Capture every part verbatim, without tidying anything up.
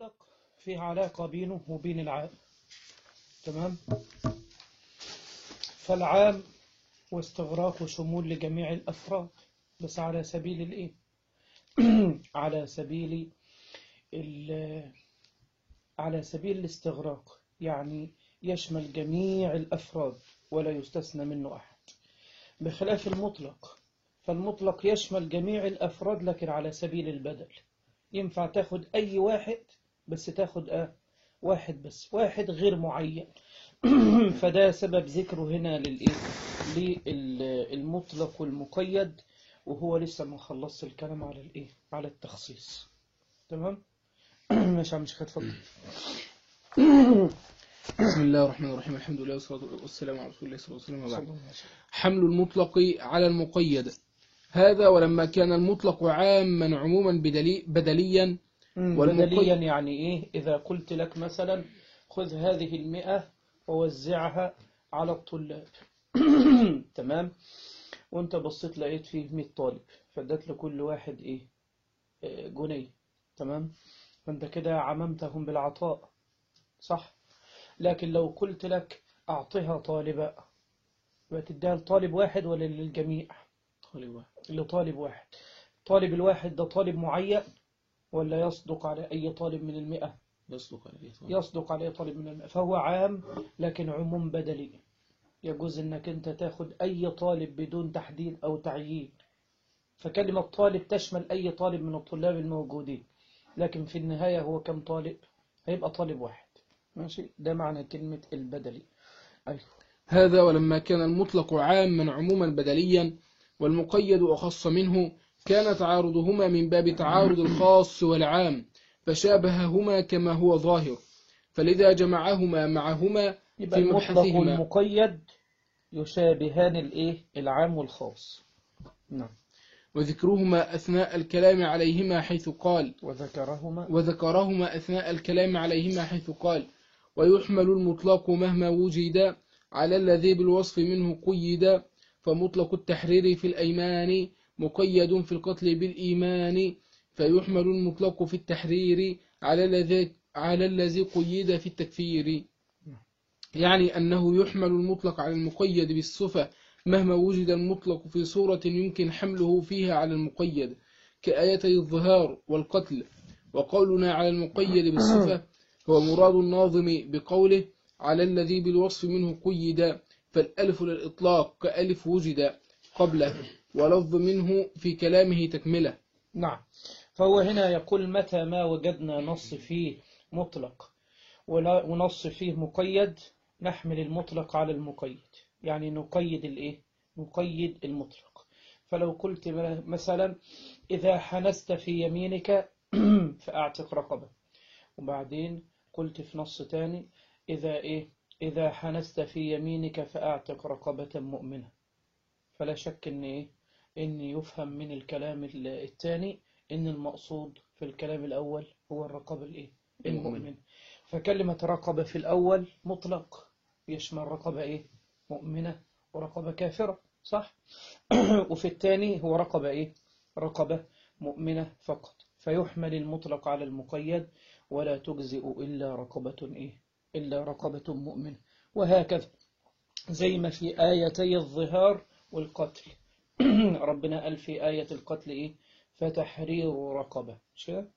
المطلق فيه علاقة بينه وبين العام. تمام. فالعام واستغراق وشمول لجميع الأفراد، بس على سبيل الإيه؟ على سبيل على سبيل الاستغراق، يعني يشمل جميع الأفراد ولا يستثنى منه أحد، بخلاف المطلق. فالمطلق يشمل جميع الأفراد لكن على سبيل البدل. ينفع تاخد أي واحد، بس تاخد آه واحد بس، واحد غير معين. فده سبب ذكره هنا للإيه؟ للمطلق والمقيد، وهو لسه ما خلصش الكلام على الإيه؟ على التخصيص. تمام. مش عم شيخ اتفضل. بسم الله الرحمن الرحيم. الحمد لله والصلاة والسلام على رسول الله صلى الله عليه وسلم. وبعد. حمل المطلق على المقيد. هذا ولما كان المطلق عاما عموما بدلي بدليا. بدليا يعني ايه؟ اذا قلت لك مثلا خذ هذه المئة ووزعها على الطلاب. تمام. وانت بصيت لقيت فيه مئة طالب، فادت لكل واحد ايه؟ جنيه. تمام. فانت كده عممتهم بالعطاء، صح؟ لكن لو قلت لك اعطيها طالبا، وتديها لطالب واحد ولا للجميع؟ طالب واحد. لطالب واحد. طالب الواحد ده طالب معين ولا يصدق على أي طالب من المئة؟ يصدق على أي طالب. يصدق على أي طالب من المئة. فهو عام لكن عموم بدلي. يجوز أنك أنت تاخد أي طالب بدون تحديد أو تعيين. فكلمة طالب تشمل أي طالب من الطلاب الموجودين، لكن في النهاية هو كم طالب؟ هيبقى طالب واحد. ماشي. ده معنى كلمة البدلي. أيوه. هذا ولما كان المطلق عاما عموما بدليا والمقيد أخص منه، كان تعارضهما من باب تعارض الخاص والعام، فشابههما كما هو ظاهر، فلذا جمعهما معهما يبقى في المطلق مبحثهما. والمقيد يشابهان الايه؟ العام والخاص. نعم. وذكرهما أثناء الكلام عليهما حيث قال وذكرهما وذكرهما أثناء الكلام عليهما حيث قال ويحمل المطلق مهما وجد على الذي بالوصف منه قيد، فمطلق التحرير في الأيمان مقيد في القتل بالإيمان، فيحمل المطلق في التحرير على الذي على الذي قيد في التكفير. يعني أنه يحمل المطلق على المقيد بالصفة مهما وجد المطلق في صورة يمكن حمله فيها على المقيد، كآيتي الظهار والقتل. وقولنا على المقيد بالصفة هو مراد الناظم بقوله على الذي بالوصف منه قيد، فالألف للإطلاق كألف وجد قبله، ولفظ منه في كلامه تكملة. نعم. فهو هنا يقول متى ما وجدنا نص فيه مطلق ونص فيه مقيد نحمل المطلق على المقيد، يعني نقيد الايه؟ نقيد المطلق. فلو قلت مثلا إذا حنست في يمينك فأعتق رقبة، وبعدين قلت في نص تاني إذا إيه؟ إذا حنست في يمينك فأعتق رقبة مؤمنة، فلا شك إن إيه؟ إن يفهم من الكلام الثاني إن المقصود في الكلام الأول هو الرقبة الإيه؟ المؤمن. فكلمة رقبة في الأول مطلق يشمل رقبة إيه؟ مؤمنة ورقبة كافرة، صح؟ وفي الثاني هو رقبة إيه؟ رقبة مؤمنة فقط، فيحمل المطلق على المقيد ولا تجزئ إلا رقبة إيه؟ إلا رقبة مؤمنة. وهكذا زي ما في آيتي الظهار والقتل. ربنا قال في آية القتل إيه؟ فتحرير رقبة، مش كده؟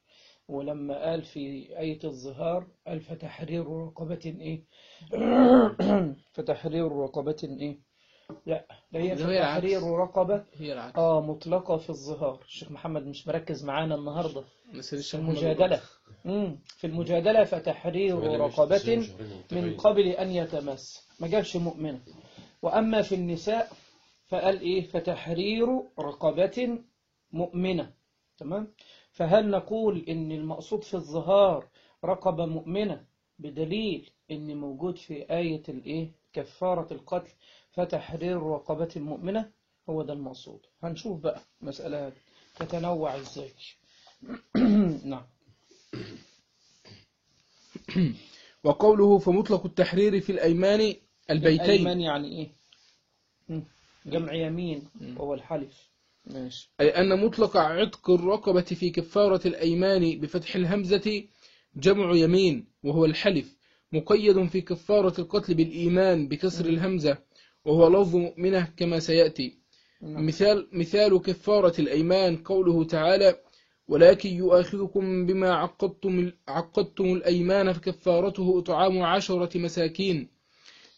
ولما قال في آية الظهار قال فتحرير رقبة إيه؟ فتحرير رقبة إيه؟ لا، لا هي فتحرير رقبة آه مطلقة في الظهار. الشيخ محمد مش مركز معانا النهاردة في المجادلة. مم. في المجادلة فتحرير رقبة من قبل أن يتمس، ما جابش مؤمنة. وأما في النساء فقال إيه؟ فتحرير رقبة مؤمنة. تمام. فهل نقول إن المقصود في الظهار رقبة مؤمنة بدليل إن موجود في آية الإيه؟ كفارة القتل فتحرير رقبة مؤمنة؟ هو ده المقصود. هنشوف بقى مسألة تتنوع إزاي. نعم. وقوله فمطلق التحرير في الأيمان البيتين. الأيمان يعني إيه؟ جمع يمين وهو الحلف. ماشي. أي أن مطلق عتق الرقبة في كفارة الأيمان بفتح الهمزة جمع يمين وهو الحلف، مقيد في كفارة القتل بالإيمان بكسر مم. الهمزة، وهو لفظ مؤمنة كما سيأتي. نعم. مثال مثال كفارة الأيمان قوله تعالى: ولكن يؤاخذكم بما عقدتم عقدتم الأيمان فكفارته إطعام عشرة مساكين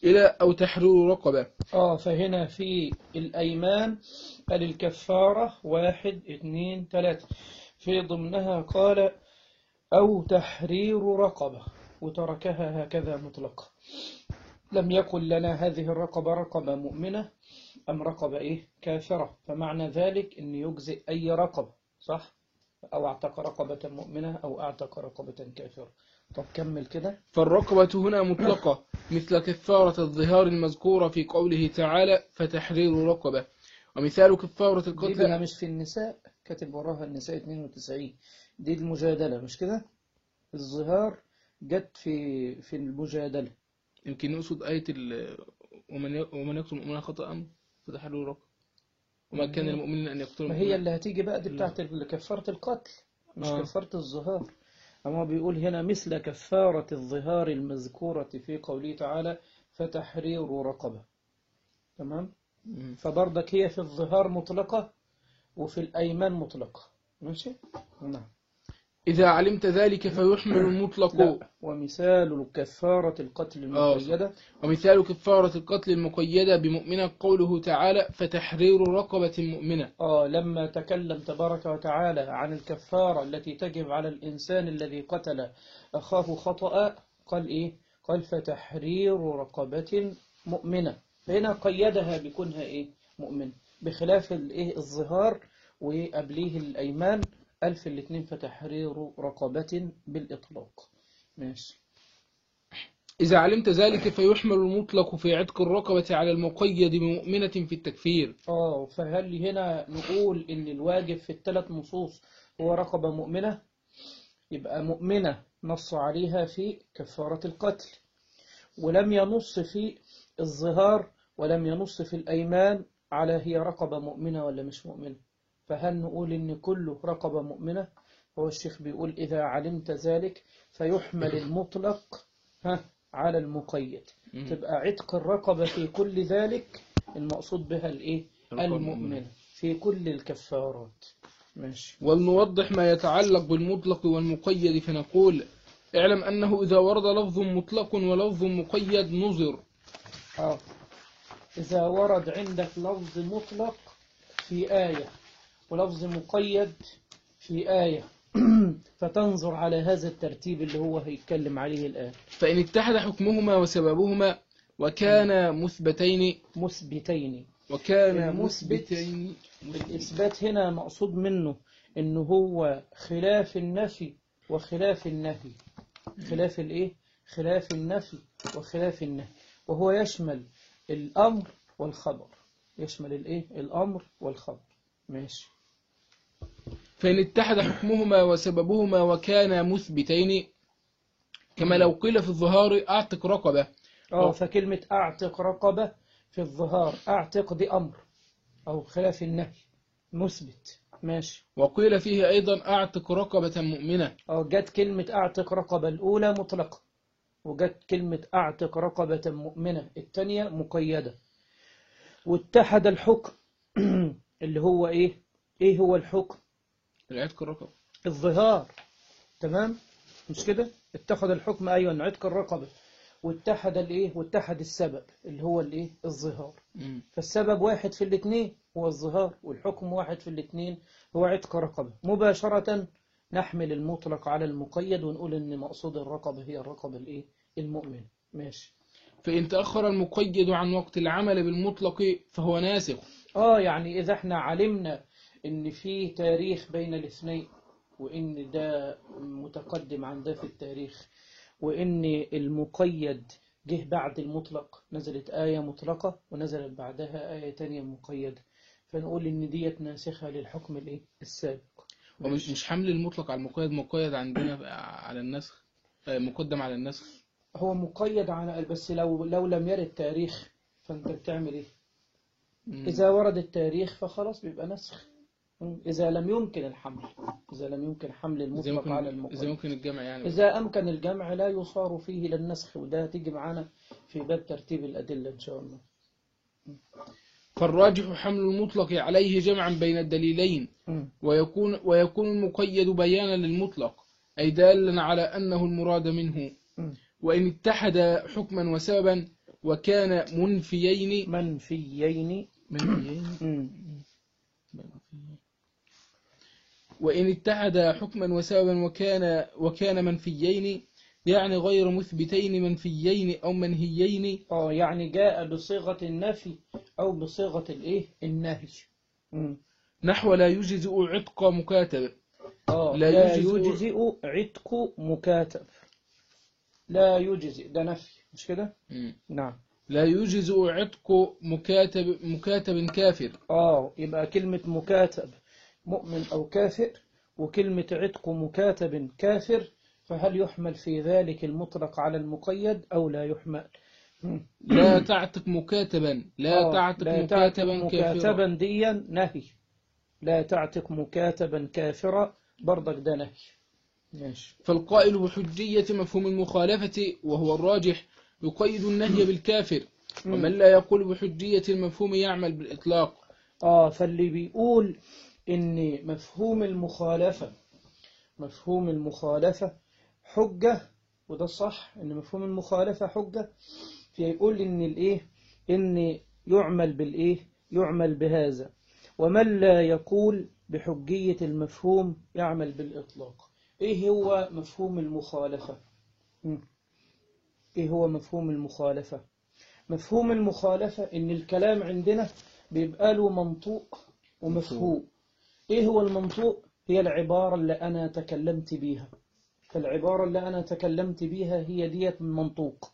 إلى أو تحرير رقبة. اه فهنا في الأيمان قال الكفارة واحد اثنين ثلاثة، في ضمنها قال أو تحرير رقبة، وتركها هكذا مطلقة. لم يقل لنا هذه الرقبة رقبة مؤمنة أم رقبة إيه كافرة، فمعنى ذلك أن يجزئ أي رقبة، صح؟ أو أعتق رقبة مؤمنة أو أعتق رقبة كافرة. طب كمل كده. فالرقبة هنا مطلقة مثل كفارة الظهار المذكورة في قوله تعالى: فتحرير رقبة. ومثال كفارة دي القتل بقى الم... مش في النساء، كاتب وراها النساء اثنين وتسعين، دي المجادلة مش كده؟ الظهار جت في في المجادلة. يمكن يقصد آية ال... ومن ي... ومن يقتل مؤمنا خطأ فتحرير رقبة، وما ما كان هي المؤمنين أن يقتلوا ما هي مؤمنا اللي هتيجي بقى دي إلا. بتاعت كفارة القتل، مش آه. كفارة الظهار. أما بيقول هنا مثل كفارة الظهار المذكورة في قوله تعالى فتحرير رقبة. تمام. مم. فبرضك هي في الظهار مطلقة وفي الأيمان مطلقة. ماشي. نعم. إذا علمت ذلك فيحمل المطلق. لا، ومثال كفارة القتل آه صح. المقيدة. ومثال كفارة القتل المقيدة بمؤمنة قوله تعالى: فتحرير رقبة مؤمنة. آه لما تكلم تبارك وتعالى عن الكفارة التي تجب على الإنسان الذي قتل أخاه خطأ، قال إيه؟ قال فتحرير رقبة مؤمنة، فهنا قيدها بكونها إيه؟ مؤمنة، بخلاف الإيه الظهار وقبليه الأيمان، ألف الاثنين فتحرير رقبة بالإطلاق. ماشي. إذا علمت ذلك فيحمل المطلق في عتق الرقبة على المقيد بمؤمنة في التكفير. آه فهل هنا نقول إن الواجب في الثلاث نصوص هو رقبة مؤمنة؟ يبقى مؤمنة نص عليها في كفارة القتل، ولم ينص في الظهار ولم ينص في الأيمان على هي رقبة مؤمنة ولا مش مؤمنة. فهل نقول إن كله رقبة مؤمنة؟ هو الشيخ بيقول إذا علمت ذلك فيحمل المطلق ها على المقيد، مم. تبقى عتق الرقبة في كل ذلك المقصود بها الإيه؟ رقبة المؤمنة في كل الكفارات. ماشي. ولنوضح ما يتعلق بالمطلق والمقيد فنقول: اعلم أنه إذا ورد لفظ مطلق ولفظ مقيد نظر. آه. إذا ورد عندك لفظ مطلق في آية ولفظ مقيد في آية فتنظر على هذا الترتيب اللي هو هيتكلم عليه الآن. فإن اتحد حكمهما وسببهما وكان مثبتين مثبتين. وكان المثبت مثبتين الإثبات هنا مقصود منه إنه هو خلاف النفي وخلاف النهي، خلاف الإيه؟ خلاف النفي وخلاف النهي، وهو يشمل الأمر والخبر، يشمل الإيه؟ الأمر والخبر. ماشي. فإن اتحد حكمهما وسببهما وكان مثبتين، كما لو قيل في الظهار أعتق رقبة. اه فكلمة أعتق رقبة في الظهار، أعتق دي أمر أو خلاف النهي مثبت. ماشي. وقيل فيه أيضا أعتق رقبة مؤمنة. أو جت كلمة أعتق رقبة الأولى مطلقة، وجت كلمة أعتق رقبة مؤمنة الثانية مقيدة، واتحد الحكم اللي هو إيه؟ إيه هو الحكم؟ العتق الرقبة. الظهار. تمام. مش كده؟ اتخذ الحكم أيوة عتق الرقبة، واتحد الايه واتحد السبب اللي هو الايه الظهار. مم. فالسبب واحد في الاثنين هو الظهار، والحكم واحد في الاثنين هو عتق رقبة. مباشرة نحمل المطلق على المقيد ونقول ان مقصود الرقبة هي الرقبة الايه المؤمن. ماشي. فإن تأخر المقيد عن وقت العمل بالمطلق فهو ناسخ. اه يعني اذا احنا علمنا ان في تاريخ بين الاثنين، وان ده متقدم عن ده في التاريخ، وإن المقيد جه بعد المطلق، نزلت آية مطلقة ونزلت بعدها آية تانية مقيدة، فنقول إن ديت ناسخة للحكم الإيه السابق. ومش مش حمل المطلق على المقيد، مقيد عندنا على النسخ، مقدم على النسخ. هو مقيد على بس لو لو لم يرد تاريخ فأنت بتعمل إيه؟ مم. إذا ورد التاريخ فخلاص بيبقى نسخ. إذا لم يمكن الحمل، إذا لم يمكن حمل إذا المطلق ممكن على المقيد. إذا ممكن الجمع يعني. إذا أمكن الجمع لا يصار فيه للنسخ، وده هتيجي معانا في باب ترتيب الأدلة إن شاء الله. فالراجح حمل المطلق عليه جمعا بين الدليلين، ويكون ويكون المقيد بيانا للمطلق، أي دالا على أنه المراد منه. وإن اتحد حكما وسببا وكان منفيين منفيين منفيين وإن اتحد حكما وسببا وكان وكان منفيين، يعني غير مثبتين منفيين أو منهيين. اه يعني جاء بصيغة النفي أو بصيغة الإيه النهي. مم. نحو لا يجزئ عتق مكاتب. اه لا, لا يجزئ يجزئ عتق مكاتب. لا يجزئ ده نفي مش كده؟ نعم. لا يجزئ عتق مكاتب مكاتب كافر. اه يبقى كلمة مكاتب مؤمن أو كافر، وكلمة عتق مكاتب كافر، فهل يحمل في ذلك المطلق على المقيد أو لا يحمل؟ لا تعتق مكاتبا لا آه تعتق لا مكاتبا تعتق كافرا. مكاتبا ديا نهي. لا تعتق مكاتبا كافرا برضك ده نهي. ماشي. فالقائل بحجية مفهوم المخالفة وهو الراجح يقيد النهي بالكافر، ومن لا يقول بحجية المفهوم يعمل بالإطلاق. آه فاللي بيقول إن مفهوم المخالفة مفهوم المخالفة حجة، وده صح إن مفهوم المخالفة حجة، فيقول إن الإيه إن يعمل بالإيه يعمل بهذا، ومن لا يقول بحجية المفهوم يعمل بالإطلاق. إيه هو مفهوم المخالفة؟ إيه هو مفهوم المخالفة؟ مفهوم المخالفة إن الكلام عندنا بيبقى له منطوق ومفهوم. إيه هو المنطوق؟ هي العبارة اللي أنا تكلمت بيها، فالعبارة اللي أنا تكلمت بيها هي ديت المنطوق،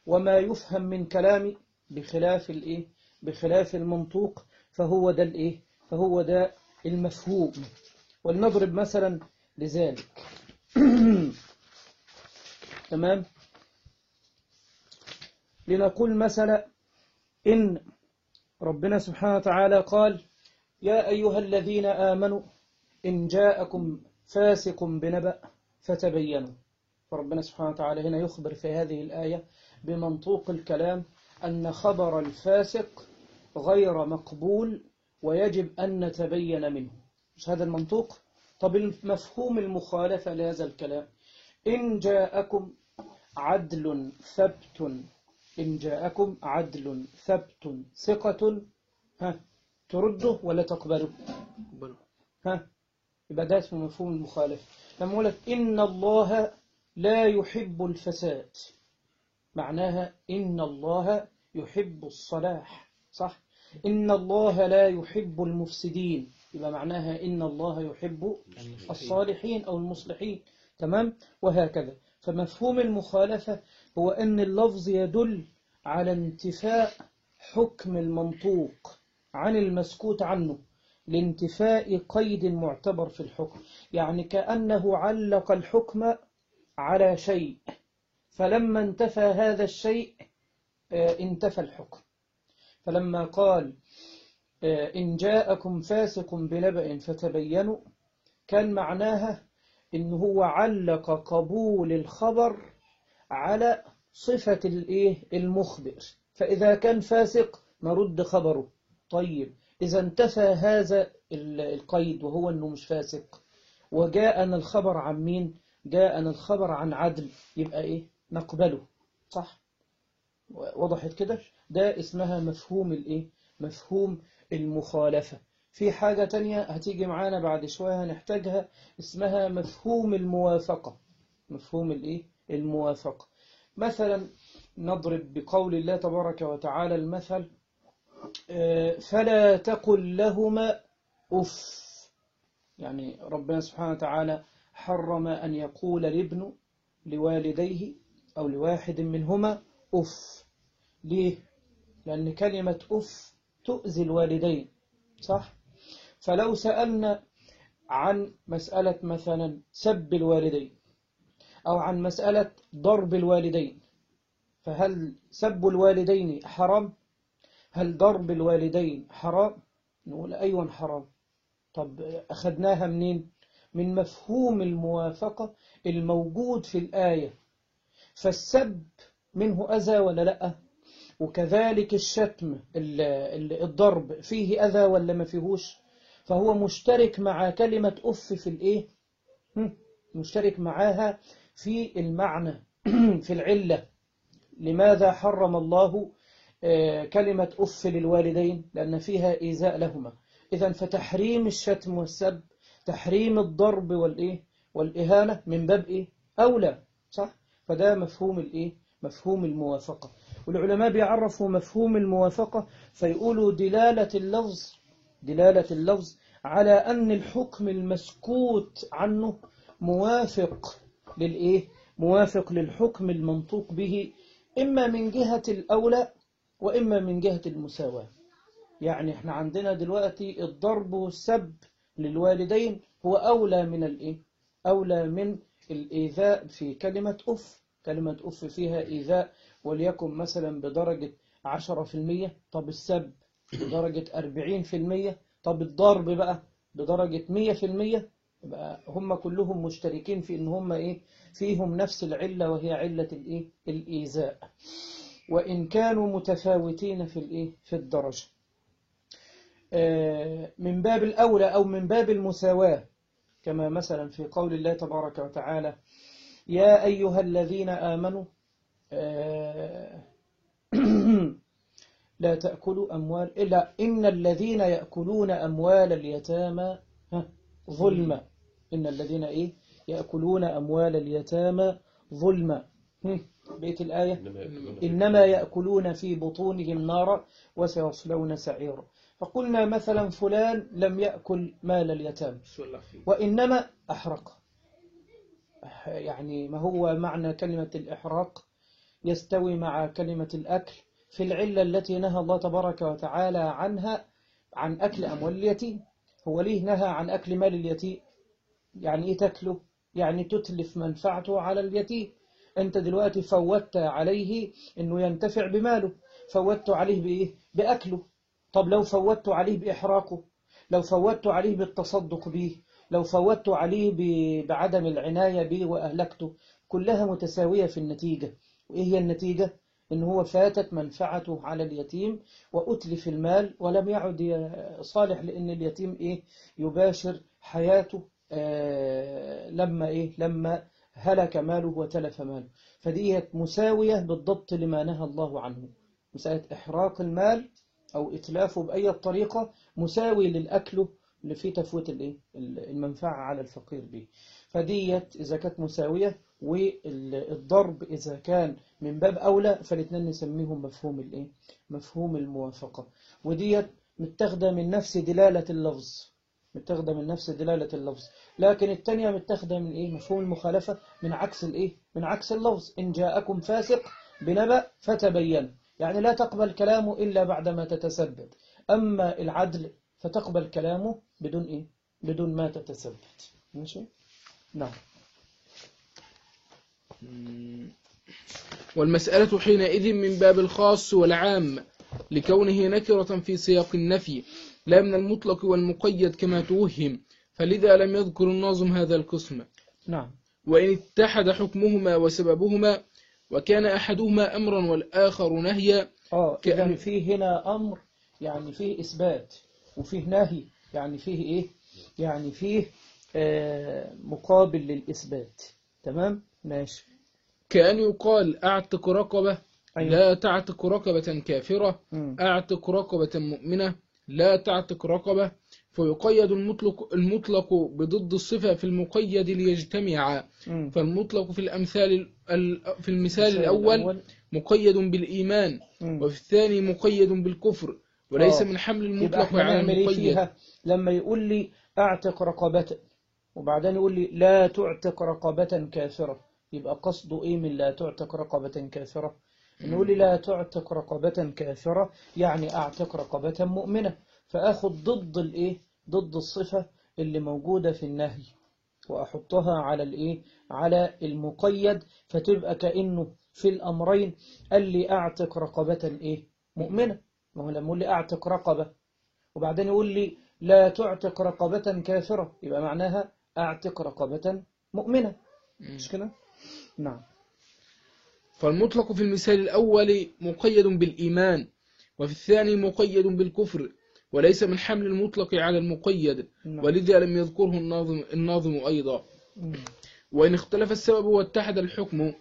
وما يفهم من كلامي بخلاف الإيه بخلاف المنطوق فهو ده الإيه فهو ده المفهوم. ولنضرب مثلا لذلك. تمام. لنقول مثلا إن ربنا سبحانه وتعالى قال يا أيها الذين آمنوا إن جاءكم فاسق بنبأ فتبينوا. فربنا سبحانه وتعالى هنا يخبر في هذه الآية بمنطوق الكلام أن خبر الفاسق غير مقبول ويجب أن نتبين منه. مش هذا المنطوق؟ طب المفهوم المخالفة لهذا الكلام إن جاءكم عدل ثبت إن جاءكم عدل ثبت ثقة ها ترده ولا تقبله؟ ها يبقى ده اسمه مفهوم المخالفة. لما أقول لك إن الله لا يحب الفساد، معناها إن الله يحب الصلاح، صح؟ إن الله لا يحب المفسدين، يبقى معناها إن الله يحب الصالحين أو المصلحين. تمام. وهكذا. فمفهوم المخالفة هو أن اللفظ يدل على انتفاء حكم المنطوق عن المسكوت عنه لانتفاء قيد معتبر في الحكم، يعني كأنه علق الحكم على شيء، فلما انتفى هذا الشيء انتفى الحكم. فلما قال إن جاءكم فاسق بنبأ فتبينوا، كان معناها إن هو علق قبول الخبر على صفة الإيه المخبر، فإذا كان فاسق نرد خبره. طيب إذا انتفى هذا القيد وهو أنه مش فاسق وجاءنا الخبر عن مين؟ جاءنا الخبر عن عدل، يبقى إيه نقبله، صح؟ وضحت كده؟ ده اسمها مفهوم الإيه مفهوم المخالفة. في حاجة تانية هتيجي معانا بعد شوية هنحتاجها اسمها مفهوم الموافقة. مفهوم الإيه الموافقة. مثلا نضرب بقول الله تبارك وتعالى المثل فلا تقل لهما أف، يعني ربنا سبحانه وتعالى حرم أن يقول الابن لوالديه أو لواحد منهما أف. ليه؟ لأن كلمة أف تؤذي الوالدين، صح؟ فلو سألنا عن مسألة مثلا سب الوالدين أو عن مسألة ضرب الوالدين، فهل سب الوالدين حرام؟ هل ضرب الوالدين حرام؟ نقول أيوة حرام. طب أخذناها منين؟ من مفهوم الموافقة الموجود في الآية. فالسب منه أذى ولا لأ؟ وكذلك الشتم الضرب فيه أذى ولا ما فيهوش؟ فهو مشترك مع كلمة أف في الإيه؟ مشترك معاها في المعنى في العلة. لماذا حرم الله كلمة أف للوالدين؟ لأن فيها إيذاء لهما. إذن فتحريم الشتم والسب، تحريم الضرب والإيه والإهانة من باب إيه؟ أولى، صح؟ فده مفهوم الإيه؟ مفهوم الموافقة. والعلماء بيعرفوا مفهوم الموافقة فيقولوا دلالة اللفظ دلالة اللفظ على أن الحكم المسكوت عنه موافق للإيه؟ موافق للحكم المنطوق به، إما من جهة الأولى وإما من جهة المساواة. يعني احنا عندنا دلوقتي الضرب والسب للوالدين هو أولى من الإيه؟ أولى من الإيذاء في كلمة أف. كلمة أف فيها إيذاء وليكن مثلا بدرجة عشرة في المية، طب السب بدرجة أربعين في المية، طب الضرب بقى بدرجة مية في المية. يبقى هم كلهم مشتركين في إن هم إيه؟ فيهم نفس العلة، وهي علة الإيه؟ الإيذاء، وإن كانوا متفاوتين في الإيه؟ في الدرجة. من باب الأولى أو من باب المساواة، كما مثلا في قول الله تبارك وتعالى: يا أيها الذين آمنوا لا تأكلوا أموال إلا إن الذين يأكلون أموال اليتامى ظلما. إن الذين إيه؟ يأكلون أموال اليتامى ظلما. بيت الآية: إنما يأكلون في بطونهم نارا وسيصلون سعيرا. فقلنا مثلا فلان لم يأكل مال اليتامى وإنما أحرق. يعني ما هو معنى كلمة الإحراق؟ يستوي مع كلمة الأكل في العلة التي نهى الله تبارك وتعالى عنها، عن أكل أموال اليتيم. هو ليه نهى عن أكل مال اليتيم؟ يعني إيه تأكله؟ يعني تتلف منفعته على اليتيم. أنت دلوقتي فوتت عليه أنه ينتفع بماله، فوتت عليه بإيه؟ بأكله. طب لو فوتت عليه بإحراقه، لو فوتت عليه بالتصدق به، لو فوتت عليه بعدم العناية به وأهلكته، كلها متساوية في النتيجة. وإيه هي النتيجة؟ إن هو فاتت منفعته على اليتيم وأتلف المال ولم يعد صالح، لأن اليتيم إيه؟ يباشر حياته آه لما إيه؟ لما هلك ماله وتلف ماله. فدي مساوية بالضبط لما نهى الله عنه. مسألة إحراق المال أو إتلافه بأي طريقة مساوي للأكل اللي فيه تفوت الإيه؟ المنفعة على الفقير به. فديت إذا كانت مساوية، والضرب إذا كان من باب أولى، فالاثنين نسميهم مفهوم الإيه؟ مفهوم الموافقة. وديت متاخدة من نفس دلالة اللفظ متاخدة من نفس دلالة اللفظ لكن الثانية متاخدة من إيه؟ مفهوم المخالفة، من عكس الإيه؟ من عكس اللفظ. إن جاءكم فاسق بنبأ فتبين، يعني لا تقبل كلامه إلا بعدما تتثبت. أما العدل فتقبل كلامه بدون إيه؟ بدون ما تتثبت. ماشي؟ نعم. والمسألة حينئذ من باب الخاص والعام، لكونه نكرة في سياق النفي لا من المطلق والمقيد كما توهم، فلذا لم يذكر الناظم هذا القسم. نعم. وإن اتحد حكمهما وسببهما وكان أحدهما أمرا والآخر نهيا. آه كأن فيه هنا أمر يعني فيه إثبات، وفيه نهي يعني فيه إيه؟ يعني فيه آه مقابل للإثبات. تمام؟ ماشي. كأن يقال أعتق رقبة أيوة. لا تعتق رقبة كافرة، م. أعتق رقبة مؤمنة لا تعتق رقبة، فيقيد المطلق, المطلق بضد الصفة في المقيد ليجتمعا. م. فالمطلق في الأمثال في المثال المثال الأول الأول مقيد بالإيمان، م. وفي الثاني مقيد بالكفر، وليس آه. من حمل يبقى المطلق احنا على نعمل ايه المقيد. فيها؟ لما يقول لي اعتق رقبة وبعدين يقول لي لا تعتق رقبة كافرة، يبقى قصده ايه من لا تعتق رقبة كافرة؟ نقول لي لا تعتق رقبة كافرة يعني اعتق رقبة مؤمنة، فاخد ضد الايه؟ ضد الصفة اللي موجودة في النهي واحطها على الايه؟ على المقيد، فتبقى كأنه في الامرين قال لي اعتق رقبة ايه؟ مؤمنة. ما هو لما يقول لي اعتق رقبة وبعدين يقول لي لا تعتق رقبة كافرة، يبقى معناها أعتق رقبة مؤمنة، مش كده؟ نعم. فالمطلق في المثال الأول مقيد بالإيمان، وفي الثاني مقيد بالكفر، وليس من حمل المطلق على المقيد، نعم. ولذا لم يذكره الناظم, الناظم أيضا. مم. وإن اختلف السبب واتحد الحكم،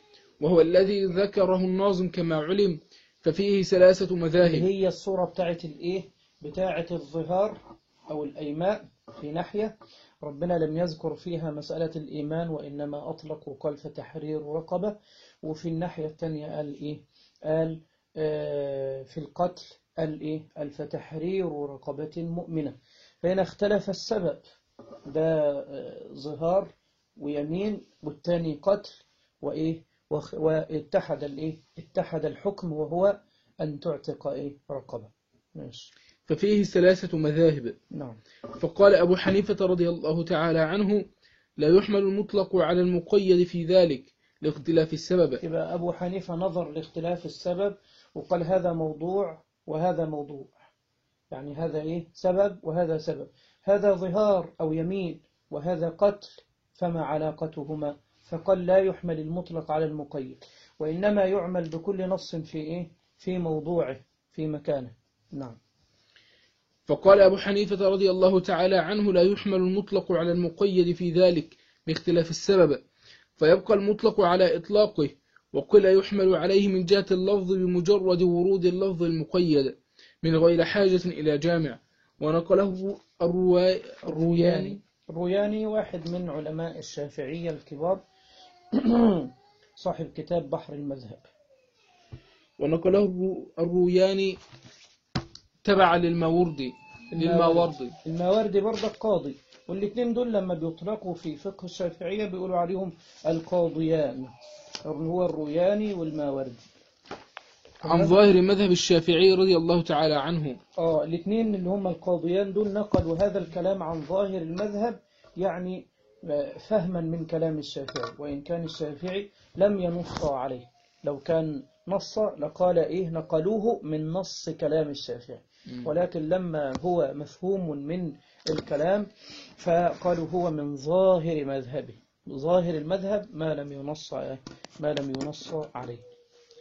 وهو الذي ذكره الناظم كما علم، ففيه ثلاثة اللي مذاهب. هي الصورة بتاعت الإيه؟ بتاعت الظهار أو الأيمان في ناحية ربنا لم يذكر فيها مسألة الإيمان، وإنما أطلق وقال فتحرير رقبة. وفي الناحية الثانية قال إيه؟ قال آه في القتل قال إيه؟ قال فتحرير رقبة مؤمنة. فهنا اختلف السبب، ده آه ظهار ويمين، والتاني قتل وإيه؟ وخ- واتحد الإيه؟ اتحد الحكم وهو أن تعتق إيه؟ رقبة. ماشي. ففيه ثلاثة مذاهب. نعم. فقال أبو حنيفة رضي الله تعالى عنه: لا يحمل المطلق على المقيد في ذلك لاختلاف السبب. يبقى أبو حنيفة نظر لاختلاف السبب وقال هذا موضوع وهذا موضوع، يعني هذا إيه؟ سبب وهذا سبب، هذا ظهار أو يمين وهذا قتل، فما علاقتهما؟ فقال لا يحمل المطلق على المقيد، وإنما يعمل بكل نص في إيه؟ في موضوعه في مكانه. نعم. فقال أبو حنيفة رضي الله تعالى عنه: لا يحمل المطلق على المقيد في ذلك لاختلاف السبب، فيبقى المطلق على إطلاقه، وقل يحمل عليه من جهة اللفظ بمجرد ورود اللفظ المقيد من غير حاجة إلى جامع. ونقله الروا... الروياني الروياني واحد من علماء الشافعية الكبار صاحب كتاب بحر المذهب. ونقله الروياني تبع للماوردي للماوردي الماوردي برضه قاضي، والاثنين دول لما بيطلقوا في فقه الشافعية بيقولوا عليهم القاضيان، هو الروياني والماوردي. عن ظاهر مذهب الشافعي رضي الله تعالى عنه. اه الاثنين اللي هم القاضيان دول نقلوا هذا الكلام عن ظاهر المذهب، يعني فهما من كلام الشافعي، وإن كان الشافعي لم ينص عليه، لو كان نص لقال إيه؟ نقلوه من نص كلام الشافعي، ولكن لما هو مفهوم من الكلام فقالوا هو من ظاهر مذهبه، ظاهر المذهب ما لم ينص ما لم ينص عليه.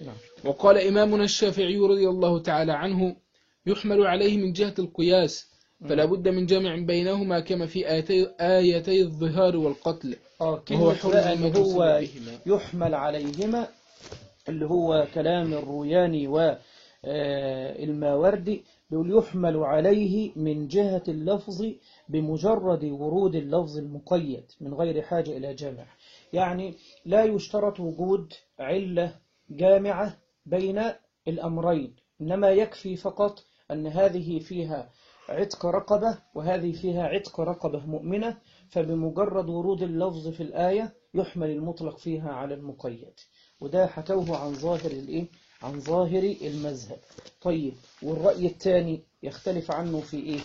نعم. وقال إمامنا الشافعي رضي الله تعالى عنه: يحمل عليه من جهة القياس، فلا بد من جمع بينهما كما في آيتي, آيتي الظهار والقتل. آه وهو حرم هو يحمل عليهما، اللي هو كلام الروياني والماوردي، بيقول يحمل عليه من جهة اللفظ بمجرد ورود اللفظ المقيد من غير حاجة إلى جامع، يعني لا يشترط وجود علة جامعة بين الأمرين، إنما يكفي فقط أن هذه فيها عتق رقبة وهذه فيها عتق رقبة مؤمنة، فبمجرد ورود اللفظ في الآية يحمل المطلق فيها على المقيد. وده حكوه عن ظاهر الإيه؟ عن ظاهر المذهب. طيب، والرأي الثاني يختلف عنه في إيه؟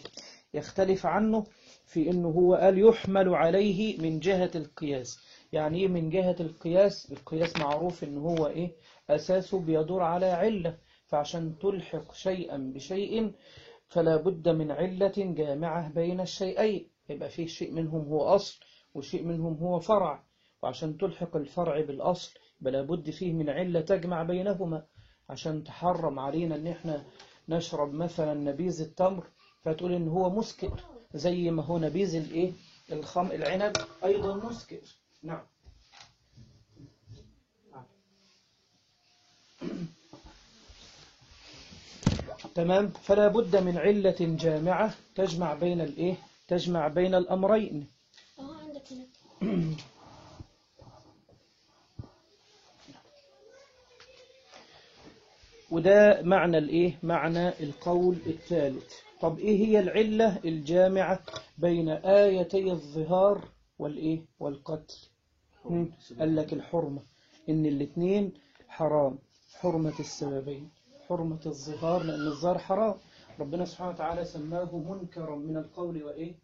يختلف عنه في إنه هو قال يحمل عليه من جهة القياس. يعني إيه من جهة القياس؟ القياس معروف إنه هو إيه؟ أساسه بيدور على علة، فعشان تلحق شيئا بشيء فلا بد من علة جامعة بين الشيئين، يبقى فيه شيء منهم هو أصل وشيء منهم هو فرع، وعشان تلحق الفرع بالأصل بلا بد فيه من علة تجمع بينهما. عشان تحرم علينا ان احنا نشرب مثلا نبيذ التمر فتقول ان هو مسكر، زي ما هو نبيذ الايه الخم العنب ايضا مسكر. نعم. تمام. فلا بد من علة جامعة تجمع بين الايه تجمع بين الامرين. اه عندك هنا. وده معنى الايه معنى القول الثالث. طب ايه هي العلة الجامعة بين آيتي الظهار والايه والقتل؟ قال لك الحرمة، ان الاثنين حرام، حرمة السببين، حرمة الظهار لأن الظهار حرام، ربنا سبحانه وتعالى سماه منكرا من القول وإيه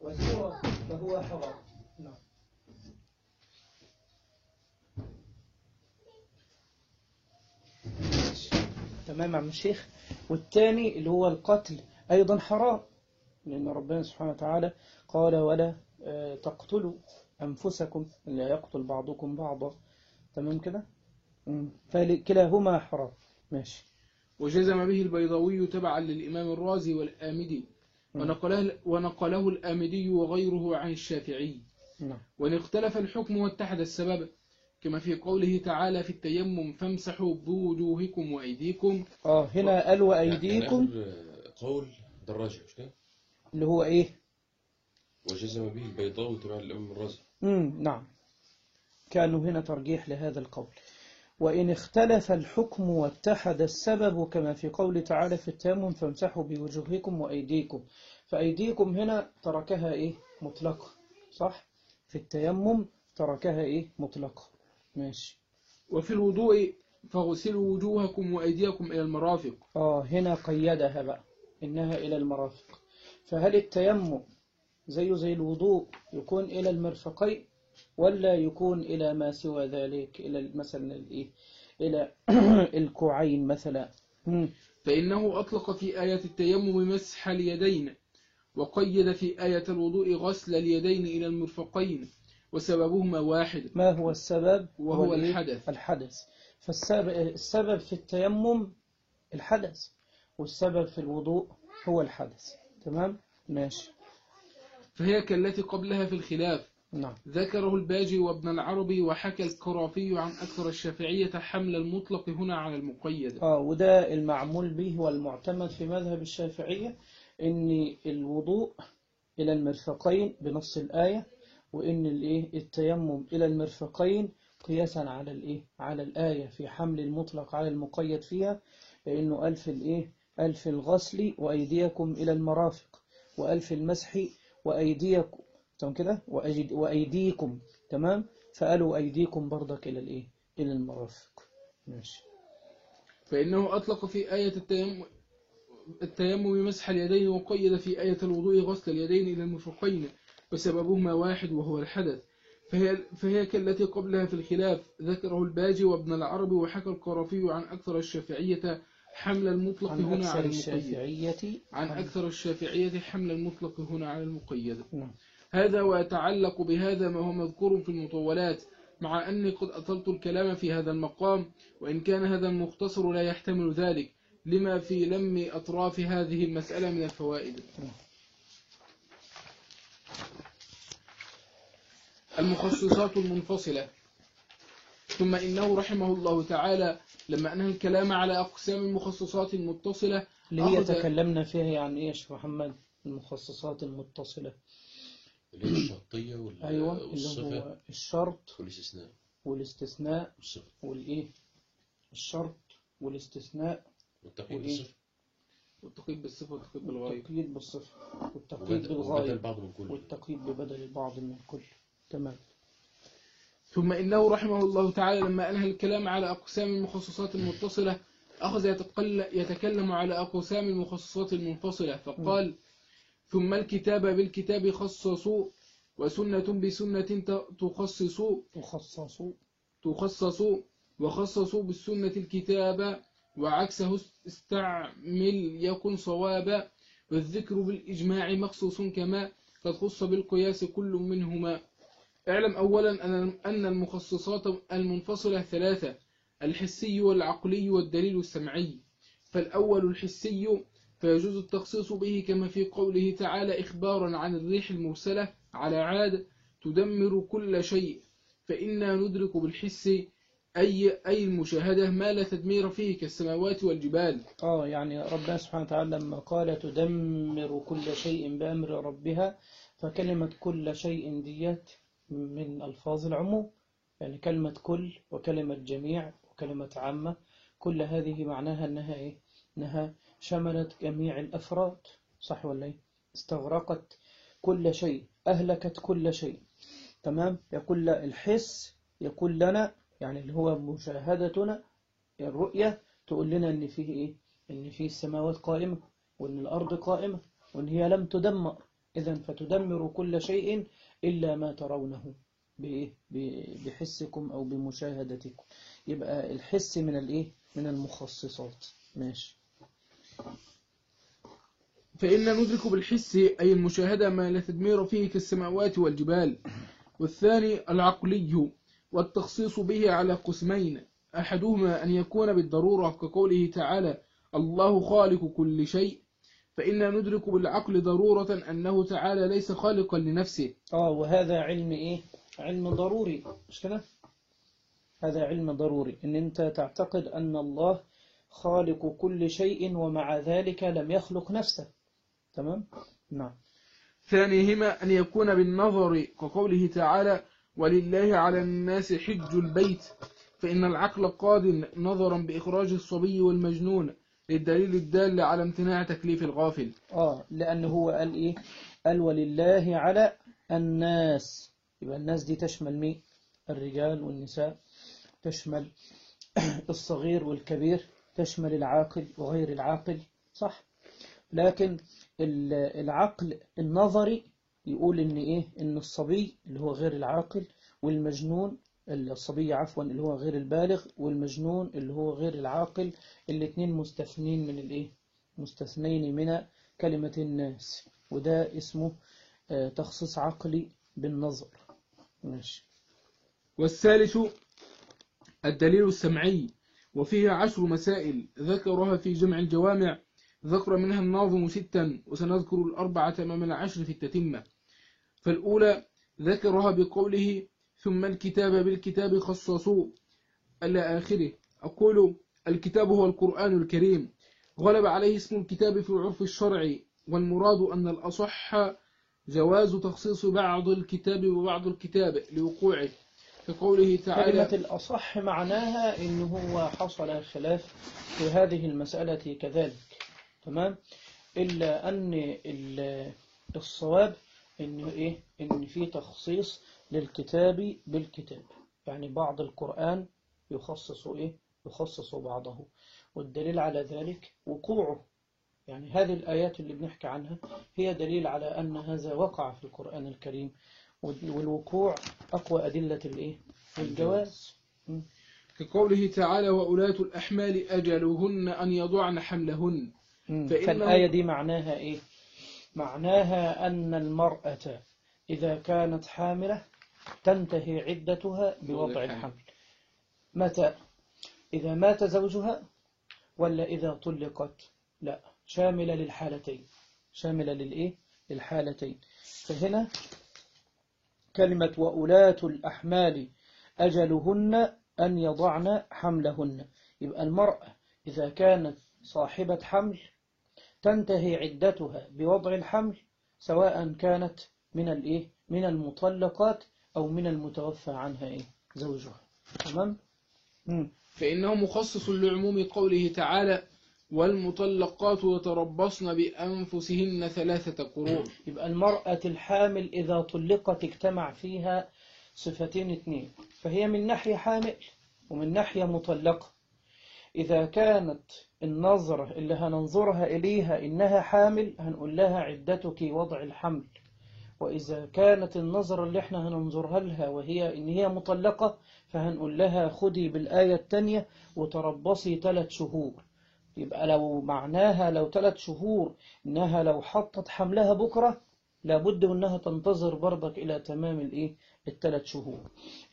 والزور، فهو حرام. نعم. تمام يا عم الشيخ. والثاني اللي هو القتل أيضا حرام، لأن ربنا سبحانه وتعالى قال ولا آه، تقتلوا أنفسكم، لا يقتل بعضكم بعضا. تمام كده. مم. فكلاهما حرام. ماشي. وجزم به البيضاوي تبعا للإمام الرازي والآمدي، مم. ونقله, ونقله الآمدي وغيره عن الشافعي. نعم. وإن اختلف الحكم واتحد السبب، كما في قوله تعالى في التيمم فامسحوا بوجوهكم وأيديكم. اه هنا قال يعني وأيديكم آخر قول دراجة مش كده؟ اللي هو إيه؟ وجزم به البيضاوي تبع الإمام الرازي. مم. نعم، كانوا هنا ترجيح لهذا القول. وإن اختلف الحكم واتحد السبب، كما في قول تعالى في التيمم فامسحوا بوجوهكم وأيديكم. فأيديكم هنا تركها إيه؟ مطلقة، صح؟ في التيمم تركها إيه؟ مطلقة. ماشي. وفي الوضوء فاغسلوا وجوهكم وأيديكم إلى المرافق. آه هنا قيدها بقى إنها إلى المرافق. فهل التيمم زيه زي الوضوء يكون إلى المرفقين، ولا يكون إلى ما سوى ذلك، إلى مثلا الإيه؟ إلى الكوعين مثلا؟ مم. فإنه أطلق في آية التيمم مسح اليدين، وقيد في آية الوضوء غسل اليدين إلى المرفقين، وسببهما واحد. ما هو السبب؟ وهو هو الإيه؟ الحدث. الحدث. فالسبب السبب في التيمم الحدث، والسبب في الوضوء هو الحدث. تمام؟ ماشي. فهي كالتي قبلها في الخلاف. نعم. ذكره الباجي وابن العربي، وحكى الكرافي عن أكثر الشافعية حمل المطلق هنا على المقيد. آه وده المعمول به والمعتمد في مذهب الشافعية، إن الوضوء إلى المرفقين بنص الآية، وإن الإيه التيمم إلى المرفقين قياسا على الإيه على الآية في حمل المطلق على المقيد فيها، لأنه قال في الإيه قال في الغسل وأيديكم إلى المرافق، وقال في المسح وأيديكم. تمام كده. وأجد وأيديكم. تمام. فقالوا أيديكم برضك إلى الإيه إلى المرافق. ماشي. فإنه أطلق في آية التيمم التيمم مسح اليدين، وقيد في آية الوضوء غسل اليدين إلى المرفقين، وسببهما واحد وهو الحدث. فهي, فهي كالتي قبلها في الخلاف. ذكره الباجي وابن العربي، وحكى القرافي عن أكثر الشافعية حمل المطلق عن هنا أكثر على المقيد. الشافعية عن عن- أكثر الشافعية حمل المطلق هنا على المقيد. نعم. هذا ويتعلق بهذا ما هو مذكور في المطولات، مع أني قد أطلت الكلام في هذا المقام، وإن كان هذا المختصر لا يحتمل ذلك، لما في لم أطراف هذه المسألة من الفوائد. المخصصات المنفصلة. ثم إنه رحمه الله تعالى لما أنهى الكلام على أقسام المخصصات المتصلة اللي هي أخذ تكلمنا فيها يعني إيش محمد؟ المخصصات المتصلة. اللي هي الشرطية وال- أيوة، اللي والصفة هو الشرط والاستثناء والاستثناء والصفة والإيه الشرط والاستثناء والتقييد وإيه؟ بالصفة والتقييد بالصفة والتقييد بالغاية. والتقييد بالصفة والتقييد وبدل وبدل بالغاية بعض من كل. والتقييد ببدل البعض من الكل. تمام. ثم إنه رحمه الله تعالى لما أنهى الكلام على أقسام المخصصات المتصلة أخذ يتقل يتكلم على أقسام المخصصات المنفصلة، فقال: ثم الكتاب بالكتاب خصصوا، وسنة بسنة تخصصوا تخصصوا تخصصوا وخصصوا بالسنة الكتاب، وعكسه استعمل يكن صوابا، والذكر بالإجماع مخصوص كما قد خص بالقياس كل منهما. اعلم أولا أن المخصصات المنفصلة ثلاثة: الحسي والعقلي والدليل السمعي. فالأول الحسي، فيجوز التخصيص به كما في قوله تعالى إخبارا عن الريح المرسلة على عاد تدمر كل شيء، فإنا ندرك بالحس أي أي المشاهدة ما لا تدمير فيه كالسماوات والجبال. آه يعني ربنا سبحانه وتعالى لما قال تدمر كل شيء بأمر ربها، فكلمة كل شيء ديت من ألفاظ العموم، يعني كلمة كل وكلمة جميع وكلمة عامة، كل هذه معناها أنها إيه؟ أنها شملت جميع الأفراد، صح ولا إيه؟ استغرقت كل شيء، أهلكت كل شيء. تمام. يقول الحس يقول لنا يعني اللي هو مشاهدتنا، الرؤية تقول لنا إن فيه إيه؟ إن فيه السماوات قائمة، وإن الأرض قائمة، وإن هي لم تدمر. إذن فتدمر كل شيء إلا ما ترونه بإيه؟ بحسكم أو بمشاهدتكم. يبقى الحس من الإيه؟ من المخصصات. ماشي. فإن ندرك بالحس أي المشاهدة ما لا تدمير فيه كالسماوات والجبال. والثاني العقلي، والتخصيص به على قسمين: أحدهما أن يكون بالضرورة كقوله تعالى الله خالق كل شيء، فإن ندرك بالعقل ضرورة أنه تعالى ليس خالقا لنفسه. آه وهذا علم إيه؟ علم ضروري، مش كده؟ هذا علم ضروري إن أنت تعتقد أن الله خالق كل شيء ومع ذلك لم يخلق نفسه. تمام؟ نعم. ثانيهما أن يكون بالنظر كقوله تعالى ولله على الناس حج البيت، فإن العقل قاد نظرا بإخراج الصبي والمجنون للدليل الدال على امتناع تكليف الغافل. آه لأنه هو قال إيه؟ قال ولله على الناس، يبقى الناس دي تشمل مين؟ الرجال والنساء، تشمل الصغير والكبير، تشمل العاقل وغير العاقل، صح؟ لكن العقل النظري يقول إن إيه؟ إن الصبي اللي هو غير العاقل والمجنون، الصبي عفوا اللي هو غير البالغ والمجنون اللي هو غير العاقل، الاثنين مستثنين من الإيه؟ مستثنين من كلمة الناس، وده اسمه تخصيص عقلي بالنظر. ماشي. والثالث الدليل السمعي، وفيه عشر مسائل ذكرها في جمع الجوامع، ذكر منها الناظم ستا، وسنذكر الأربعة أمام العشر في التتمة. فالأولى ذكرها بقوله ثم الكتاب بالكتاب خصصوا إلى آخره. أقول الكتاب هو القرآن الكريم، غلب عليه اسم الكتاب في عرف الشرع، والمراد أن الأصح جواز تخصيص بعض الكتاب وبعض الكتاب لوقوعه، كقوله تعالى. كلمة الأصح معناها إنه هو حصل خلاف في هذه المسألة كذلك، تمام؟ إلا أن الصواب إنه إيه؟ إن في تخصيص للكتاب بالكتاب، يعني بعض القرآن يخصص إيه؟ يخصص بعضه، والدليل على ذلك وقوعه، يعني هذه الآيات اللي بنحكي عنها هي دليل على أن هذا وقع في القرآن الكريم، والوقوع أقوى أدلة الإيه؟ الجواز. كقوله تعالى وأولاة الأحمال أجلهن أن يضعن حملهن. فالآية دي معناها إيه؟ معناها أن المرأة إذا كانت حاملة تنتهي عدتها بوضع الحمل. متى؟ إذا مات زوجها ولا إذا طلقت؟ لا، شاملة للحالتين، شاملة للإيه؟ للحالتين. فهنا كلمة وأولاة الأحمال أجلهن أن يضعن حملهن، يبقى المرأة إذا كانت صاحبة حمل تنتهي عدتها بوضع الحمل، سواء كانت من الإيه؟ من المطلقات أو من المتوفى عنها إيه؟ زوجها. تمام؟ فإنه مخصص لعموم قوله تعالى والمطلقات يتربصن بأنفسهن ثلاثة قروء. يبقى المرأة الحامل إذا طلقت اجتمع فيها صفتين اثنين، فهي من ناحية حامل ومن ناحية مطلقة. إذا كانت النظرة اللي هننظرها إليها إنها حامل هنقول لها عدتك وضع الحمل، وإذا كانت النظرة اللي احنا هننظرها لها وهي إن هي مطلقة فهنقول لها خدي بالآية التانية وتربصي ثلاث شهور. يبقى لو معناها لو ثلاث شهور إنها لو حطت حملها بكرة لابد أنها تنتظر برضك إلى تمام الإيه الثلاث شهور.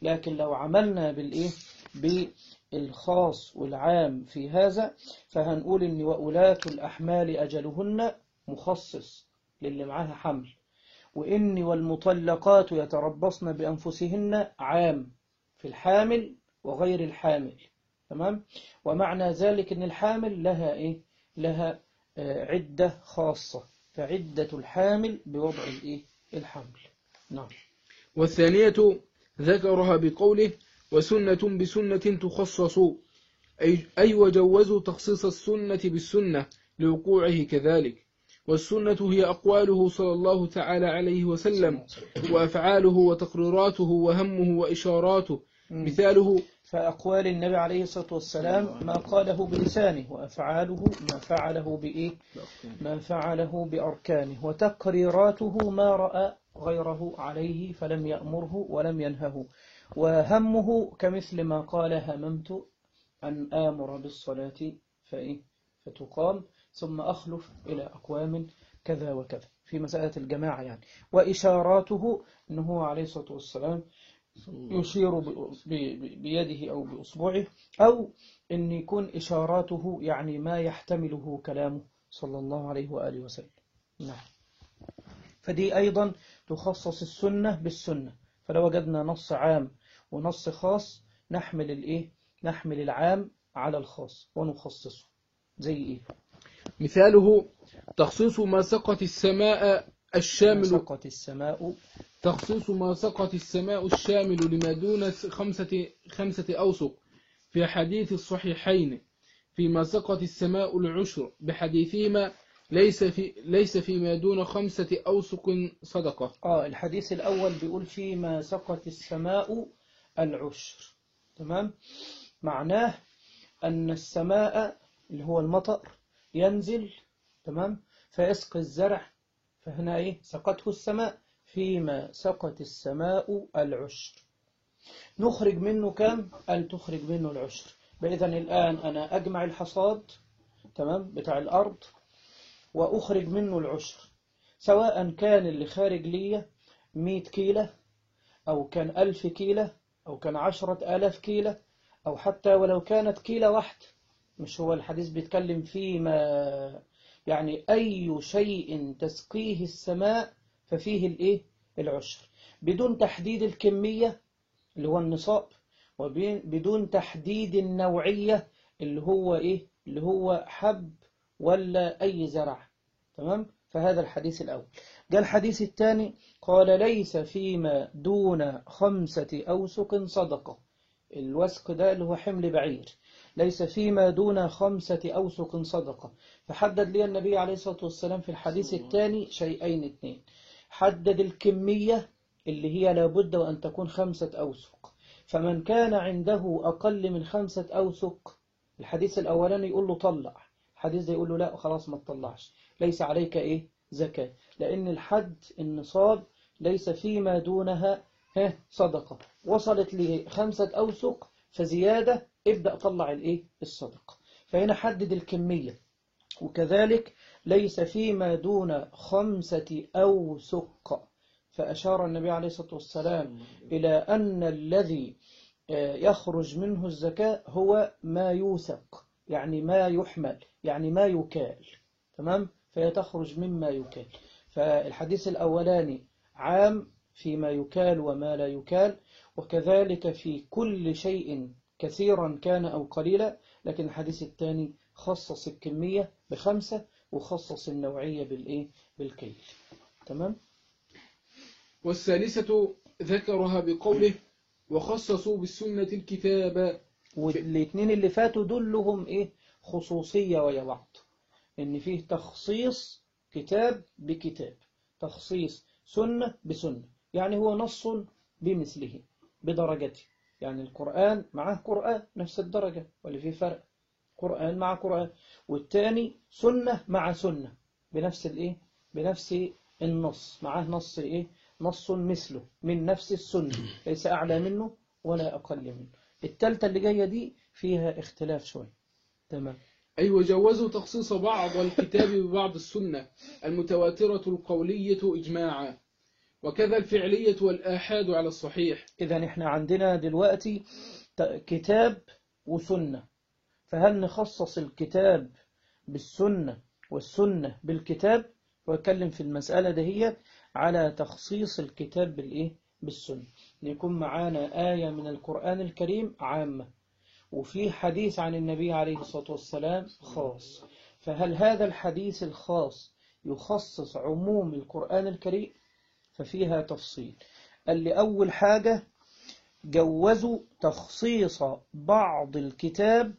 لكن لو عملنا بالإيه بالخاص والعام في هذا فهنقول إن وأولاة الأحمال أجلهن مخصص للي معاها حمل، وإن والمطلقات يتربصن بأنفسهن عام في الحامل وغير الحامل. تمام؟ ومعنى ذلك أن الحامل لها إيه؟ لها آه عدة خاصة، فعدة الحامل بوضع الإيه؟ الحمل. نعم. والثانية ذكرها بقوله وسنة بسنة تخصص، أي, أي وجوزوا تخصيص السنة بالسنة لوقوعه كذلك. والسنة هي أقواله صلى الله تعالى عليه وسلم وأفعاله وتقريراته وهمه وإشاراته. مثاله فأقوال النبي عليه الصلاة والسلام ما قاله بلسانه، وأفعاله ما فعله بإيه؟ ما فعله بأركانه، وتقريراته ما رأى غيره عليه فلم يأمره ولم ينهه، وهمه كمثل ما قال هممت أن آمر بالصلاة فإيه؟ فتقام ثم أخلف إلى أقوام كذا وكذا في مسألة الجماعة يعني. وإشاراته أنه عليه الصلاة والسلام يشير ب- ب- بيده أو بأصبعه، أو أن يكون إشاراته يعني ما يحتمله كلامه صلى الله عليه وآله وسلم. نعم. فدي أيضا تخصص السنة بالسنة. فلو وجدنا نص عام ونص خاص نحمل الإيه؟ نحمل العام على الخاص ونخصصه. زي إيه؟ مثاله تخصيص ما سقط السماء ما الشامل سقط السماء. تخصيص ما سقط السماء الشامل لما دون خمسة خمسة أوسق في حديث الصحيحين فيما سقط السماء العشر بحديثهما ليس في ليس فيما دون خمسة أوسق صدقة. آه الحديث الأول بيقول فيما سقط السماء العشر. تمام. معناه أن السماء اللي هو المطر ينزل، تمام، فيسقي الزرع. فهنا إيه؟ سقته السماء. فيما سقط السماء العشر نخرج منه كم؟ قال تخرج منه العشر. بإذن الآن أنا أجمع الحصاد، تمام، بتاع الأرض وأخرج منه العشر، سواء كان اللي خارج لي مئة كيلة أو كان ألف كيلة أو كان عشرة آلاف كيلة أو حتى ولو كانت كيلة واحدة. مش هو الحديث بيتكلم فيما يعني أي شيء تسقيه السماء ففيه الإيه؟ العشر، بدون تحديد الكمية اللي هو النصاب، وبدون تحديد النوعية اللي هو إيه؟ اللي هو حب ولا أي زرع. تمام. فهذا الحديث الأول. جاء الحديث الثاني قال ليس فيما دون خمسة أوسق صدقة. الوسق ده اللي هو حمل بعير. ليس فيما دون خمسة أوسق صدقة. فحدد لي النبي عليه الصلاة والسلام في الحديث الثاني شيئين اثنين. حدد الكمية اللي هي لابد وأن تكون خمسة أوسق. فمن كان عنده أقل من خمسة أوسق، الحديث الأولاني يقول له طلع، الحديث ده يقول له لا خلاص ما تطلعش، ليس عليك إيه؟ زكاة، لأن الحد النصاب ليس فيما دونها ها صدقة. وصلت لخمسة أوسق فزيادة ابدأ طلع الإيه؟ الصدقة. فهنا حدد الكمية. وكذلك ليس فيما دون خمسة أوسق. فأشار النبي عليه الصلاة والسلام إلى أن الذي يخرج منه الزكاة هو ما يوثق، يعني ما يحمل، يعني ما يكال. تمام. فهي تخرج مما يكال. فالحديث الأولاني عام فيما يكال وما لا يكال، وكذلك في كل شيء كثيرا كان أو قليلا. لكن الحديث الثاني خصص الكمية بخمسة وخصص النوعية بالإيه؟ بالكيل. تمام. والثالثة ذكرها بقوله وخصصوا بالسنة الكتاب. والاثنين اللي فاتوا دول لهم إيه؟ خصوصية ويا بعض، إن فيه تخصيص كتاب بكتاب، تخصيص سنة بسنة. يعني هو نص بمثله بدرجته، يعني القرآن معه قرآن نفس الدرجة ولا في فرق؟ قرآن مع قرآن. والتاني سنة مع سنة بنفس الإيه؟ بنفس النص، معه نص إيه؟ نص مثله من نفس السنة، ليس أعلى منه ولا أقل منه. التالتة اللي جاية دي فيها اختلاف شوي. تمام. أي وجوزوا تخصيص بعض الكتاب ببعض السنة المتواترة القولية إجماعا، وكذا الفعلية والآحاد على الصحيح. إذا إحنا عندنا دلوقتي كتاب وسنة، فهل نخصص الكتاب بالسنة والسنة بالكتاب؟ ويتكلم في المسألة دهية على تخصيص الكتاب بالإيه؟ بالسنة. يكون معانا آية من القرآن الكريم عامة، وفي حديث عن النبي عليه الصلاة والسلام خاص. فهل هذا الحديث الخاص يخصص عموم القرآن الكريم؟ ففيها تفصيل. اللي أول حاجة جوزوا تخصيص بعض الكتاب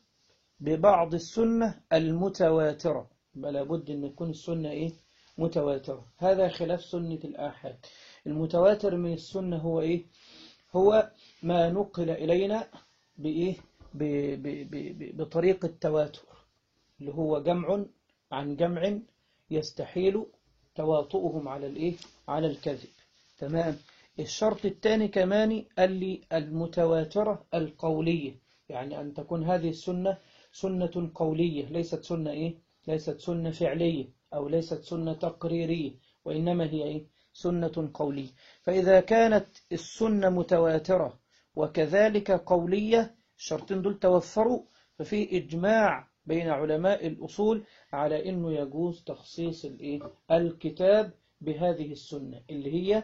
ببعض السنة المتواترة، بل بد أن تكون السنة إيه؟ متواترة. هذا خلاف سنة الآحاد. المتواتر من السنة هو إيه؟ هو ما نقل إلينا بإيه؟ ب ب ب ب بطريق التواتر، اللي هو جمع عن جمع يستحيل تواطؤهم على الإيه؟ على الكذب. تمام. الشرط الثاني كمان قال لي المتواترة القولية، يعني أن تكون هذه السنة سنة قولية، ليست سنة إيه؟ ليست سنة فعلية أو ليست سنة تقريرية، وإنما هي إيه؟ سنة قولية. فإذا كانت السنة متواترة وكذلك قولية، الشرطين دول توفروا، ففي إجماع بين علماء الأصول على أنه يجوز تخصيص الإيه؟ الكتاب بهذه السنة اللي هي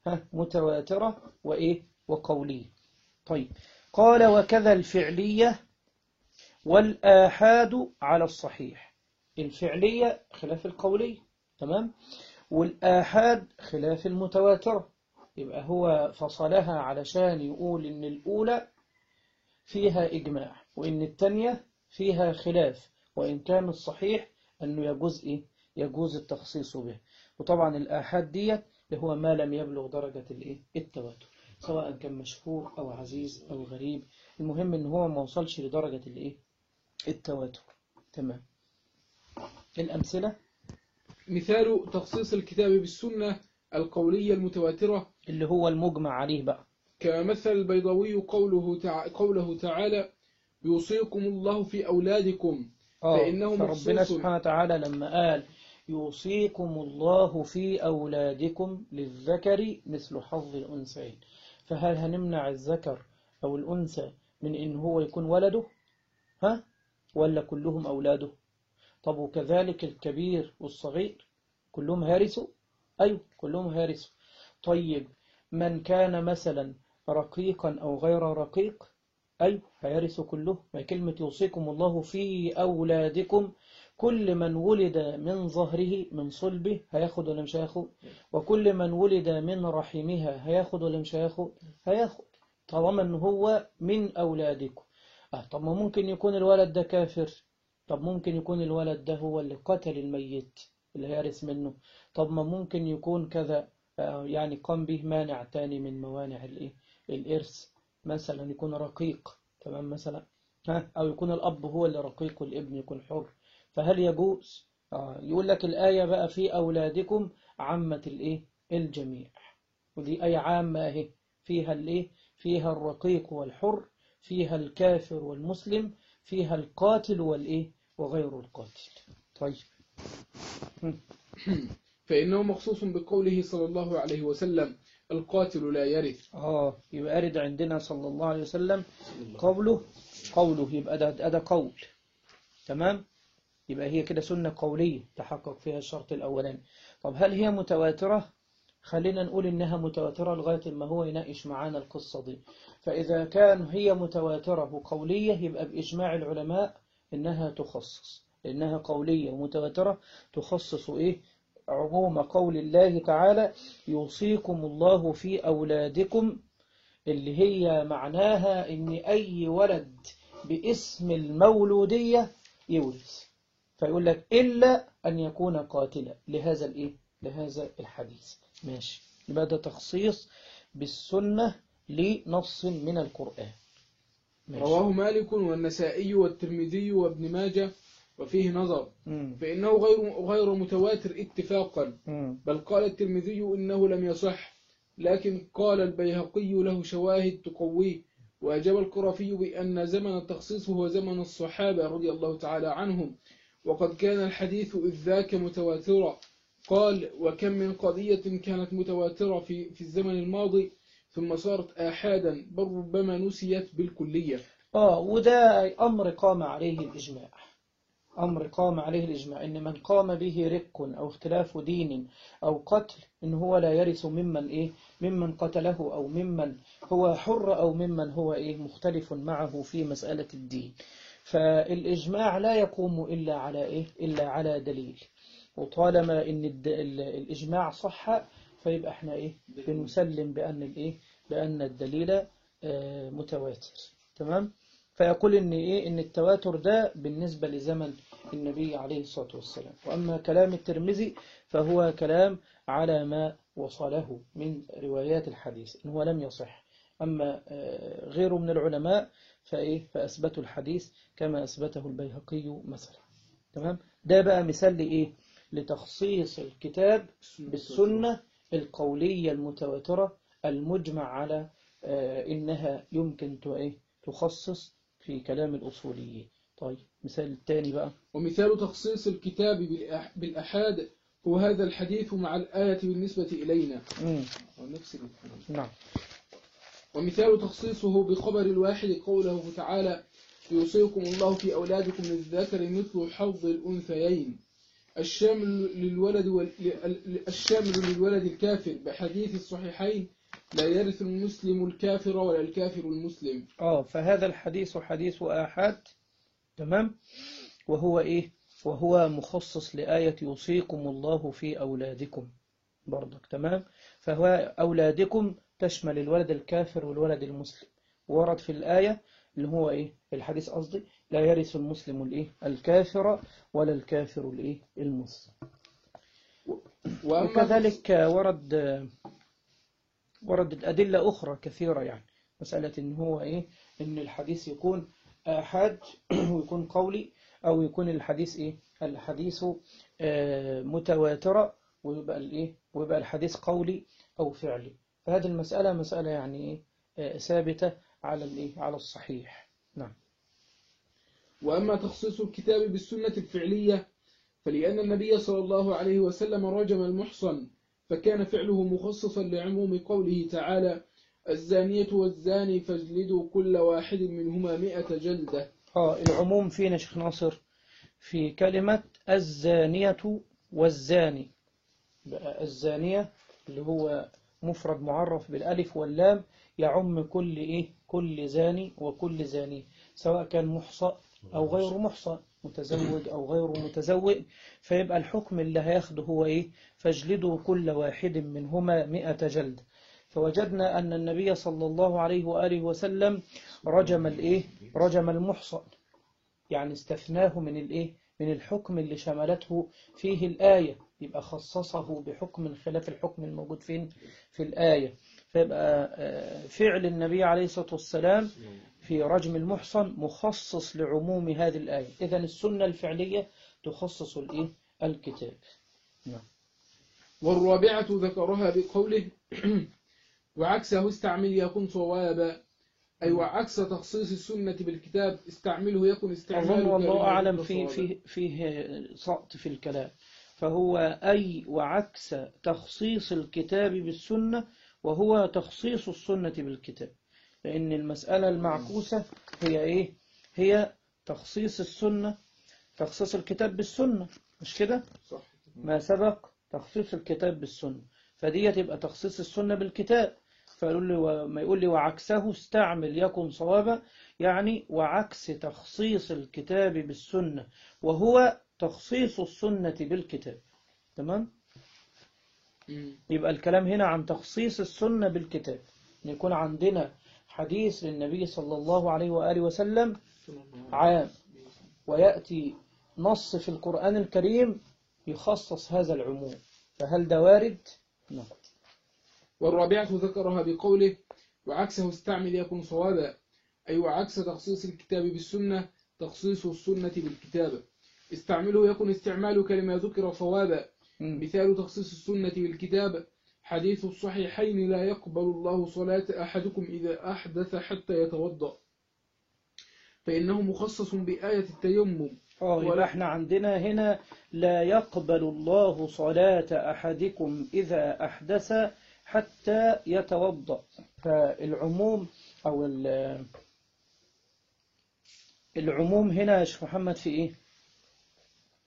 ها متواترة وإيه؟ وقولية. طيب، قال وكذا الفعلية والآحاد على الصحيح. الفعلية خلاف القولية، تمام، والآحاد خلاف المتواترة. يبقى هو فصلها علشان يقول إن الأولى فيها إجماع وإن التانية فيها خلاف، وإن كان الصحيح أنه يجوز إيه؟ يجوز التخصيص به. وطبعا الآحاد دي هو ما لم يبلغ درجة الإيه؟ التواتر، سواء كان مشهور أو عزيز أو غريب، المهم إن هو ما وصلش لدرجة الإيه؟ التواتر. تمام. الأمثلة مثال تخصيص الكتاب بالسنة القولية المتواترة اللي هو المجمع عليه بقى، كمثل البيضاوي قوله تع... قوله تعالى يوصيكم الله في أولادكم آه فإنه فربنا مخصوص. سبحانه وتعالى لما قال يوصيكم الله في أولادكم للذكر مثل حظ الأنثيين، فهل هنمنع الذكر أو الأنثى من إن هو يكون ولده؟ ها؟ ولا كلهم أولاده؟ طب وكذلك الكبير والصغير كلهم هارثوا؟ أيوه كلهم هارثوا. طيب من كان مثلا رقيقا أو غير رقيق، أيوه هيرثوا كله. ما كلمة يوصيكم الله في أولادكم، كل من ولد من ظهره من صلبه هياخد ولا مش هياخد؟ وكل من ولد من رحمها هياخد ولا مش هياخد؟ هياخد، طالما ان هو من أولادكم. آه طب ما ممكن يكون الولد ده كافر، طب ممكن يكون الولد ده هو اللي قتل الميت اللي هيرث منه، طب ما ممكن يكون كذا، آه يعني قام به مانع تاني من موانع الايه الإرث، مثلا يكون رقيق، تمام مثلا، ها، أو يكون الأب هو اللي رقيق والابن يكون حر، فهل يجوز؟ آه يقول لك الآية بقى في أولادكم عامة الإيه الجميع، ودي آية عامة أهي، فيها الإيه فيها الرقيق والحر، فيها الكافر والمسلم، فيها القاتل والإيه وغير القاتل. طيب فإنه مخصوص بقوله صلى الله عليه وسلم القاتل لا يرث. آه يبقى أرد عندنا صلى الله عليه وسلم قوله قوله يبقى ده, ده قول، تمام، يبقى هي كده سنة قولية تحقق فيها الشرط الأولاني. طب هل هي متواترة؟ خلينا نقول إنها متواترة لغاية ما هو يناقش معانا القصة دي. فإذا كان هي متواترة وقولية يبقى بإجماع العلماء إنها تخصص، لأنها قولية ومتواترة تخصص إيه عموم قول الله تعالى يوصيكم الله في أولادكم، اللي هي معناها إن أي ولد باسم المولودية يورث، فيقول لك إلا أن يكون قاتلا لهذا الإيه لهذا الحديث. ماشي، يبقى ده تخصيص بالسنة لنص من القرآن. ماشي. رواه مالك والنسائي والترمذي وابن ماجه وفيه نظر، مم. فإنه غير غير متواتر اتفاقا، مم. بل قال الترمذي إنه لم يصح، لكن قال البيهقي له شواهد تقويه، وأجاب القرافي بأن زمن التخصيص هو زمن الصحابة رضي الله تعالى عنهم، وقد كان الحديث إذ ذاك متواترا. قال وكم من قضية كانت متواترة في, في الزمن الماضي ثم صارت آحادا بل ربما نسيت بالكلية. آه وده أمر قام عليه الإجماع، أمر قام عليه الإجماع إن من قام به رق أو اختلاف دين أو قتل إن هو لا يرث ممن إيه ممن قتله أو ممن هو حر أو ممن هو إيه مختلف معه في مسألة الدين. فالإجماع لا يقوم إلا على إيه إلا على دليل، وطالما إن الإجماع صح فيبقى إحنا إيه بنسلم بأن الإيه بأن الدليل آه متواتر، تمام. فيقول إن إيه إن التواتر ده بالنسبة لزمن النبي عليه الصلاة والسلام. وأما كلام الترمذي فهو كلام على ما وصله من روايات الحديث إن هو لم يصح. أما غيره من العلماء فإيه فأثبتوا الحديث كما أثبته البيهقي مثلا، تمام. ده بقى مثال لإيه لتخصيص الكتاب بالسنة القولية المتواترة المجمع على إنها يمكن تخصص في كلام الأصوليين. طيب مثال الثاني بقى. ومثال تخصيص الكتاب بالأح- بالأحاد هو هذا الحديث مع الآية بالنسبة إلينا. مم. ونفس الحديث. نعم. ومثال تخصيصه بخبر الواحد قوله تعالى يوصيكم الله في أولادكم للذكر مثل حظ الأنثيين الشامل للولد وال... الشامل للولد الكافر بحديث الصحيحين لا يرث المسلم الكافر ولا الكافر المسلم. اه فهذا الحديث حديث آحاد، تمام، وهو ايه؟ وهو مخصص لآية يوصيكم الله في أولادكم برضك، تمام. فهو أولادكم تشمل الولد الكافر والولد المسلم، ورد في الآية اللي هو ايه الحديث قصدي لا يرث المسلم الايه الكافر ولا الكافر الايه المسلم. وأما وكذلك ورد وردت أدلة أخرى كثيرة، يعني مسألة إن هو إيه إن الحديث يكون آحاد ويكون قولي، أو يكون الحديث إيه الحديث آه متواترة ويبقى الإيه ويبقى الحديث قولي أو فعلي. فهذه المسألة مسألة يعني إيه آه ثابتة على الإيه على الصحيح. نعم. وأما تخصيص الكتاب بالسنة الفعلية فلأن النبي صلى الله عليه وسلم رجم المحصن فكان فعله مخصصا لعموم قوله تعالى الزانية والزاني فاجلدوا كل واحد منهما مئة جلدة. آه العموم فينا شيخ ناصر في كلمة الزانية والزاني. بقى الزانية اللي هو مفرد معرف بالألف واللام يعم كل إيه كل زاني وكل زاني، سواء كان محصى أو غير محصى، متزوج أو غير متزوج. فيبقى الحكم اللي هياخده هو إيه فاجلدوا كل واحد منهما مئة جلد. فوجدنا أن النبي صلى الله عليه وآله وسلم رجم الإيه رجم المحصى، يعني استثناه من الإيه من الحكم اللي شملته فيه الآية، يبقى خصصه بحكم خلاف الحكم الموجود فين في الآية. فيبقى فعل النبي عليه الصلاة والسلام في رجم المحصن مخصص لعموم هذه الآية. إذن السنة الفعلية تخصص الإيه الكتاب. نعم. والرابعة ذكرها بقوله وعكسه استعمل يكون صوابا، أي وعكس تخصيص السنة بالكتاب استعمله يكن استعماله. أظن والله أعلم في فيه فيه سقط في الكلام. فهو أي وعكس تخصيص الكتاب بالسنة وهو تخصيص السنة بالكتاب، لأن المسألة المعكوسة هي إيه هي تخصيص السنة تخصيص الكتاب بالسنة، مش كده؟ صح. ما سبق تخصيص الكتاب بالسنة، فدي تبقى تخصيص السنة بالكتاب. فيقول لي وما يقول لي وعكسه استعمل يكن صوابا، يعني وعكس تخصيص الكتاب بالسنة وهو تخصيص السنة بالكتاب. تمام؟ يبقى الكلام هنا عن تخصيص السنة بالكتاب، أن يكون عندنا حديث للنبي صلى الله عليه وآله وسلم عام ويأتي نص في القرآن الكريم يخصص هذا العموم، فهل ده وارد؟ نعم. والرابعة ذكرها بقوله وعكسه استعمل يكن صوابا، أي وعكس تخصيص الكتاب بالسنة تخصيص السنة بالكتاب استعمله يكن استعمالك لما ذكر صوابا. مثال تخصيص السنة بالكتاب حديث الصحيحين لا يقبل الله صلاة أحدكم إذا أحدث حتى يتوضأ، فإنه مخصص بآية التيمم. اه يبقى احنا عندنا هنا لا يقبل الله صلاة أحدكم إذا أحدث حتى يتوضأ. فالعموم أو العموم هنا يا شيخ محمد في إيه؟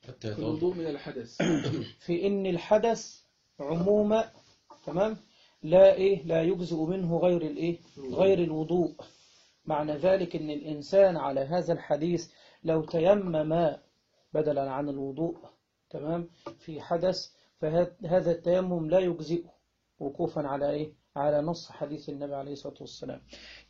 حتى في الوضوء من الحدث. في إن الحدث عموم، تمام، لا إيه لا يجزئ منه غير الإيه غير الوضوء. معنى ذلك إن الإنسان على هذا الحديث لو تيمم بدلا عن الوضوء، تمام، في حدث، فهذا التيمم لا يجزئه وقوفا على إيه على نص حديث النبي عليه الصلاة والسلام.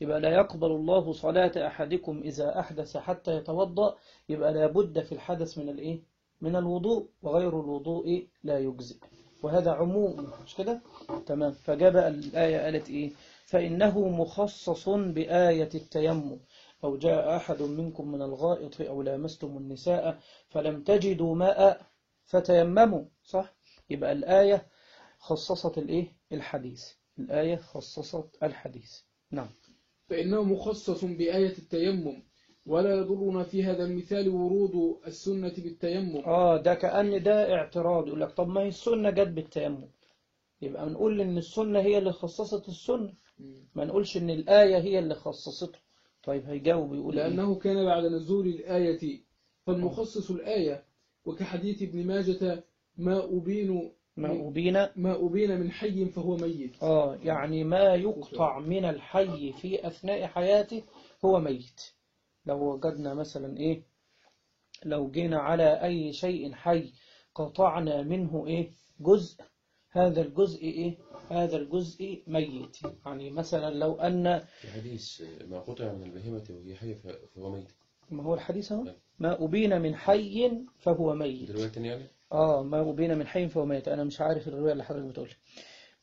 يبقى لا يقبل الله صلاة أحدكم إذا أحدث حتى يتوضأ، يبقى لابد في الحدث من الإيه من الوضوء، وغير الوضوء لا يجزئ، وهذا عموم، مش كده؟ تمام. فجاب الآية قالت إيه فإنه مخصص بآية التيمم، أو جاء أحد منكم من الغائط أو لامستم النساء فلم تجدوا ماء فتيمموا، صح؟ يبقى الآية خصصت الإيه الحديث الآية خصصت الحديث. نعم. فإنه مخصص بآية التيمم ولا يضرنا في هذا المثال ورود السنة بالتيمم. اه ده كأن ده اعتراض، يقول لك طب ما هي السنة جت بالتيمم، يبقى نقول ان السنة هي اللي خصصت السنة، ما نقولش ان الآية هي اللي خصصته. طيب هيجاوب يقول ايه؟ لأنه كان بعد نزول الآية فالمخصص الآية، وكحديث ابن ماجة ما أبين ما أبين ما أبين من حي فهو ميت. اه يعني ما يقطع من الحي في أثناء حياته هو ميت. لو وجدنا مثلا ايه، لو جينا على أي شيء حي قطعنا منه إيه جزء، هذا الجزء إيه، هذا الجزء ميت. يعني مثلا لو أن في حديث ما قطع من البهيمة وهي حية فهو ميت. ما هو الحديث هو ما أبين من حي فهو ميت. دلوقتي يعني آه ما أبين من حي فهو ميت، أنا مش عارف الرواية اللي حضرتك بتقول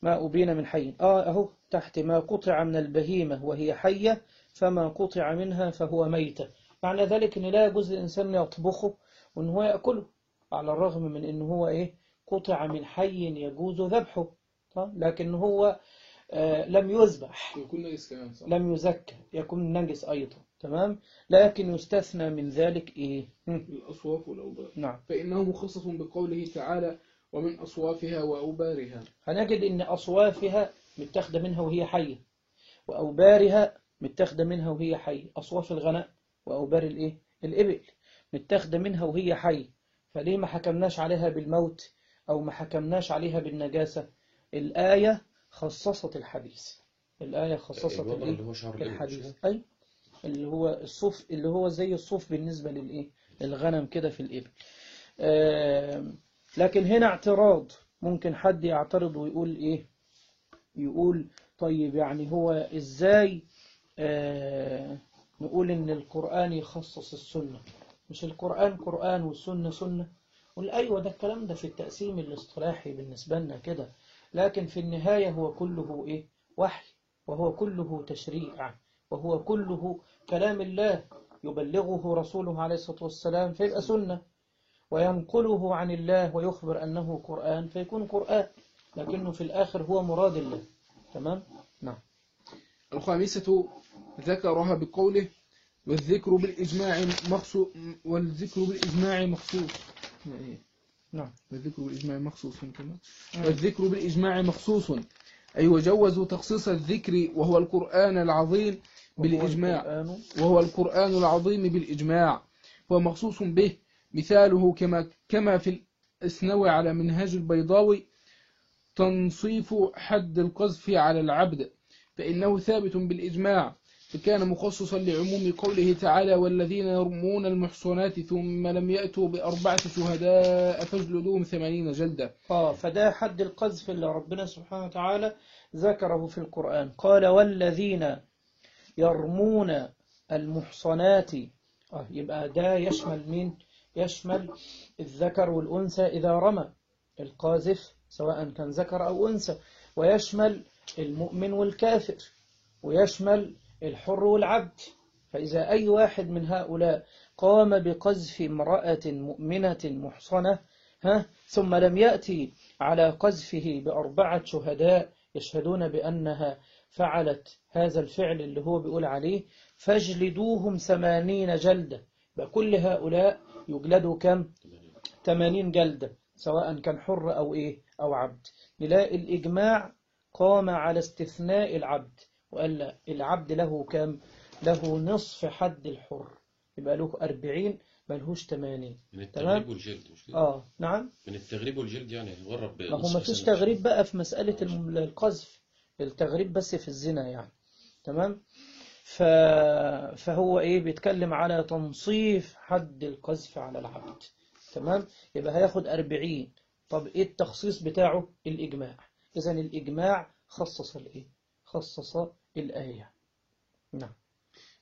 ما أبين من حي. آه أهو تحت ما قطع من البهيمة وهي حية فما قطع منها فهو ميت. معنى ذلك أن لا يجوز للإنسان يطبخه وأن هو يأكله، على الرغم من أنه هو إيه قطع من حي يجوز ذبحه، لكن هو آه لم يذبح، يكون نجس كمان صح؟ لم يزكى، يكون نجس أيضا. تمام. لكن يستثنى من ذلك إيه الأصواف والأوبار. نعم. فإنه مخصص بقوله تعالى ومن أصوافها وأوبارها. هنجد أن أصوافها متاخدة منها وهي حية، وأوبارها متاخدة منها وهي حية. أصواف الغناء وأوبار الإيه الإبل متاخدة منها وهي حية، فليه ما حكمناش عليها بالموت أو ما حكمناش عليها بالنجاسة؟ الآية خصصت الحديث، الآية خصصت الوضع الإيه اللي هو شعر الإبل الحديث، أي اللي هو الصوف، اللي هو زي الصوف بالنسبة للإيه الغنم كده في الإبل. آه لكن هنا اعتراض، ممكن حد يعترض ويقول إيه، يقول طيب يعني هو إزاي آه نقول إن القرآن يخصص السنة؟ مش القرآن قرآن والسنة سنة؟ قل أيوة ده الكلام ده في التقسيم الاصطلاحي بالنسبة لنا كده، لكن في النهاية هو كله إيه وحي، وهو كله تشريع، وهو كله كلام الله يبلغه رسوله عليه الصلاة والسلام فيبقى سنة، وينقله عن الله ويخبر أنه قرآن فيكون قرآن، لكنه في الآخر هو مراد الله. تمام. نعم. الخامسة ذكرها بقوله والذكر بالإجماع مخصوص، والذكر بالإجماع مخصوص. نعم. والذكر بالإجماع مخصوص كما والذكر بالإجماع مخصوص، أي وجوزوا تخصيص الذكر وهو القرآن العظيم بالإجماع، وهو القرآن العظيم بالإجماع هو مخصوص به. مثاله كما كما في الإسنوي على منهاج البيضاوي تنصيف حد القذف على العبد، فإنه ثابت بالإجماع، فكان مخصصا لعموم قوله تعالى والذين يرمون المحصنات ثم لم يأتوا بأربعة شهداء فاجلدوهم ثمانين جلدة. آه فده حد القذف اللي ربنا سبحانه وتعالى ذكره في القرآن، قال والذين يرمون المحصنات. آه يبقى ده يشمل مين؟ يشمل الذكر والأنثى إذا رمى القاذف سواء كان ذكر أو أنثى، ويشمل المؤمن والكافر، ويشمل الحر والعبد. فإذا أي واحد من هؤلاء قام بقذف امرأة مؤمنة محصنة ها ثم لم يأتي على قذفه بأربعة شهداء يشهدون بأنها فعلت هذا الفعل اللي هو بيقول عليه فاجلدوهم ثمانين جلدة، بكل هؤلاء يجلدوا كم؟ ثمانين جلدة سواء كان حر أو إيه أو عبد. نلاقي الإجماع قام على استثناء العبد، وقال لا العبد له كم؟ له نصف حد الحر، يبقى له أربعين ملهوش ثمانين. من التغريب والجلد مش كده؟ آه نعم. من التغريب والجلد يعني هيغرب. ما هو ما فيش تغريب بقى في مسألة القذف، التغريب بس في الزنا يعني. تمام. ف... فهو إيه بيتكلم على تنصيف حد القذف على العبد. تمام. يبقى هياخد أربعين. طب إيه التخصيص بتاعه؟ الإجماع. إذن الإجماع خصص الإيه؟ خصص الآية. نعم.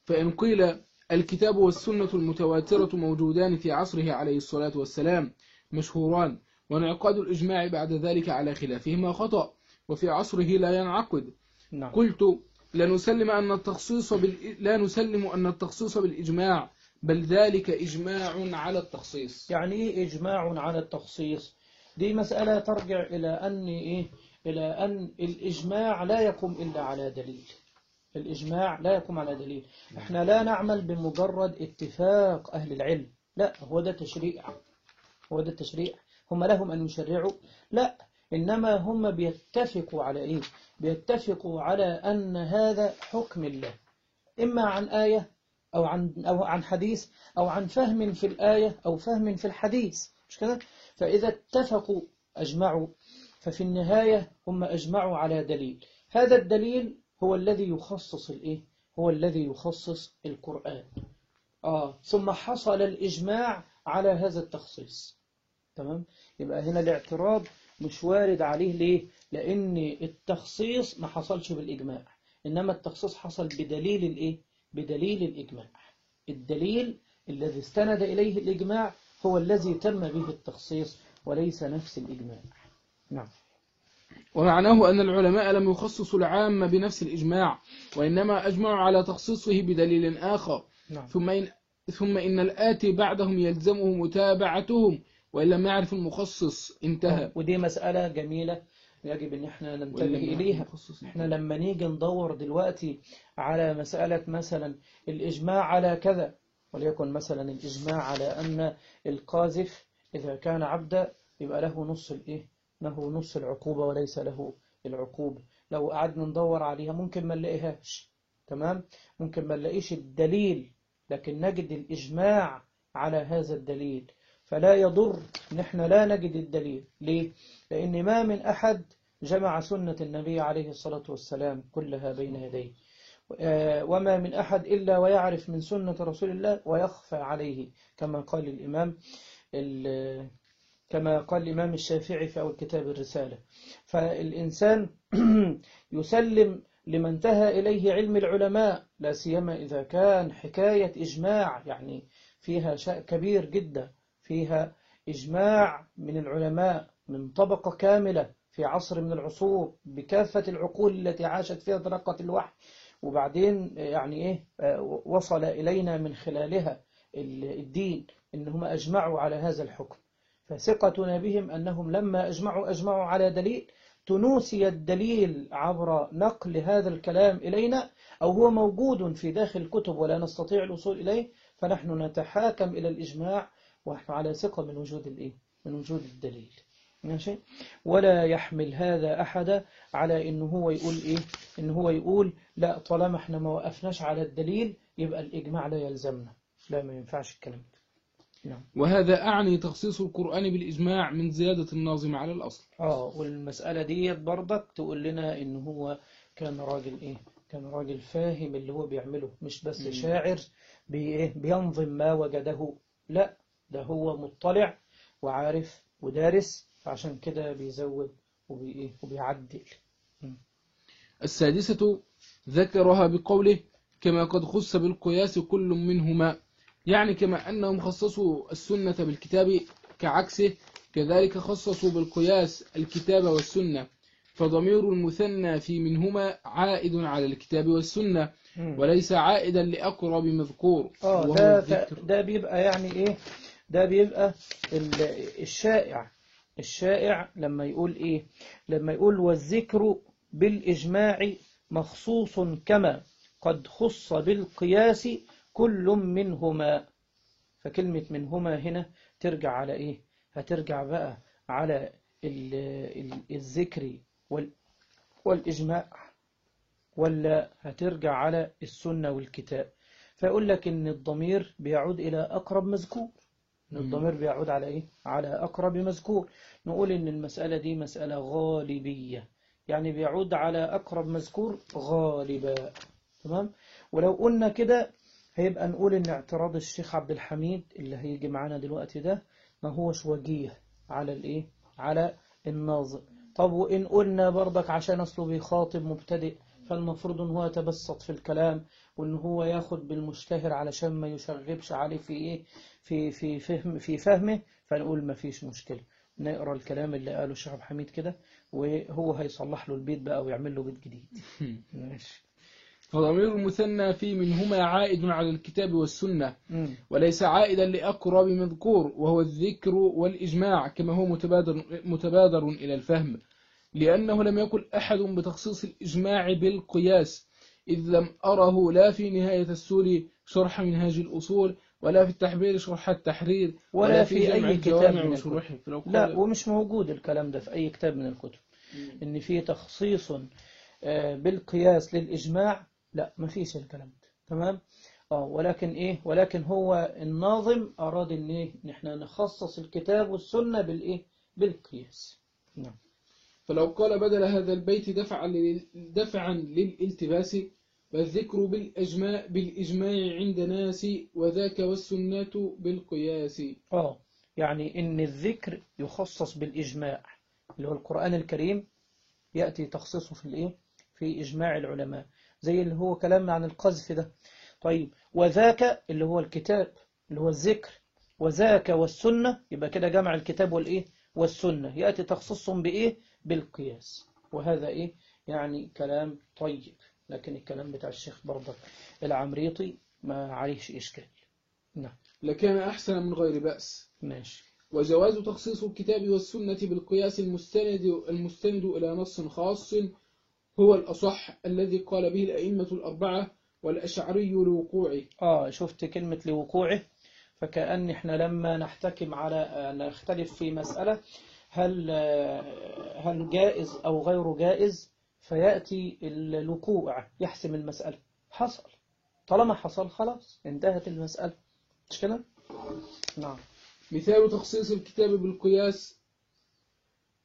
فإن قيل الكتاب والسنة المتواترة موجودان في عصره عليه الصلاة والسلام مشهوران، وانعقاد الإجماع بعد ذلك على خلافهما خطأ، وفي عصره لا ينعقد. نعم. قلت لا نسلم أن التخصيص بال... لا نسلم أن التخصيص بالإجماع، بل ذلك إجماع على التخصيص. يعني إيه إجماع على التخصيص؟ دي مسألة ترجع إلى أن إيه؟ إلى أن الإجماع لا يقوم إلا على دليل. الإجماع لا يقوم على دليل. احنا لا نعمل بمجرد اتفاق أهل العلم، لا، هو ده تشريع، هو ده التشريع. هم لهم أن يشرعوا؟ لا، إنما هم بيتفقوا على إيه؟ بيتفقوا على أن هذا حكم الله، إما عن آية أو عن أو عن حديث أو عن فهم في الآية أو فهم في الحديث، مش كده؟ فإذا اتفقوا أجمعوا، ففي النهاية هم أجمعوا على دليل، هذا الدليل هو الذي يخصص الإيه؟ هو الذي يخصص القرآن. آه ثم حصل الإجماع على هذا التخصيص. تمام؟ يبقى هنا الاعتراض مش وارد عليه. ليه؟ لأن التخصيص ما حصلش بالإجماع، إنما التخصيص حصل بدليل الإيه؟ بدليل الإجماع. الدليل الذي استند إليه الإجماع هو الذي تم به التخصيص وليس نفس الإجماع. نعم. ومعناه أن العلماء لم يخصصوا العام بنفس الإجماع، وإنما أجمعوا على تخصيصه بدليل آخر. نعم. ثم إن, ثم إن الآتي بعدهم يلزمه متابعتهم، وإن لم يعرف المخصص انتهى. ودي مسألة جميلة يجب أن احنا ننتبه إليها. احنا لما نيجي ندور دلوقتي على مسألة مثلا الإجماع على كذا، وليكن مثلا الإجماع على أن القاذف إذا كان عبدا يبقى له نص الإيه؟ له نص العقوبة وليس له العقوبة. لو قعدنا ندور عليها ممكن ما نلاقيهاش. تمام؟ ممكن ما نلاقيش الدليل، لكن نجد الإجماع على هذا الدليل. فلا يضر نحن لا نجد الدليل. ليه؟ لأن ما من أحد جمع سنة النبي عليه الصلاة والسلام كلها بين يديه، وما من أحد إلا ويعرف من سنة رسول الله ويخفى عليه، كما قال الإمام كما قال الإمام الشافعي في أول كتاب الرسالة. فالإنسان يسلم لما انتهى إليه علم العلماء، لا سيما إذا كان حكاية إجماع، يعني فيها شيء كبير جدا، فيها إجماع من العلماء من طبقة كاملة في عصر من العصور بكافة العقول التي عاشت فيها طريقة الوحي، وبعدين يعني إيه وصل إلينا من خلالها الدين، إنهم أجمعوا على هذا الحكم. فثقتنا بهم أنهم لما أجمعوا أجمعوا على دليل، تنوسي الدليل عبر نقل هذا الكلام إلينا، أو هو موجود في داخل الكتب ولا نستطيع الوصول إليه، فنحن نتحاكم إلى الإجماع ونحن على ثقة من وجود الإيه؟ من وجود الدليل. ماشي؟ ولا يحمل هذا أحد على إنه هو يقول إيه؟ إنه هو يقول لا، طالما إحنا ما وقفناش على الدليل يبقى الإجماع لا يلزمنا. لا، ما ينفعش الكلام ده. نعم. وهذا أعني تخصيص القرآن بالإجماع من زيادة الناظم على الأصل. آه والمسألة دي برضك تقول لنا إنه هو كان راجل إيه؟ كان راجل فاهم اللي هو بيعمله، مش بس م. شاعر بي بينظم ما وجده، لا، ده هو مطلع وعارف ودارس، فعشان كده بيزود وبي وبيعدل. م. السادسة ذكرها بقوله كما قد خص بالقياس كل منهما، يعني كما أنهم خصصوا السنة بالكتاب كعكسه، كذلك خصصوا بالقياس الكتاب والسنة، فضمير المثنى في منهما عائد على الكتاب والسنة وليس عائدا لأقرب مذكور. آه ده, ده بيبقى يعني إيه؟ ده بيبقى الشائع الشائع لما يقول إيه؟ لما يقول والذكر بالإجماع مخصوص كما قد خص بالقياس كل منهما. فكلمة منهما هنا ترجع على إيه؟ هترجع بقى على الذكر والإجماع، ولا هترجع على السنة والكتاب؟ فيقول لك إن الضمير بيعود إلى أقرب مذكور. إن الضمير بيعود على إيه؟ على أقرب مذكور. نقول إن المسألة دي مسألة غالبية، يعني بيعود على أقرب مذكور غالبا. تمام؟ ولو قلنا كده هيبقى نقول إن اعتراض الشيخ عبد الحميد اللي هيجي معانا دلوقتي ده ما هوش وجيه على الإيه؟ على الناظم. طب وإن قلنا برضك عشان أصله بيخاطب مبتدئ، فالمفروض إن هو يتبسط في الكلام وإن هو ياخد بالمشتهر علشان ما يشغبش عليه في إيه؟ في في فهم في فهمه، فنقول ما فيش مشكلة، نقرأ الكلام اللي قاله الشيخ عبد الحميد كده وهو هيصلح له البيت بقى ويعمل له بيت جديد. ماشي. فضمير المثنى في منهما عائد على الكتاب والسنة وليس عائدا لأقرب مذكور، وهو الذكر والإجماع كما هو متبادر, متبادر إلى الفهم، لأنه لم يقل أحد بتخصيص الإجماع بالقياس، إذ لم أره لا في نهاية السور شرح منهاج الأصول، ولا في التحبير شرح التحرير، ولا في جمع أي كتاب الجوامع من وشروحه. الكتب. فلو لا، قال ومش موجود الكلام ده في أي كتاب من الكتب إن في تخصيص آه، بالقياس للإجماع. لا، ما فيش الكلام ده. تمام. اه ولكن إيه ولكن هو الناظم أراد إن إيه إن إحنا نخصص الكتاب والسنة بالإيه بالقياس. نعم. فلو قال بدل هذا البيت دفعا لل- دفعا للالتباس، والذكر بالإجماع, بالإجماع عند ناس، وذاك والسنة بالقياس. اه يعني إن الذكر يخصص بالإجماع اللي هو القرآن الكريم، يأتي تخصيصه في الإيه في إجماع العلماء، زي اللي هو كلامنا عن القذف ده. طيب، وذاك اللي هو الكتاب اللي هو الذكر، وذاك والسنة، يبقى كده جمع الكتاب والإيه والسنة، يأتي تخصيصهم بإيه بالقياس. وهذا إيه يعني كلام طيب، لكن الكلام بتاع الشيخ برضك العمريطي ما عليهش إشكال. نعم. لكان أحسن من غير بأس. ماشي. وجواز تخصيص الكتاب والسنة بالقياس المستند, المستند إلى نص خاص هو الأصح الذي قال به الأئمة الأربعة والأشعري لوقوعه. آه شفت كلمة لوقوعه، فكأن إحنا لما نحتكم على نختلف في مسألة هل هل جائز أو غير جائز، فيأتي الوقوع يحسم المسألة. حصل، طالما حصل خلاص انتهت المسألة، مش كده؟ نعم. مثال تخصيص الكتاب بالقياس: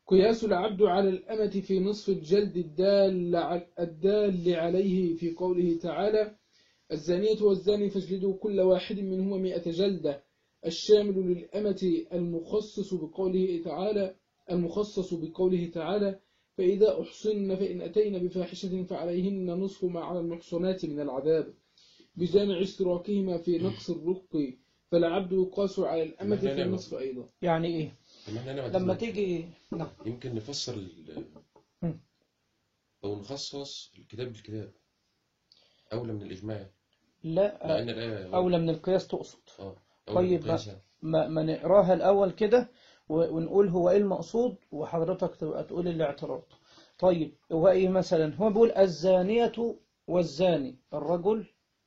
قياس العبد على الأمة في نصف الجلد الدال, الدال عليه في قوله تعالى: الزانية والزاني فاجلدوا كل واحد منهما مئة جلدة، الشامل للأمة المخصص بقوله تعالى المخصص بقوله تعالى: فإذا أحصن فإن أتين بفاحشة فعليهن نصف ما على المحصنات من العذاب، بجامع اشتراكهما في نقص الرق، فالعبد يقاس على الأمة في النصف أيضا. يعني إيه طب ما احنا هنا لما عندنا تيجي؟ نعم. يمكن نفسر ال- مم. أو نخصص الكتاب بالكتاب أولى من الإجماع، لا، مع إن الآية أولى من القياس تقصد. آه أولى من طيب، ما, القياس يعني. ما, ما نقراها الأول كده و- ونقول هو إيه المقصود، وحضرتك تبقى تقول الاعتراض. طيب، هو إيه مثلا؟ هو بيقول الزانية والزاني، الرجل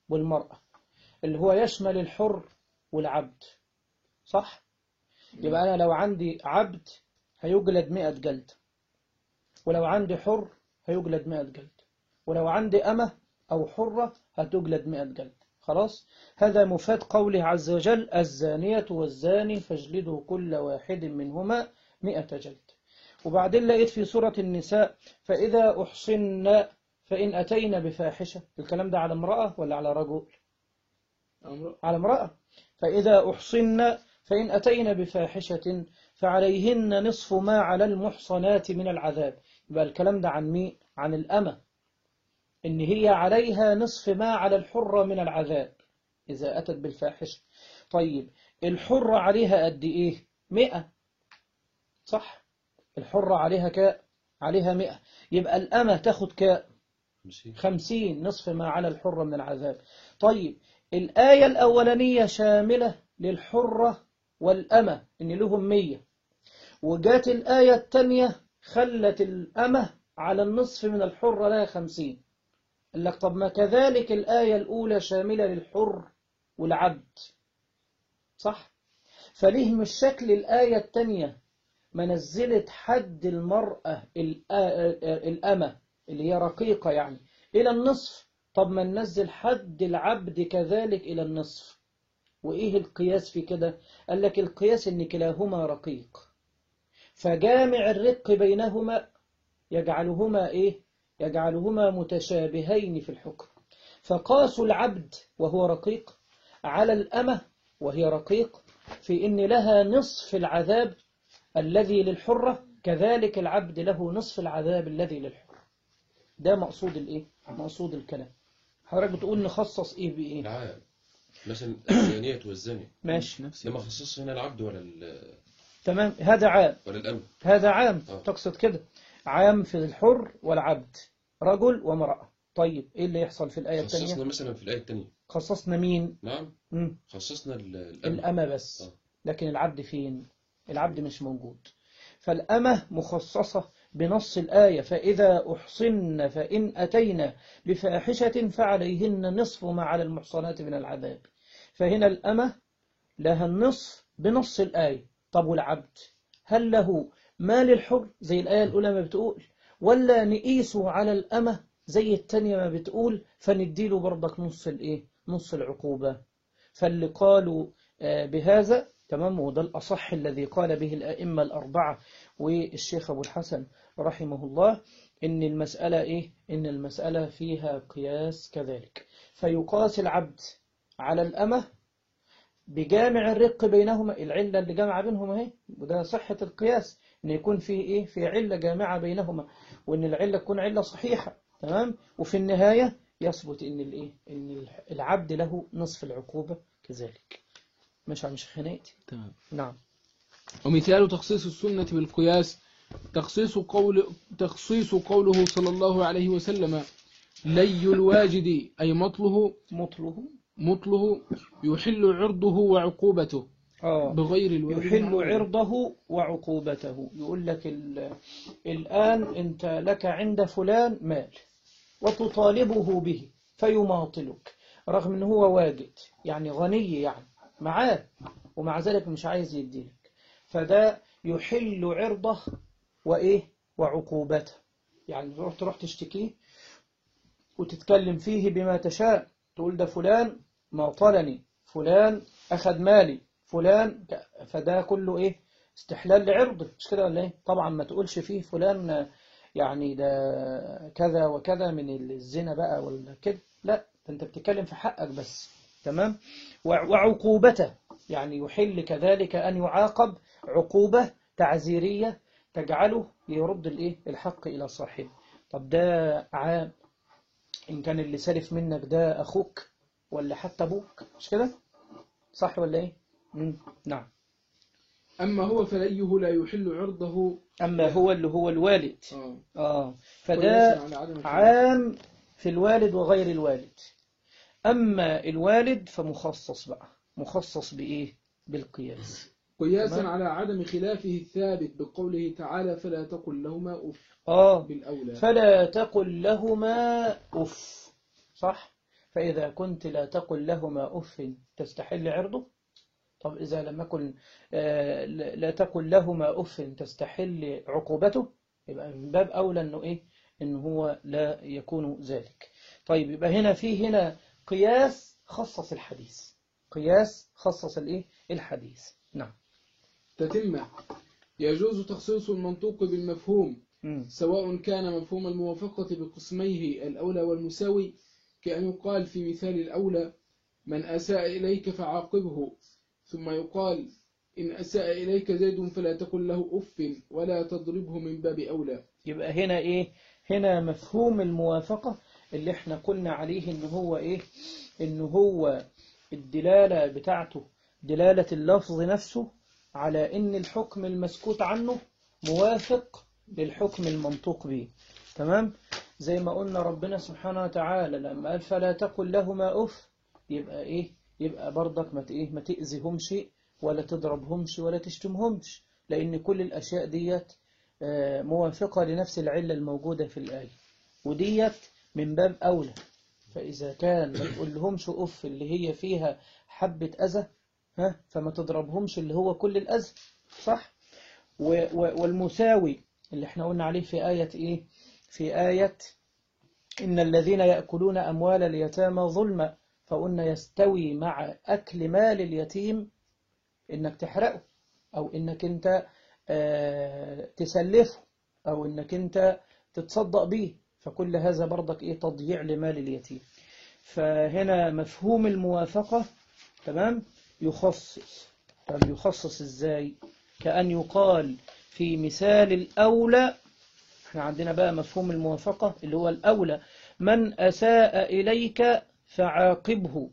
والمرأة، اللي هو يشمل الحر والعبد، صح؟ يبقى أنا لو عندي عبد هيجلد مئة جلد، ولو عندي حر هيجلد مئة جلد، ولو عندي أمة أو حرة هتجلد مئة جلد. خلاص، هذا مفاد قوله عز وجل: الزانية والزاني فاجلدوا كل واحد منهما مئة جلد. وبعدين لقيت في سورة النساء: فإذا أحصن فإن أتينا بفاحشة. الكلام ده على امرأة ولا على رجل؟ على امرأة. فإذا أحصن فإن أتينا بفاحشة فعليهن نصف ما على المحصنات من العذاب. يبقى الكلام ده عن مين؟ عن الأمة، إن هي عليها نصف ما على الحرة من العذاب إذا أتت بالفاحشة. طيب، الحرة عليها قد إيه؟ مئة، صح؟ الحرة عليها كاء عليها مئة، يبقى الأمة تاخد كاء خمسين، نصف ما على الحرة من العذاب. طيب، الآية الأولانية شاملة للحرة والأمة إن لهم مية، وجات الآية الثانية خلت الأمة على النصف من الحرة لها خمسين. قال لك طب ما كذلك الآية الأولى شاملة للحر والعبد، صح؟ فليه مش شكل الآية الثانية ما نزلت حد المرأة الأمة اللي هي رقيقة يعني إلى النصف؟ طب ما ننزل حد العبد كذلك إلى النصف. وإيه القياس في كده؟ قال لك القياس إن كلاهما رقيق، فجامع الرق بينهما يجعلهما إيه؟ يجعلهما متشابهين في الحكم. فقاسوا العبد وهو رقيق على الأمة وهي رقيق في إن لها نصف العذاب الذي للحرة، كذلك العبد له نصف العذاب الذي للحرة. ده مقصود الإيه؟ مقصود الكلام. حضرتك بتقول نخصص إيه بإيه؟ العام مثلا الزانية والزاني ماشي، ده ما خصصش هنا العبد ولا ال تمام، هذا عام، ولا الأمن. هذا عام. آه. تقصد كده عام في الحر والعبد، رجل ومرأة. طيب، إيه اللي يحصل في الآية الثانية؟ خصصنا مثلا في الآية الثانية خصصنا مين؟ نعم مم. خصصنا ال- الأمن. الأمة بس. آه. لكن العبد فين؟ العبد مش موجود. فالأمة مخصصة بنص الآية فإذا أحصن فإن أتينا بفاحشة فعليهن نصف ما على المحصنات من العذاب. فهنا الأمة لها النصف بنص الآية. طب والعبد هل له ما للحر زي الآية الأولى ما بتقول، ولا نقيسه على الأمة زي التانية ما بتقول فنديله برضك نص الإيه؟ نص العقوبة؟ فاللي قالوا بهذا تمام، وده الأصح الذي قال به الأئمة الأربعة والشيخ أبو الحسن رحمه الله، إن المسألة إيه؟ إن المسألة فيها قياس كذلك، فيقاس العبد على الأمة بجامع الرق بينهما، العلة اللي جامعة بينهما اهي، وده صحة القياس إن يكون فيه إيه؟ في علة جامعة بينهما، وإن العلة تكون علة صحيحة تمام، وفي النهاية يثبت إن الإيه؟ إن العبد له نصف العقوبة كذلك. مش عم شخناتي تمام. نعم. ومثال تخصيص السنة بالقياس تخصيص قول تخصيص قوله صلى الله عليه وسلم لي الواجد أي مطله مطله مطله يحل عرضه وعقوبته آه بغير الواجد يحل معقوبة. عرضه وعقوبته. يقول لك الآن أنت لك عند فلان مال وتطالبه به فيماطلك رغم أنه هو واجد، يعني غني، يعني معاه، ومع ذلك مش عايز يديلك، فده يحل عرضه وإيه وعقوبته. يعني تروح تروح تشتكيه وتتكلم فيه بما تشاء، تقول ده فلان ماطلني، فلان أخذ مالي، فلان، فده كله إيه؟ استحلال لعرضه، مش كده ولا إيه؟ طبعا ما تقولش فيه فلان يعني ده كذا وكذا من الزنا بقى ولا كده، لا، أنت بتتكلم في حقك بس تمام. وعقوبته يعني يحل كذلك أن يعاقب عقوبة تعزيرية تجعله يرد الإيه؟ الحق إلى صاحبه. طب ده عام إن كان اللي سلف منك ده أخوك ولا حتى أبوك، مش كده؟ صح ولا إيه؟ مم. نعم. أما هو فليه لا يحل عرضه. أما هو اللي هو الوالد آه. آه فده عام في الوالد وغير الوالد. أما الوالد فمخصص بقى، مخصص بإيه؟ بالقياس، قياسا تمام؟ على عدم خلافه الثابت بقوله تعالى فلا تقل لهما أف آه بالأولى. فلا تقل لهما أف، صح؟ فإذا كنت لا تقل لهما أف تستحل عرضه. طب إذا لم يكن آه لا تقل لهما أف تستحل عقوبته، يبقى من باب أولى أنه إيه؟ إنه هو لا يكون ذلك. طيب يبقى هنا في هنا قياس خصص الحديث، قياس خصص الإيه؟ الحديث. نعم. تتمة يجوز تخصيص المنطوق بالمفهوم م. سواء كان مفهوم الموافقة بقسميه الأولى والمساوي، كأن يقال في مثال الأولى من أساء إليك فعاقبه، ثم يقال إن أساء إليك زيد فلا تقل له أف ولا تضربه من باب أولى. يبقى هنا إيه؟ هنا مفهوم الموافقة اللي احنا قلنا عليه إن هو إيه؟ إن هو الدلالة بتاعته دلالة اللفظ نفسه على إن الحكم المسكوت عنه موافق للحكم المنطوق به، تمام؟ زي ما قلنا ربنا سبحانه وتعالى لما قال فلا تقل لهما أف، يبقى إيه؟ يبقى برضك ما إيه؟ ما تأذيهمش ولا تضربهمش ولا تشتمهمش، لأن كل الأشياء ديت موافقة لنفس العلة الموجودة في الآية، وديت من باب أولى. فإذا كان ما تقول لهمش أف اللي هي فيها حبة أذى، ها، فما تضربهمش اللي هو كل الأذى، صح؟ والمساوي اللي احنا قلنا عليه في آية إيه؟ في آية إن الذين يأكلون أموال اليتامى ظلما، فقلنا يستوي مع أكل مال اليتيم إنك تحرقه، أو إنك أنت آه تسلفه، أو إنك أنت تتصدق به، فكل هذا برضك إيه؟ تضييع لمال اليتيم. فهنا مفهوم الموافقة تمام يخصص. طب يخصص إزاي؟ كأن يقال في مثال الأولى، احنا عندنا بقى مفهوم الموافقة اللي هو الأولى، من أساء إليك فعاقبه،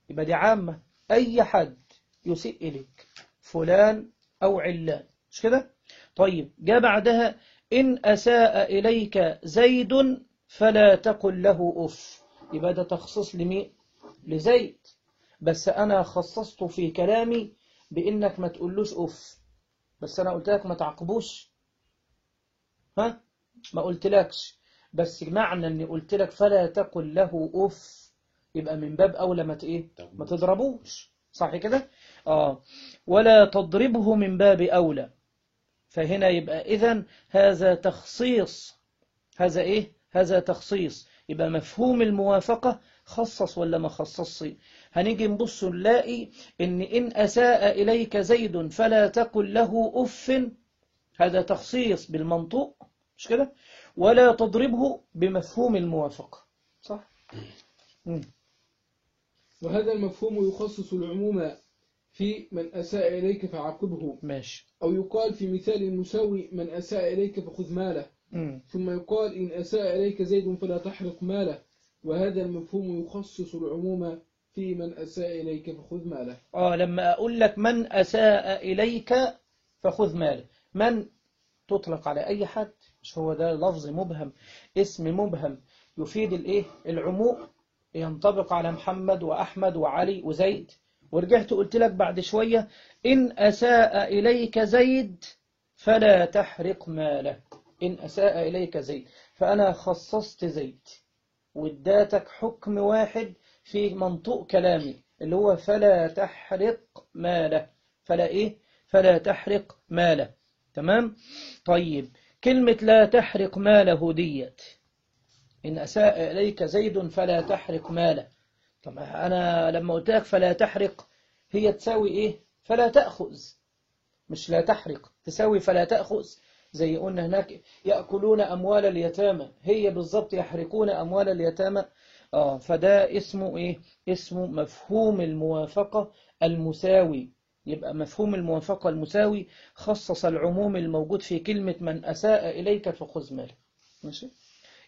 يبقى دي عامة، أي حد يسيء إليك، فلان أو علان، مش كده؟ طيب جاء بعدها إن أساء إليك زيد فلا تقل له أف، يبقى ده تخصص لمين؟ لزيد، بس أنا خصصته في كلامي بإنك ما تقولوش أف، بس أنا قلت لك ما تعاقبوش، ها ما قلتلكش، بس معنى اني قلت لك فلا تقل له اف، يبقى من باب اولى ما ايه ما تضربوش، صح كده؟ اه ولا تضربه من باب اولى. فهنا يبقى اذن هذا تخصيص، هذا ايه هذا تخصيص، يبقى مفهوم الموافقة خصص ولا ما خصصش؟ هنيجي نبص نلاقي ان ان اساء اليك زيد فلا تقل له اف، هذا تخصيص بالمنطوق مش كده، ولا تضربه بمفهوم الموافقة، صح؟ مم. وهذا المفهوم يخصص العموم في من أساء إليك فعاقبه، ماشي. أو يقال في مثال المساوي من أساء إليك فخذ ماله، مم. ثم يقال إن أساء إليك زيد فلا تحرق ماله. وهذا المفهوم يخصص العموم في من أساء إليك فخذ ماله. آه لما أقول لك من أساء إليك فخذ ماله، من تطلق على أي حد، مش هو ده لفظ مبهم، اسم مبهم يفيد الإيه العموم، ينطبق على محمد وأحمد وعلي وزيد. ورجعت قلت لك بعد شوية إن أساء إليك زيد فلا تحرق ماله، إن أساء إليك زيد، فأنا خصصت زيد واداتك حكم واحد في منطوق كلامي اللي هو فلا تحرق ماله، فلا إيه فلا تحرق ماله. تمام. طيب كلمة لا تحرق ماله ديت، إن أساء إليك زيد فلا تحرق ماله، طب أنا لما قلت لك فلا تحرق هي تساوي إيه فلا تأخذ، مش لا تحرق، تساوي فلا تأخذ. زي قلنا هناك يأكلون أموال اليتامى، هي بالضبط يحرقون أموال اليتامى. آه فده اسمه إيه اسمه مفهوم الموافقة المساوي. يبقى مفهوم الموافقة المساوي خصص العموم الموجود في كلمة من أساء إليك فخذ ماله. ماشي.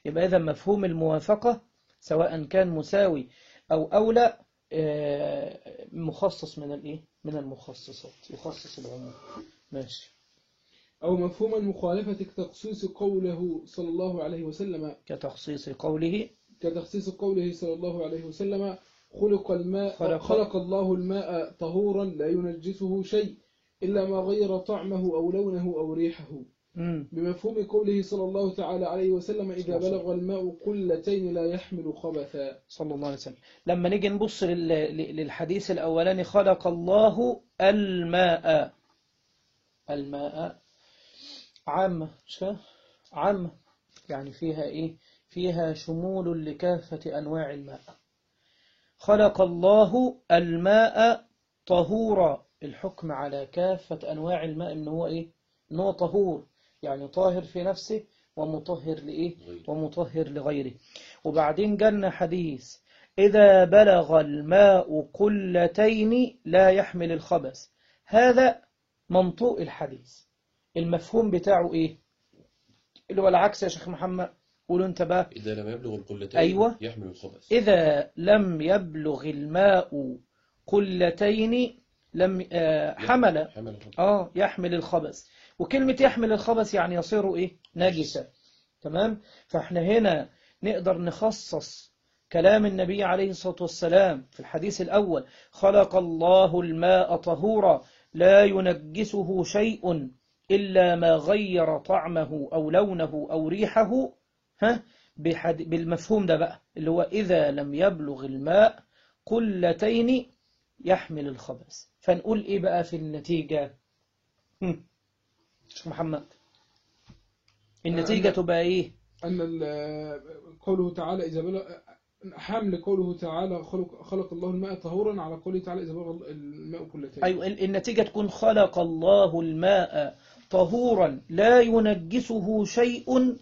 يبقى إذا مفهوم الموافقة سواء كان مساوي أو أولى مخصص من الإيه من المخصصات، يخصص العموم. ماشي. أو مفهوم المخالفة كتخصيص قوله صلى الله عليه وسلم كتخصيص قوله كتخصيص قوله صلى الله عليه وسلم خلق الماء خلق, خلق الله الماء طهورا لا ينجسه شيء إلا ما غير طعمه أو لونه أو ريحه. مم. بمفهوم قوله صلى الله تعالى عليه وسلم إذا بلغ الماء قلتين لا يحمل خبثا. صلى الله عليه وسلم. لما نيجي نبص لل- للحديث الأولاني خلق الله الماء، الماء عامة مش كده؟ عامة يعني فيها إيه فيها شمول لكافة أنواع الماء. خلق الله الماء طهورا، الحكم على كافة أنواع الماء إن هو إيه إن هو طهور، يعني طاهر في نفسه ومطهر لإيه ومطهر لغيره. وبعدين جالنا حديث إذا بلغ الماء قلتين لا يحمل الخبث، هذا منطوق الحديث، المفهوم بتاعه إيه اللي هو العكس يا شيخ محمد، قولوا انت بقى. إذا لم يبلغ القلتين أيوة. يحمل الخبث. إذا لم يبلغ الماء قلتين لم آه حمل حمل الخبث. آه يحمل الخبث. وكلمة يحمل الخبث يعني يصير إيه نجسا. تمام. فإحنا هنا نقدر نخصص كلام النبي عليه الصلاة والسلام في الحديث الأول خلق الله الماء طهورا لا ينجسه شيء إلا ما غير طعمه أو لونه أو ريحه، ها بالمفهوم ده بقى اللي هو إذا لم يبلغ الماء قلتين يحمل الخبث. فنقول إيه بقى في النتيجة؟ هم. شيخ محمد النتيجة أن تبقى إيه؟ أن قوله تعالى إذا بلغ حمل قوله تعالى خلق, خلق الله الماء طهورا على قوله تعالى إذا بلغ الماء قلتين. أيوة النتيجة تكون خلق الله الماء طهورا لا ينجسه شيء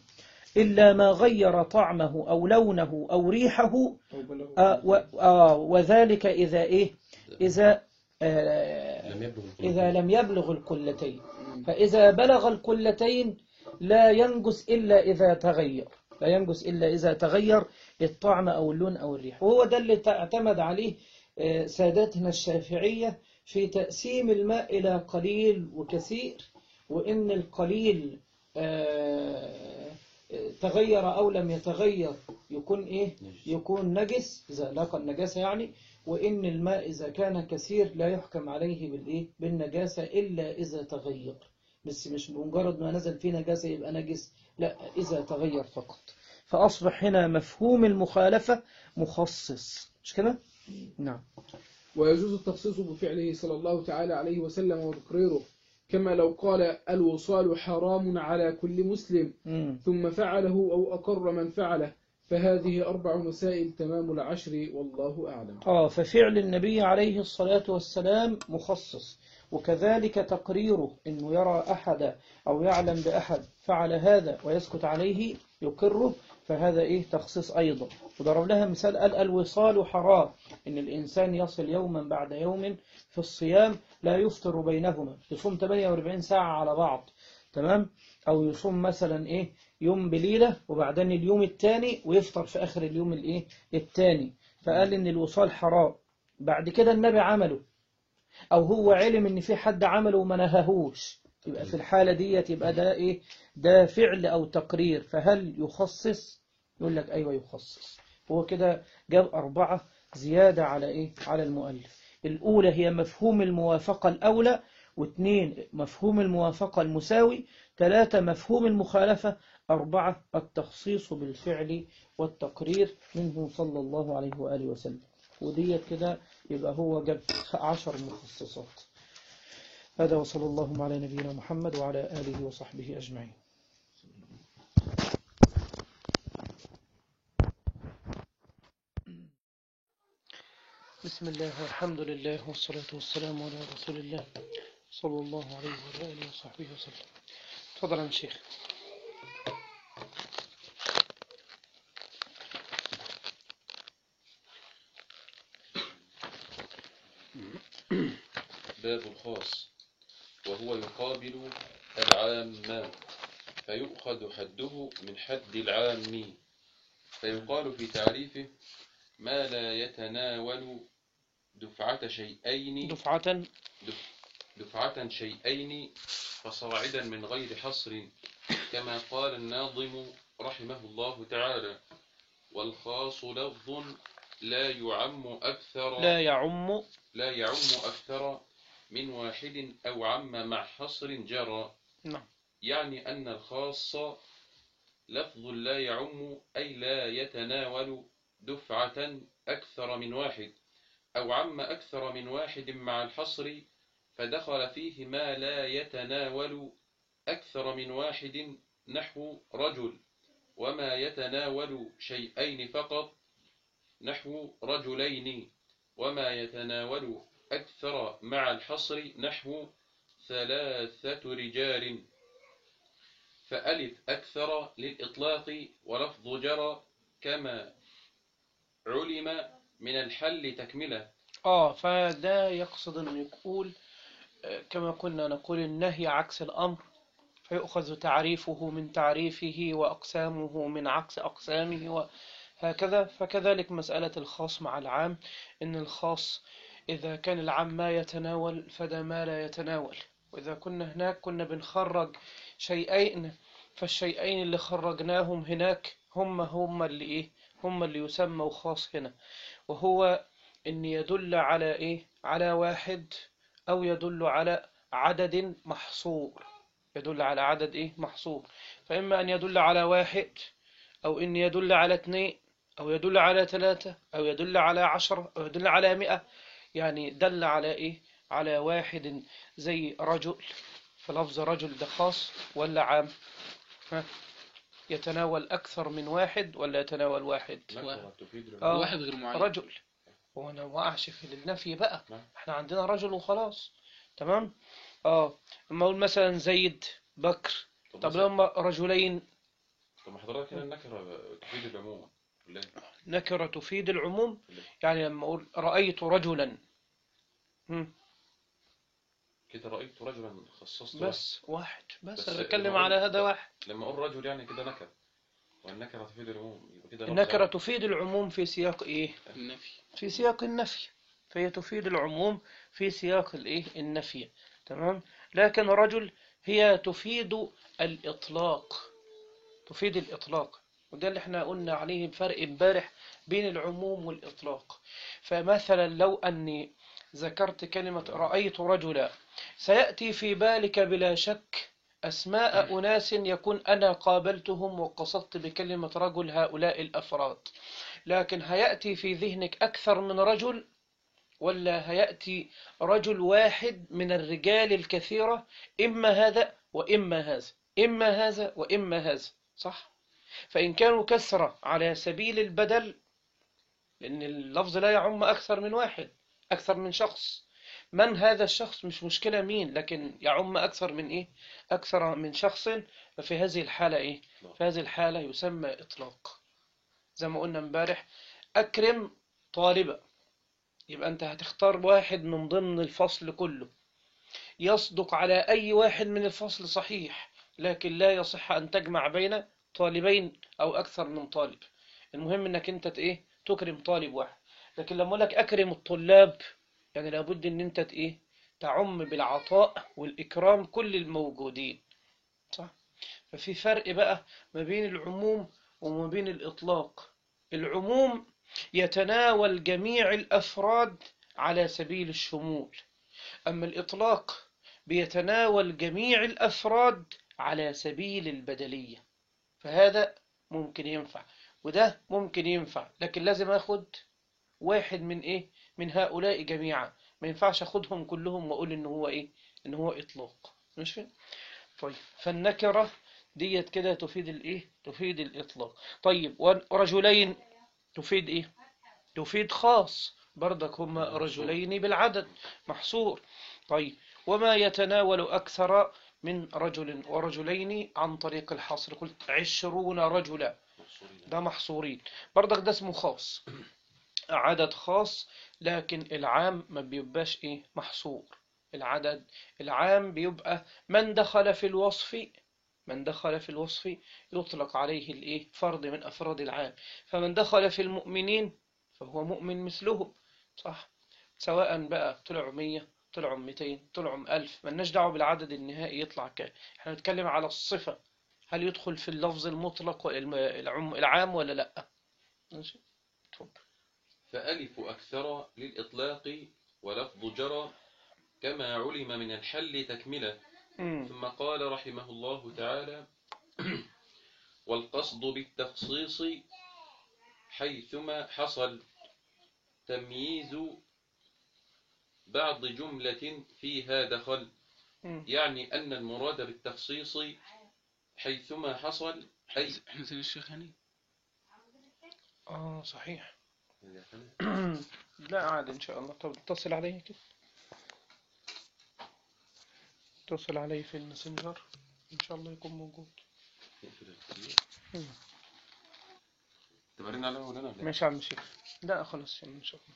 إلا ما غير طعمه أو لونه أو ريحه. آه و آه وذلك إذا إيه إذا آه لم يبلغ إذا لم يبلغ القلتين. فإذا بلغ القلتين لا ينجس إلا إذا تغير، لا ينجس إلا إذا تغير الطعم أو اللون أو الريح. وهو ده اللي اعتمد عليه سادتنا الشافعية في تقسيم الماء إلى قليل وكثير، وإن القليل تغير أو لم يتغير يكون إيه يكون نجس إذا لاقى النجاسة يعني، وإن الماء إذا كان كثير لا يحكم عليه بالإيه بالنجاسة إلا إذا تغير. بس مش بمجرد ما نزل فيه نجاسة يبقى نجس، لا، إذا تغير فقط. فأصبح هنا مفهوم المخالفة مخصص، مش كده؟ نعم. ويجوز التخصيص بفعله صلى الله تعالى عليه وسلم وتقريره، كما لو قال الوصال حرام على كل مسلم مم. ثم فعله أو أقر من فعله، فهذه أربع مسائل تمام العشر والله أعلم. آه ففعل النبي عليه الصلاة والسلام مخصص، وكذلك تقريره إنه يرى أحد أو يعلم بأحد فعل هذا ويسكت عليه يقره، فهذا إيه تخصيص أيضا. وضرب لها مثال قال الوصال حرام، إن الإنسان يصل يوما بعد يوم في الصيام لا يفطر بينهما، يصوم ثمانية وأربعين ساعة على بعض، تمام؟ أو يصوم مثلا إيه يوم بليلة وبعدين اليوم الثاني ويفطر في آخر اليوم الإيه الثاني، فقال إن الوصال حرام. بعد كده النبي عمله، أو هو علم إن في حد عمله وما نهاهوش، يبقى في الحالة دي يبقى ده إيه ده فعل أو تقرير، فهل يخصص؟ يقول لك أيوة يخصص. هو كده جاب أربعة زيادة على إيه على المؤلف. الأولى هي مفهوم الموافقة الأولى، واثنين مفهوم الموافقة المساوي، ثلاثة مفهوم المخالفة، أربعة التخصيص بالفعل والتقرير منه صلى الله عليه وآله وسلم. وديت كده يبقى هو جاب عشر مخصصات. هذا وصلى الله على نبينا محمد وعلى آله وصحبه أجمعين. بسم الله والحمد لله والصلاة والسلام على رسول الله صلى الله عليه وعلى آله وصحبه وسلم. تفضل يا شيخ. باب الخاص، وهو يقابل العام، فيؤخذ حده من حد العام، فيقال في تعريفه ما لا يتناول دفعة شيئين دفعة دفعة شيئين فصاعدا من غير حصر، كما قال الناظم رحمه الله تعالى: والخاص لفظ لا يعم أكثر لا يعم لا يعم أكثر من واحد أو عم مع حصر جرى. نعم. يعني أن الخاص لفظ لا يعم، أي لا يتناول دفعة أكثر من واحد أو عم أكثر من واحد مع الحصر، فدخل فيه ما لا يتناول أكثر من واحد نحو رجل، وما يتناول شيئين فقط نحو رجلين، وما يتناول أكثر مع الحصر نحو ثلاثة رجال. فألف أكثر للإطلاق ولفظ جرى، كما علم من الحل تكملة. آه فده يقصد أن يقول كما كنا نقول النهي عكس الأمر، فيؤخذ تعريفه من تعريفه وأقسامه من عكس أقسامه وهكذا. فكذلك مسألة الخاص مع العام، إن الخاص إذا كان العام ما يتناول فده ما لا يتناول، وإذا كنا هناك كنا بنخرج شيئين، فالشيئين اللي خرجناهم هناك هم هم اللي إيه هم اللي يسموا خاص هنا، وهو إن يدل على إيه على واحد أو يدل على عدد محصور، يدل على عدد إيه محصور. فإما أن يدل على واحد، أو إن يدل على اثنين، أو يدل على ثلاثة، أو يدل على عشرة، أو يدل على مئة. يعني دل على إيه على واحد زي رجل، فلفظ رجل ده خاص ولا عام؟ ها؟ يتناول أكثر من واحد ولا يتناول واحد؟ آه واحد غير معين. رجل، وانا وقعش في النفي بقى، نعم. احنا عندنا رجل وخلاص، تمام. اه اما اقول مثلا زيد بكر، طب لما رجلين. طب حضرتك هنا النكرة تفيد العموم، لا نكرة تفيد العموم، يعني لما اقول رأيت رجلا هم. كده رأيت رجلا خصصت بس واحد, واحد. بس, بس انا بتكلم لما على أقول- هذا واحد. لما اقول رجل يعني كده نكر، والنكرة تفيد العموم، يبقى كده لفظ النكرة عام. تفيد العموم في سياق ايه؟ النفي. في سياق النفي، فهي تفيد العموم في سياق الايه النفي، تمام. لكن رجل هي تفيد الإطلاق، تفيد الإطلاق، وده اللي احنا قلنا عليه فرق امبارح بين العموم والإطلاق. فمثلا لو أني ذكرت كلمة رأيت رجلا، سيأتي في بالك بلا شك أسماء أناس يكون أنا قابلتهم وقصدت بكلمة رجل هؤلاء الأفراد، لكن هيأتي في ذهنك أكثر من رجل، ولا هيأتي رجل واحد من الرجال الكثيرة، إما هذا وإما هذا، إما هذا وإما هذا، صح؟ فإن كانوا كثرة على سبيل البدل، لأن اللفظ لا يعم أكثر من واحد، أكثر من شخص، من هذا الشخص مش مشكلة مين، لكن يعم أكثر من إيه؟ أكثر من شخص. ففي هذه الحالة إيه؟ في هذه الحالة يسمى إطلاق. زي ما قلنا امبارح، أكرم طالبة، يبقى أنت هتختار واحد من ضمن الفصل كله، يصدق على أي واحد من الفصل صحيح، لكن لا يصح أن تجمع بين طالبين أو أكثر من طالب. المهم أنك أنت إيه؟ تكرم طالب واحد. لكن لما أقول لك أكرم الطلاب، يعني لابد أن أنت إيه؟ تعم بالعطاء والإكرام كل الموجودين، صح؟ ففي فرق بقى ما بين العموم وما بين الإطلاق. العموم يتناول جميع الأفراد على سبيل الشمول، أما الإطلاق بيتناول جميع الأفراد على سبيل البدلية. فهذا ممكن ينفع وده ممكن ينفع، لكن لازم أخد واحد من إيه؟ من هؤلاء جميعا، ما ينفعش أخدهم كلهم وأقول إن هو إيه؟ إن هو إطلاق. مش فين؟ طيب، فالنكرة ديت كده تفيد الإيه؟ تفيد الإطلاق. طيب، ورجلين تفيد إيه؟ تفيد خاص، برضك هما رجلين بالعدد محصور. طيب، وما يتناول أكثر من رجل ورجلين عن طريق الحصر، قلت عشرون رجلا، ده محصورين، برضك ده اسمه خاص، عدد خاص، لكن العام ما بيبقاش إيه؟ محصور. العدد العام بيبقى من دخل في الوصف، من دخل في الوصف يطلق عليه الإيه؟ فرد من أفراد العام. فمن دخل في المؤمنين فهو مؤمن مثلهم، صح؟ سواء بقى طلعوا مية، طلعوا مئتين، طلعوا ألف، ملناش دعوة بالعدد النهائي يطلع كام. احنا نتكلم على الصفة، هل يدخل في اللفظ المطلق العام ولا لا؟ ماشي، اتفضل. فألف أكثر للإطلاق ولفظ جرى كما علم من الحل تكملة. ثم قال رحمه الله تعالى: والقصد بالتخصيص حيثما حصل تمييز بعض جملة فيها دخل. يعني أن المراد بالتخصيص حيثما حصل أي احنا زي الشيخ هني. اه صحيح. لا عاد إن شاء الله. طب اتصل علي كده، اتصل علي في الماسنجر إن شاء الله يكون موجود. تبرين على ولا لا؟ ماشي يا عم شيخ. لا خلاص إن شاء الله.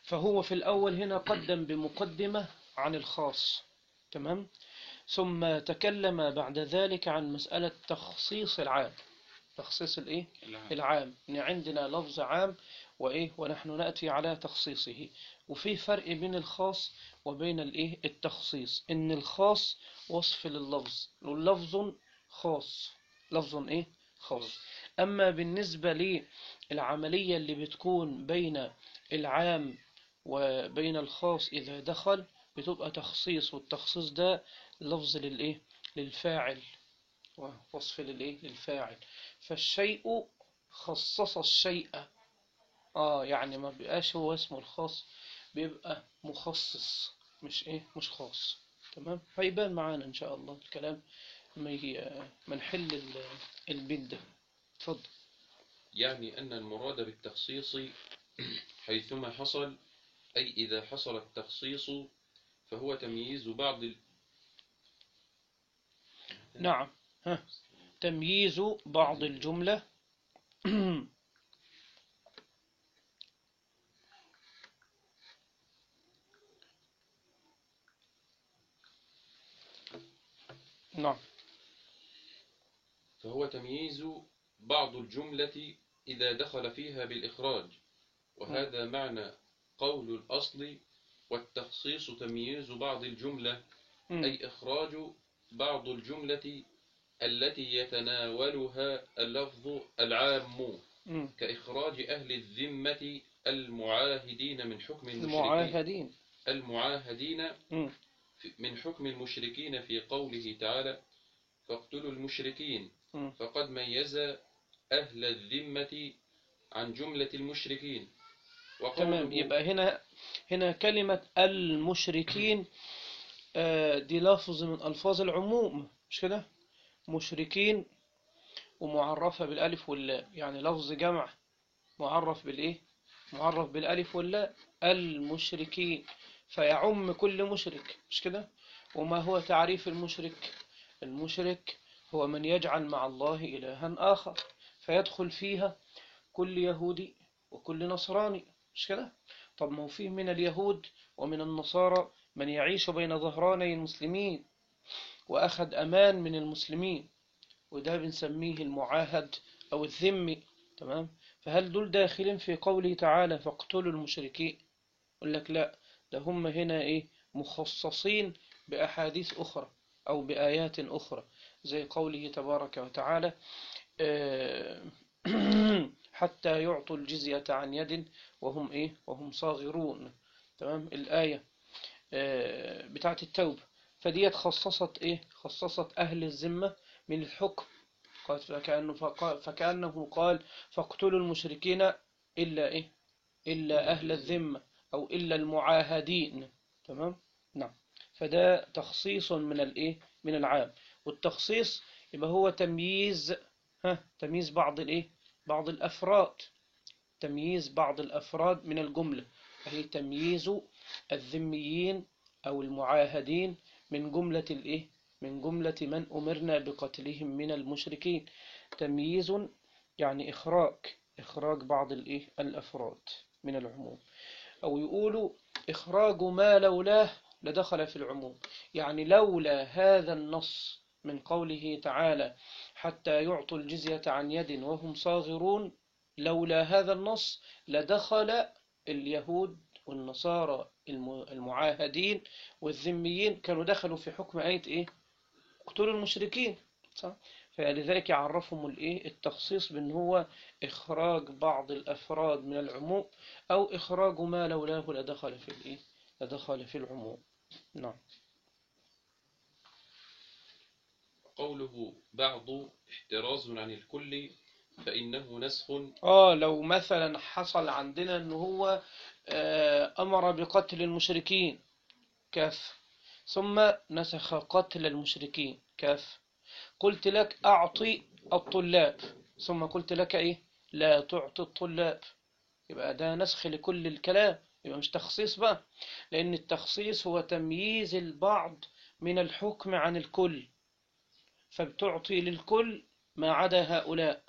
فهو في الأول هنا قدم بمقدمة عن الخاص، تمام، ثم تكلم بعد ذلك عن مسألة تخصيص العام. تخصيص الإيه؟ العام، إن عندنا لفظ عام وإيه ونحن نأتي على تخصيصه. وفي فرق بين الخاص وبين الإيه؟ التخصيص. إن الخاص وصف لللفظ، واللفظ خاص، لفظ إيه؟ خاص. أما بالنسبة للعملية اللي بتكون بين العام وبين الخاص إذا دخل بتبقى تخصيص، والتخصيص ده لفظ للإيه؟ للفاعل، ووصف للإيه؟ للفاعل. فالشيء خصص الشيء، آه يعني ما بيبقاش هو اسمه الخاص، بيبقى مخصص، مش إيه؟ مش خاص. تمام، هيبان معانا إن شاء الله الكلام ما نحل البيت ده. اتفضل. يعني أن المراد بالتخصيص حيثما حصل، أي إذا حصل التخصيص فهو تمييز بعض ال... نعم، ها. تمييز بعض الجملة نعم، فهو تمييز بعض الجملة إذا دخل فيها بالإخراج، وهذا معنى قول الأصل والتخصيص تمييز بعض الجملة، أي إخراج بعض الجملة التي يتناولها اللفظ العام، كإخراج أهل الذمة المعاهدين من حكم المشركين المعاهدين المعاهدين من حكم المشركين في قوله تعالى فاقتلوا المشركين، م. فقد ميز أهل الذمة عن جملة المشركين. تمام. وقوله يبقى هنا هنا كلمة المشركين آه، دي لفظ من ألفاظ العموم، مش كده؟ مشركين ومعرفة بالألف واللام، يعني لفظ جمع معرف بالإيه؟ معرف بالألف واللام، المشركين، فيعم كل مشرك، مش كده؟ وما هو تعريف المشرك؟ المشرك هو من يجعل مع الله إلها آخر، فيدخل فيها كل يهودي وكل نصراني، مش كده؟ طب ما هو فيه من اليهود ومن النصارى من يعيش بين ظهراني المسلمين وأخذ أمان من المسلمين، وده بنسميه المعاهد أو الذمي. تمام. فهل دول داخلين في قوله تعالى فاقتلوا المشركين؟ يقول لك لا، ده هم هنا إيه، مخصصين بأحاديث أخرى أو بآيات أخرى، زي قوله تبارك وتعالى آه، حتى يعطوا الجزية عن يد وهم إيه وهم صاغرون. تمام. الآية آه، بتاعت التوبة، فديت خصصت إيه خصصت أهل الذمة من الحكم، قال فكأنه, فقال فكأنه قال فاقتلوا المشركين إلا إيه إلا أهل الذمة أو إلا المعاهدين. تمام. نعم. فده تخصيص من الإيه من العام، والتخصيص يبقى هو تمييز ها تمييز بعض الإيه بعض الأفراد، تمييز بعض الأفراد من الجملة، وهي تمييز الذميين أو المعاهدين من جملة الإيه من جملة من أمرنا بقتلهم من المشركين. تمييز يعني إخراج إخراج بعض الإيه الأفراد من العموم، أو يقولوا إخراج ما لولاه لدخل في العموم، يعني لولا هذا النص من قوله تعالى حتى يعطوا الجزية عن يد وهم صاغرون، لولا هذا النص لدخل اليهود والنصارى المعاهدين والذميين، كانوا دخلوا في حكم آية إيه اقتلوا المشركين، صح؟ فلذلك يعرفهم الإيه التخصيص بأن هو إخراج بعض الأفراد من العموم، أو إخراج ما لولاه لدخل في الإيه لدخل في العموم. نعم. قوله بعض احتراز عن الكل فإنه نسخ. آه لو مثلا حصل عندنا أنه هو آه أمر بقتل المشركين كاف، ثم نسخ قتل المشركين كاف، قلت لك أعطي الطلاب، ثم قلت لك إيه لا تعطي الطلاب، يبقى ده نسخ لكل الكلام، يبقى مش تخصيص بقى، لأن التخصيص هو تمييز البعض من الحكم عن الكل، فبتعطي للكل ما عدا هؤلاء،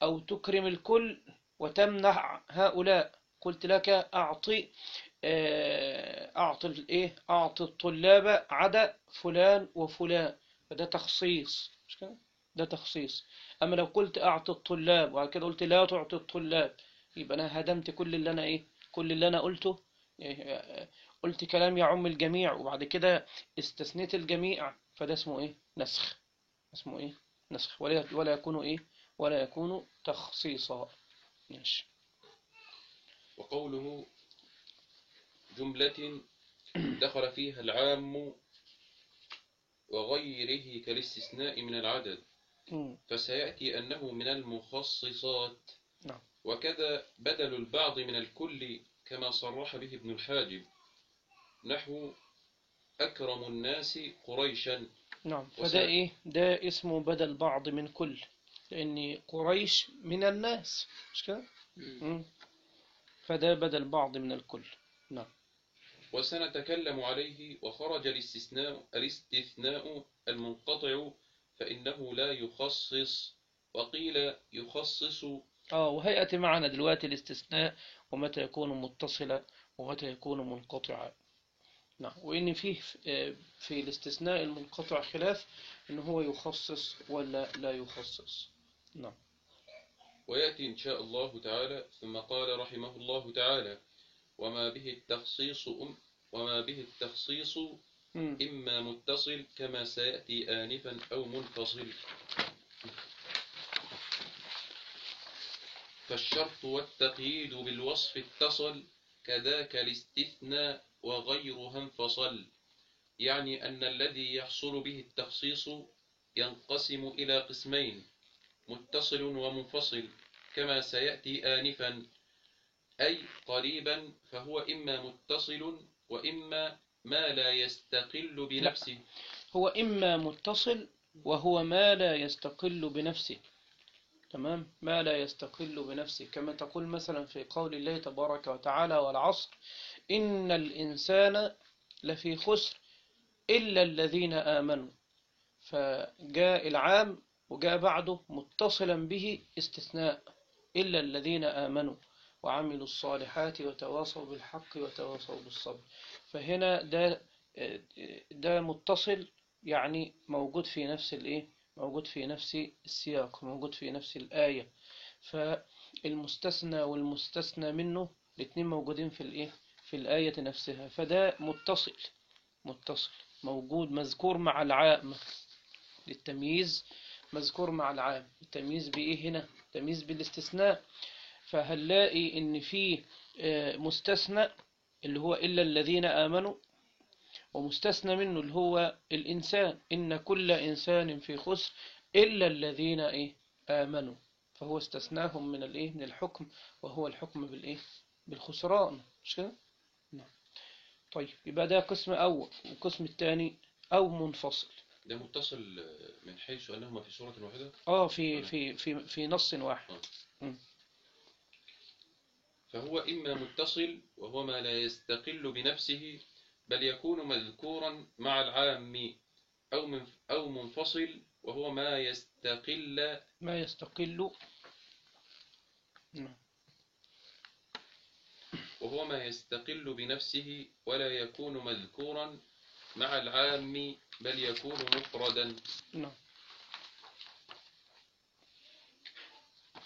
أو تكرم الكل وتمنع هؤلاء. قلت لك أعطي أعطي الإيه أعطي الطلاب عدا فلان وفلان، فده تخصيص، مش كده؟ ده تخصيص. أما لو قلت أعطي الطلاب وبعد كده قلت لا تعطي الطلاب، يبقى أنا هدمت كل اللي أنا إيه كل اللي أنا قلته، قلت كلام يعم الجميع وبعد كده استثنيت الجميع، فده اسمه إيه نسخ، اسمه إيه نسخ، ولا ولا يكون إيه ولا يكون تخصيصا. ماشي. وقوله جملة دخل فيها العام وغيره كالاستثناء من العدد، مم. فسيأتي أنه من المخصصات. نعم. وكذا بدل البعض من الكل كما صرح به ابن الحاجب، نحو أكرم الناس قريشا. نعم. وس... فده إيه ده اسمه بدل بعض من كل، لأن قريش من الناس، مش كده؟ مم. فده بدل بعض من الكل. نعم. وسنتكلم عليه. وخرج الاستثناء الاستثناء المنقطع فإنه لا يخصص، وقيل يخصص. آه وهيأتي معنا دلوقتي الاستثناء ومتى يكون متصلا ومتى يكون منقطعا. نعم. وإن فيه في الاستثناء المنقطع خلاف إن هو يخصص ولا لا يخصص. نعم. ويأتي إن شاء الله تعالى. ثم قال رحمه الله تعالى وما به التخصيص أم وما به التخصيص مم. إما متصل كما سيأتي آنفا أو منفصل. فالشرط والتقييد بالوصف اتصل، كذاك الاستثناء وغيرها انفصل. يعني أن الذي يحصل به التخصيص ينقسم إلى قسمين: متصل ومنفصل، كما سيأتي آنفا. أي قريبا فهو إما متصل وإما ما لا يستقل بنفسه. هو إما متصل وهو ما لا يستقل بنفسه. تمام، ما لا يستقل بنفسه، كما تقول مثلا في قول الله تبارك وتعالى: والعصر إن الإنسان لفي خسر إلا الذين آمنوا. فجاء العام وجاء بعده متصلا به استثناء: إلا الذين آمنوا وعملوا الصالحات وتواصوا بالحق وتواصوا بالصبر. فهنا ده ده متصل، يعني موجود في نفس الايه موجود في نفس السياق، موجود في نفس الآية. فالمستثنى والمستثنى منه الاثنين موجودين في الايه في الآية نفسها. فده متصل متصل موجود مذكور مع العام للتمييز، مذكور مع العام. التمييز بإيه هنا؟ تمييز بالاستثناء. فهنلاقي إن فيه مستثنى اللي هو إلا الذين آمنوا، ومستثنى منه اللي هو الإنسان: إن كل إنسان في خسر إلا الذين إيه آمنوا. فهو استثناهم من الإيه من الحكم، وهو الحكم بالإيه بالخسران، مش كده؟ نعم. طيب، يبقى ده قسم أول. والقسم الثاني أو منفصل. ده متصل من حيث أنهما في سورة واحدة. آه في في في في نص واحد. آه. فهو إما متصل وهو ما لا يستقل بنفسه بل يكون مذكورا مع العام، أو من أو منفصل وهو ما يستقل ما يستقل وهو ما يستقل بنفسه ولا يكون مذكورا مع العام بل يكون مفردا. نعم.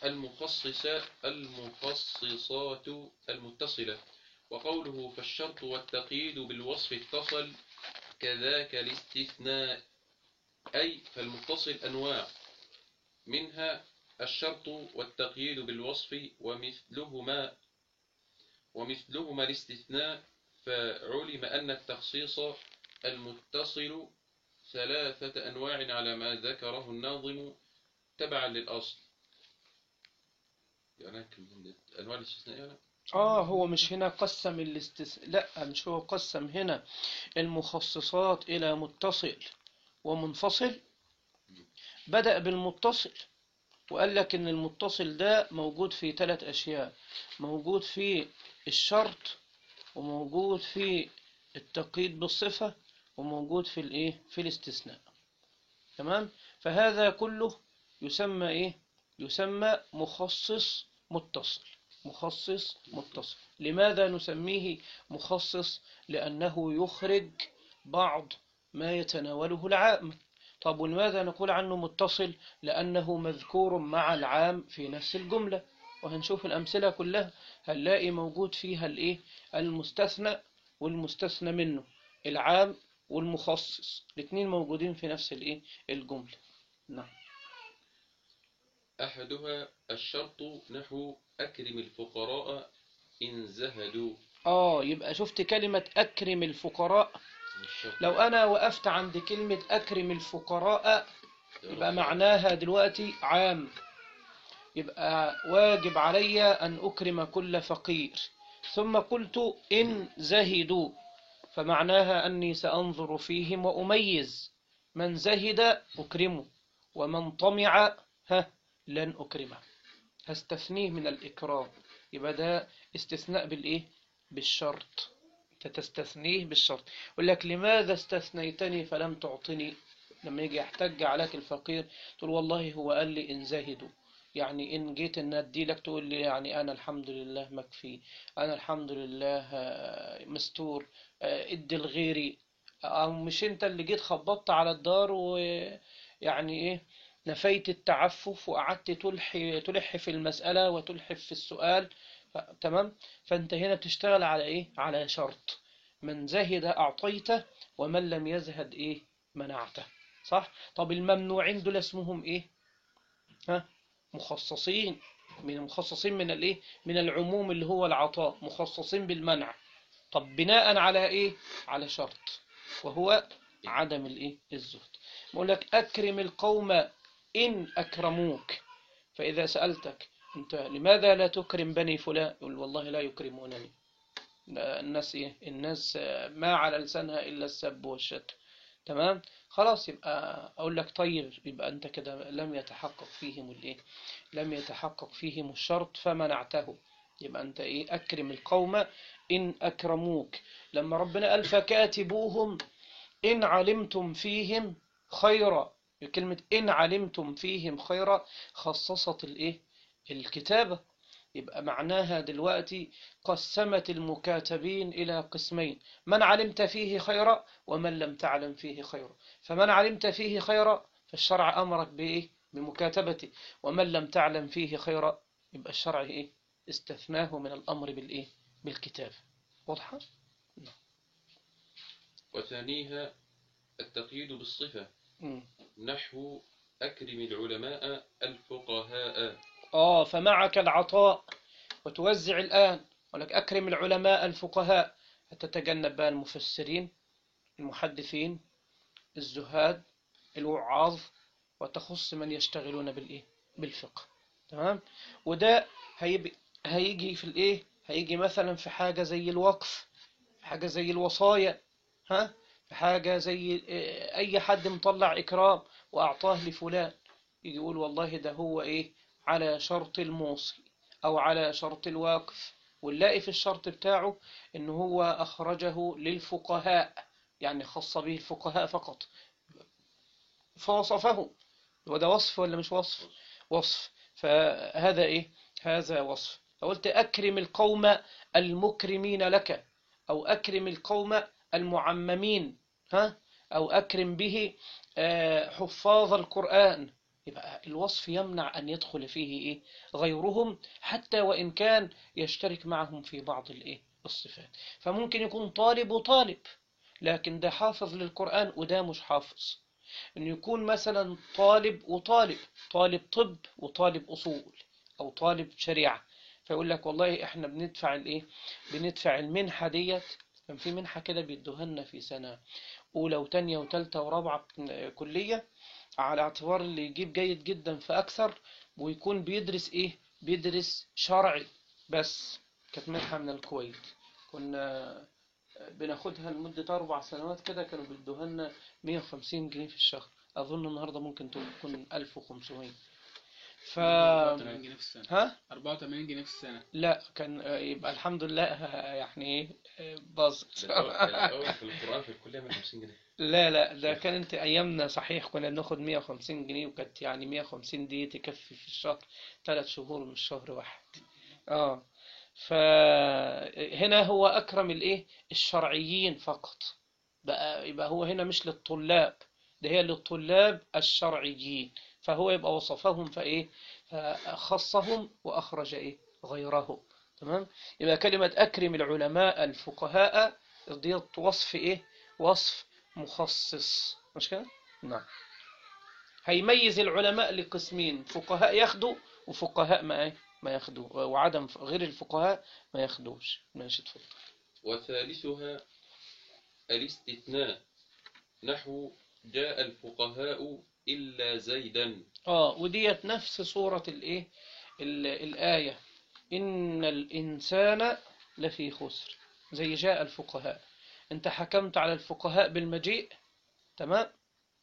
المخصصات المخصصات المتصلة. وقوله فالشرط والتقييد بالوصف اتصل كذاك الاستثناء. أي فالمتصل أنواع، منها الشرط والتقييد بالوصف ومثلهما ومثلهما الاستثناء. فعلم أن التخصيص المتصل ثلاثة أنواع على ما ذكره الناظم تبعا للأصل. يعني أنواع الاستثناء يعني؟ آه هو مش هنا قسم الاستثناء، لا مش هو قسم هنا المخصصات إلى متصل ومنفصل. بدأ بالمتصل وقال لك إن المتصل ده موجود في ثلاث أشياء: موجود في الشرط، وموجود في التقييد بالصفة، وموجود في الإيه في الاستثناء. تمام. فهذا كله يسمى إيه يسمى مخصص متصل. مخصص متصل. لماذا نسميه مخصص؟ لأنه يخرج بعض ما يتناوله العام. طب ولماذا نقول عنه متصل؟ لأنه مذكور مع العام في نفس الجملة. وهنشوف الأمثلة كلها، هنلاقي موجود فيها الإيه المستثنى والمستثنى منه، العام والمخصص، الاثنين موجودين في نفس الإيه الجملة. نعم. أحدها الشرط نحو أكرم الفقراء إن زهدوا. آه يبقى شفت كلمة أكرم الفقراء. لو أنا وقفت عند كلمة أكرم الفقراء يبقى معناها دلوقتي عام، يبقى واجب علي أن أكرم كل فقير. ثم قلت إن زهدوا، فمعناها أني سأنظر فيهم وأميز من زهد أكرمه، ومن طمع ها لن أكرمه، هستثنيه من الإكرام. يبقى ده استثناء بالإيه بالشرط، تستثنيه بالشرط. يقول لك لماذا استثنيتني فلم تعطني؟ لما يجي يحتج عليك الفقير تقول والله هو قال لي إن زهدوا، يعني إن جيت إن أدي لك تقول لي يعني أنا الحمد لله مكفي، أنا الحمد لله مستور، ادي لغيري. أو مش أنت اللي جيت خبطت على الدار ويعني إيه نفيت التعفف وقعدت تلحي تلح في المسألة وتلحف في السؤال. تمام. فأنت هنا بتشتغل على إيه على شرط: من زهد أعطيته ومن لم يزهد إيه منعته. صح. طب الممنوعين دول اسمهم إيه؟ ها مخصصين من مخصصين من الايه من العموم اللي هو العطاء، مخصصين بالمنع. طب بناء على ايه؟ على شرط. وهو عدم الإيه الزهد. بقول لك أكرم القوم إن أكرموك، فإذا سألتك أنت لماذا لا تكرم بني فلان، يقول والله لا يكرمونني. الناس إيه الناس ما على لسانها إلا السب والشتم. تمام، خلاص يبقى أقول لك طيب، يبقى أنت كده لم يتحقق فيهم الإيه لم يتحقق فيهم الشرط فمنعته. يبقى أنت إيه أكرم القوم إن أكرموك. لما ربنا قال فكاتبوهم إن علمتم فيهم خيرا، كلمة إن علمتم فيهم خيرا خصصت الإيه الكتابة. يبقى معناها دلوقتي قسمت المكاتبين إلى قسمين: من علمت فيه خيرا ومن لم تعلم فيه خيرا. فمن علمت فيه خيرا فالشرع أمرك بإيه بمكاتبته، ومن لم تعلم فيه خيرا يبقى الشرع إيه استثناه من الأمر بالإيه بالكتاب. واضحة؟ وثانيها التقييد بالصفة، مم. نحو أكرم العلماء الفقهاء. آه فمعك العطاء وتوزع الآن، ولك أكرم العلماء الفقهاء، هتتجنب بقى المفسرين المحدثين الزهاد الوعاظ، وتخص من يشتغلون بالإيه بالفقه. تمام، وده هيبقى هيجي في الإيه هيجي مثلا في حاجة زي الوقف، في حاجة زي الوصايا، ها في حاجة زي أي حد مطلع إكرام وأعطاه لفلان، يجي يقول والله ده هو إيه على شرط الموصي أو على شرط الواقف، ونلاقي في الشرط بتاعه إن هو أخرجه للفقهاء، يعني خص به الفقهاء فقط، فوصفه. وده وصف ولا مش وصف؟ وصف. فهذا إيه هذا وصف. فقلت أكرم القوم المكرمين لك، أو أكرم القوم المعممين، ها أو أكرم به حفاظ القرآن. يبقى الوصف يمنع أن يدخل فيه إيه غيرهم، حتى وإن كان يشترك معهم في بعض الإيه الصفات. فممكن يكون طالب وطالب، لكن ده حافظ للقرآن وده مش حافظ. إن يكون مثلا طالب وطالب، طالب طب وطالب أصول، أو طالب شريعة، فيقول لك والله إحنا بندفع الإيه بندفع المنحة ديت. كان في منحة كده بيدوها لنا في سنة أولى وتانية وتالتة ورابعة كلية، على اعتبار اللي يجيب جيد جدا فأكثر، ويكون بيدرس إيه بيدرس شرعي بس. كانت منحة من الكويت، كنا بناخدها لمدة أربع سنوات كده، كانوا بيدوها لنا مية وخمسين جنيه في الشهر. أظن النهاردة ممكن تكون ألف وخمسمية. ف أربعة وثمانين جنيه في السنة. ها أربعة وثمانين جنيه في السنة. لا كان يبقى الحمد لله يعني ايه باظت. ده الأول في القرآن في الكلية مية وخمسين جنيه. لا لا ده كانت أيامنا صحيح كنا بناخد مية وخمسين جنيه، وكانت يعني مية وخمسين دي تكفي في الشهر ثلاث شهور مش شهر واحد. اه فهنا هو أكرم الإيه الشرعيين فقط بقى، يبقى هو هنا مش للطلاب، ده هي للطلاب الشرعيين، فهو يبقى وصفهم فإيه فخصهم وأخرج إيه غيره. تمام، يبقى كلمة أكرم العلماء الفقهاء دي وصف إيه وصف مخصص، مش كده؟ نعم. هيميز العلماء لقسمين: فقهاء ياخدوا وفقهاء ما إيه ما ياخدوا، وعدم غير الفقهاء ما ياخدوش. ماشي اتفضل. وثالثها الاستثناء، نحو جاء الفقهاء إلا زيدا. اه وديت نفس صورة الايه الآية: إن الإنسان لفي خسر، زي جاء الفقهاء. انت حكمت على الفقهاء بالمجيء، تمام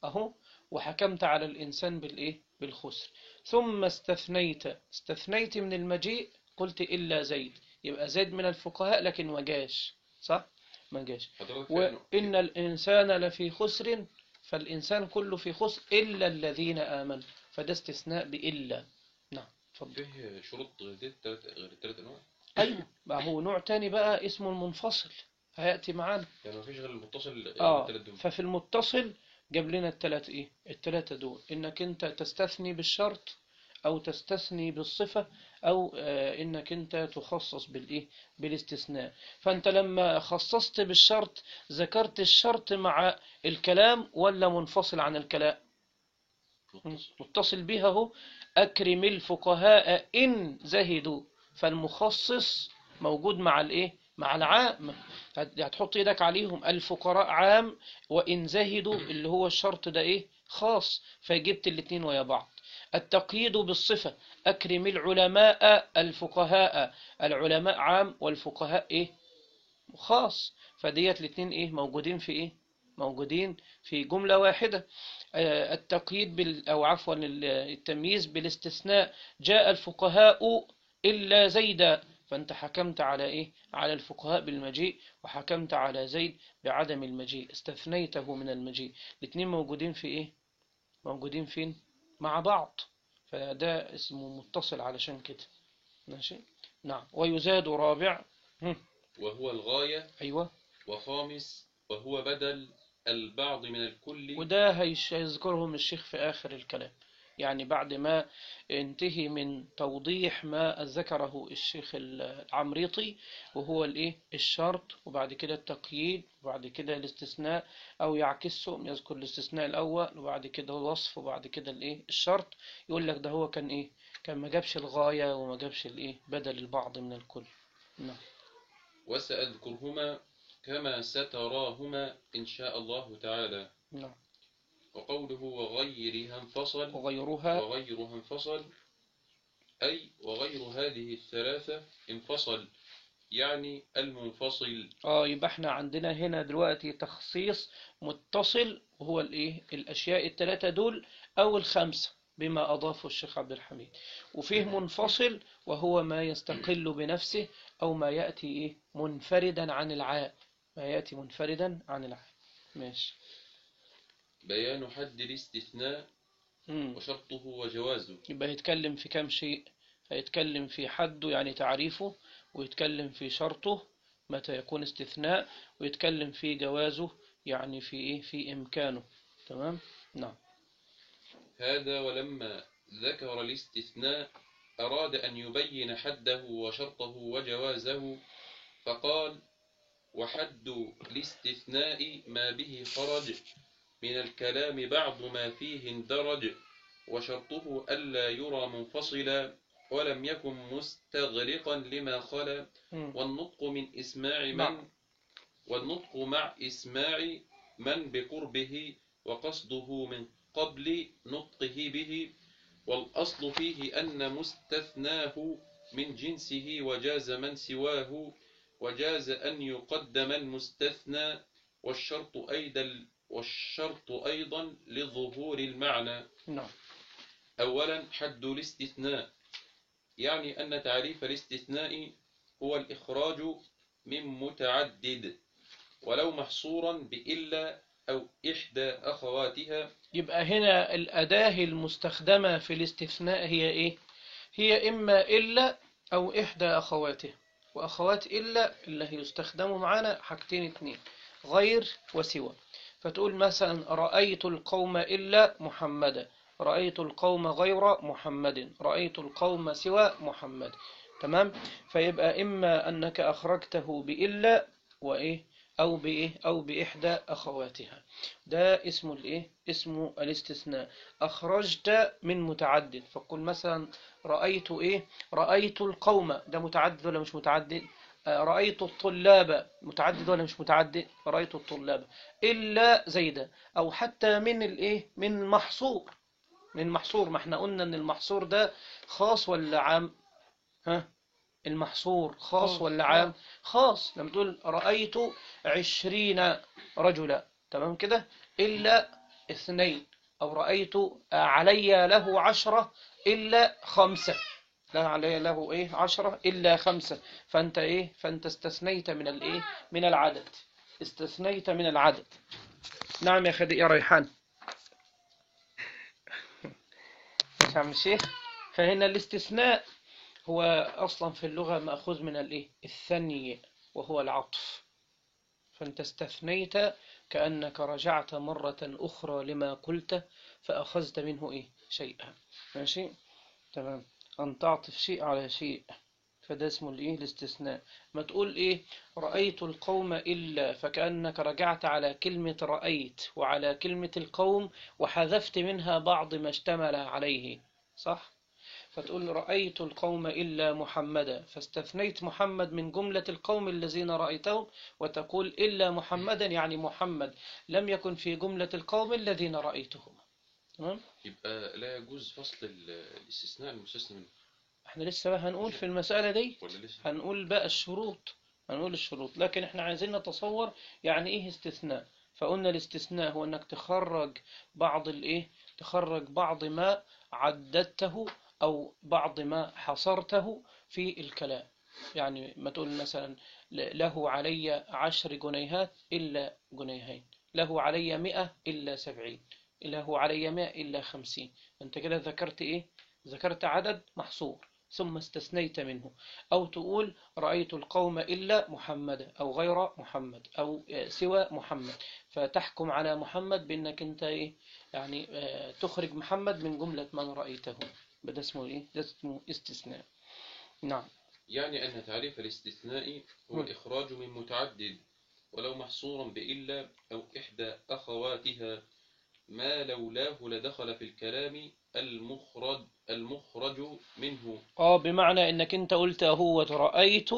اهو، وحكمت على الإنسان بالإيه بالخسر، ثم استثنيت استثنيت من المجيء، قلت إلا زيد، يبقى زيد من الفقهاء لكن ما جاش، صح ما جاش. وإن الإنسان لفي خسر، فالإنسان كله في خسر إلا الذين آمنوا، فده استثناء بإلا. نعم اتفضل. فيه شروط غير الثلاث غير الثلاث أنواع. أيوة ما هو نوع تاني بقى اسمه المنفصل هيأتي معانا. يعني ما فيش غير المتصل. آه الثلاث دول. ففي المتصل جاب لنا الثلاث إيه الثلاثة دول: إنك أنت تستثني بالشرط، أو تستثني بالصفة، أو آه إنك أنت تخصص بالإيه بالاستثناء. فأنت لما خصصت بالشرط ذكرت الشرط مع الكلام ولا منفصل عن الكلام؟ متصل. متصل بها هو. أكرم الفقهاء إن زهدوا، فالمخصص موجود مع الإيه مع العام، هتحط ايدك عليهم. الفقراء عام، وإن زهدوا اللي هو الشرط ده ايه خاص، فجبت الاتنين ويا بعض. التقييد بالصفة، أكرم العلماء الفقهاء، العلماء عام والفقهاء ايه خاص، فديت الاتنين ايه موجودين في ايه موجودين في جملة واحدة. آه، التقييد بال أو عفوا التمييز بالاستثناء، جاء الفقهاء إلا زيدا، فأنت حكمت على إيه على الفقهاء بالمجيء، وحكمت على زيد بعدم المجيء، استثنيته من المجيء. الاثنين موجودين في إيه موجودين فين مع بعض، فده اسمه متصل علشان كده. ماشي. نعم. ويزاد رابع. هم. وهو الغاية. أيوة. وخامس وهو بدل البعض من الكل. وده هيش- هيذكرهم الشيخ في آخر الكلام، يعني بعد ما انتهي من توضيح ما ذكره الشيخ العمريطي، وهو الايه الشرط، وبعد كده التقييد، وبعد كده الاستثناء، او يعكسه يذكر الاستثناء الاول وبعد كده الوصف وبعد كده الايه الشرط، يقول لك ده هو كان ايه كان ما جابش الغاية وما جابش الايه بدل البعض من الكل. نعم. وسأذكرهما كما ستراهما إن شاء الله تعالى. نعم. وقوله وغيرها انفصل وغيرها وغيرها انفصل أي وغير هذه الثلاثة انفصل، يعني المنفصل. اه يبقى احنا عندنا هنا دلوقتي تخصيص متصل، وهو الايه الاشياء الثلاثه دول او الخمسه بما اضافه الشيخ عبد الحميد، وفيه منفصل وهو ما يستقل بنفسه او ما ياتي ايه منفردا عن العام، ما ياتي منفردا عن العام. ماشي. بيان حد الاستثناء مم. وشرطه وجوازه. يبقى هيتكلم في كام شيء، هيتكلم في حده يعني تعريفه، ويتكلم في شرطه متى يكون استثناء، ويتكلم في جوازه يعني في إيه في إمكانه. تمام. نعم. هذا ولما ذكر الاستثناء أراد أن يبين حده وشرطه وجوازه، فقال وحد الاستثناء ما به خرج من الكلام بعض ما فيه اندرج، وشرطه ألا يرى منفصلا ولم يكن مستغرقا لما خلا، مم. والنطق من إسماع مع. من والنطق مع إسماع من بقربه وقصده من قبل نطقه به، والأصل فيه أن مستثناه من جنسه وجاز من سواه، وجاز أن يقدم المستثنى، والشرط أيضا والشرط أيضا لظهور المعنى. نعم. أولا حد الاستثناء، يعني أن تعريف الاستثناء هو الإخراج من متعدد ولو محصورا بإلا أو إحدى أخواتها. يبقى هنا الأداة المستخدمة في الاستثناء هي إيه هي إما إلا أو إحدى أخواته، وأخوات إلا اللي يستخدموا معنا حاجتين اتنين، غير وسوى. فتقول مثلا رأيت القوم إلا محمدا، رأيت القوم غير محمد، رأيت القوم سوى محمد. تمام. فيبقى إما أنك أخرجته بإلا وإيه أو بإيه أو بإحدى أخواتها، ده اسمه الإيه اسمه الاستثناء. أخرجت من متعدد، فقل مثلا رأيت إيه رأيت القوم، ده متعدد ولا مش متعدد؟ رأيت الطلاب متعدد ولا مش متعدد؟ رأيت الطلاب إلا زيدا. أو حتى من الإيه من المحصور، من محصور، ما احنا قلنا ان المحصور ده خاص ولا عام؟ ها المحصور خاص ولا عام؟ خاص. لما تقول رأيت عشرين رجلا، تمام كده، إلا اثنين. أو رأيت علي له عشرة إلا خمسة، لا علي له إيه عشرة إلا خمسة. فأنت إيه فأنت استثنيت من الإيه من العدد، استثنيت من العدد. نعم يا خدي يا ريحان. ماشي يا عم الشيخ. فهنا الاستثناء هو أصلا في اللغة مأخوذ من الإيه الثني، وهو العطف. فأنت استثنيت كأنك رجعت مرة أخرى لما قلت فأخذت منه إيه شيئا. ماشي. تمام. أن تعطف شيء على شيء، فده اسمه الإيه الاستثناء. ما تقول إيه رأيت القوم إلا، فكأنك رجعت على كلمة رأيت وعلى كلمة القوم وحذفت منها بعض ما اشتمل عليه، صح؟ فتقول رأيت القوم إلا محمدا، فاستثنيت محمد من جملة القوم الذين رأيتهم، وتقول إلا محمدا يعني محمد لم يكن في جملة القوم الذين رأيتهم. تمام؟ يبقى لا يجوز فصل ال- الاستثناء المستثنى منه احنا لسه بقى هنقول في المسألة دي، ولا لسه؟ هنقول بقى الشروط، هنقول الشروط، لكن احنا عايزين نتصور يعني ايه استثناء. فقلنا الاستثناء هو انك تخرج بعض الايه، تخرج بعض ما عددته او بعض ما حصرته في الكلام. يعني ما تقول مثلا له علي عشر جنيهات إلا جنيهين، له علي مئة إلا سبعين، له علي مئة إلا خمسين. أنت كده ذكرت إيه؟ ذكرت عدد محصور ثم استثنيت منه. أو تقول رأيت القوم إلا محمد أو غير محمد أو سوى محمد، فتحكم على محمد بأنك أنت إيه؟ يعني تخرج محمد من جملة من رأيته. ده اسمه إيه؟ ده اسمه استثناء. نعم. يعني أن تعريف الاستثناء هو الإخراج من متعدد ولو محصورا بإلا أو إحدى أخواتها ما لولاه لدخل في الكلام المخرج المخرج منه. آه بمعنى إنك أنت قلت هو رأيت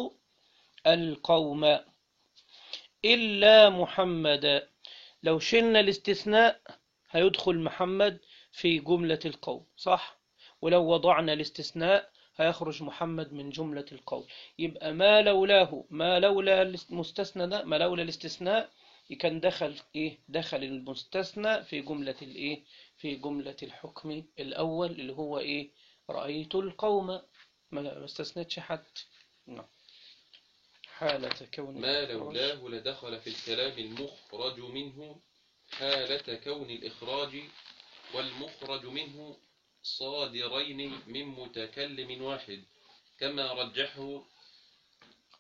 القوم إلا محمد، لو شلنا الاستثناء هيدخل محمد في جملة القوم، صح؟ ولو وضعنا الاستثناء هيخرج محمد من جملة القوم. يبقى ما لولاه، ما لولا المستثنى ده، ما لولا الاستثناء كان دخل إيه؟ دخل المستثنى في جملة الإيه؟ في جملة الحكم الأول اللي هو إيه؟ رأيت القوم، ما استثنتش حد. نعم. حالة كون ما لولاه لدخل في الكلام المخرج منه حالة كون الإخراج والمخرج منه صادرين من متكلم واحد كما رجحه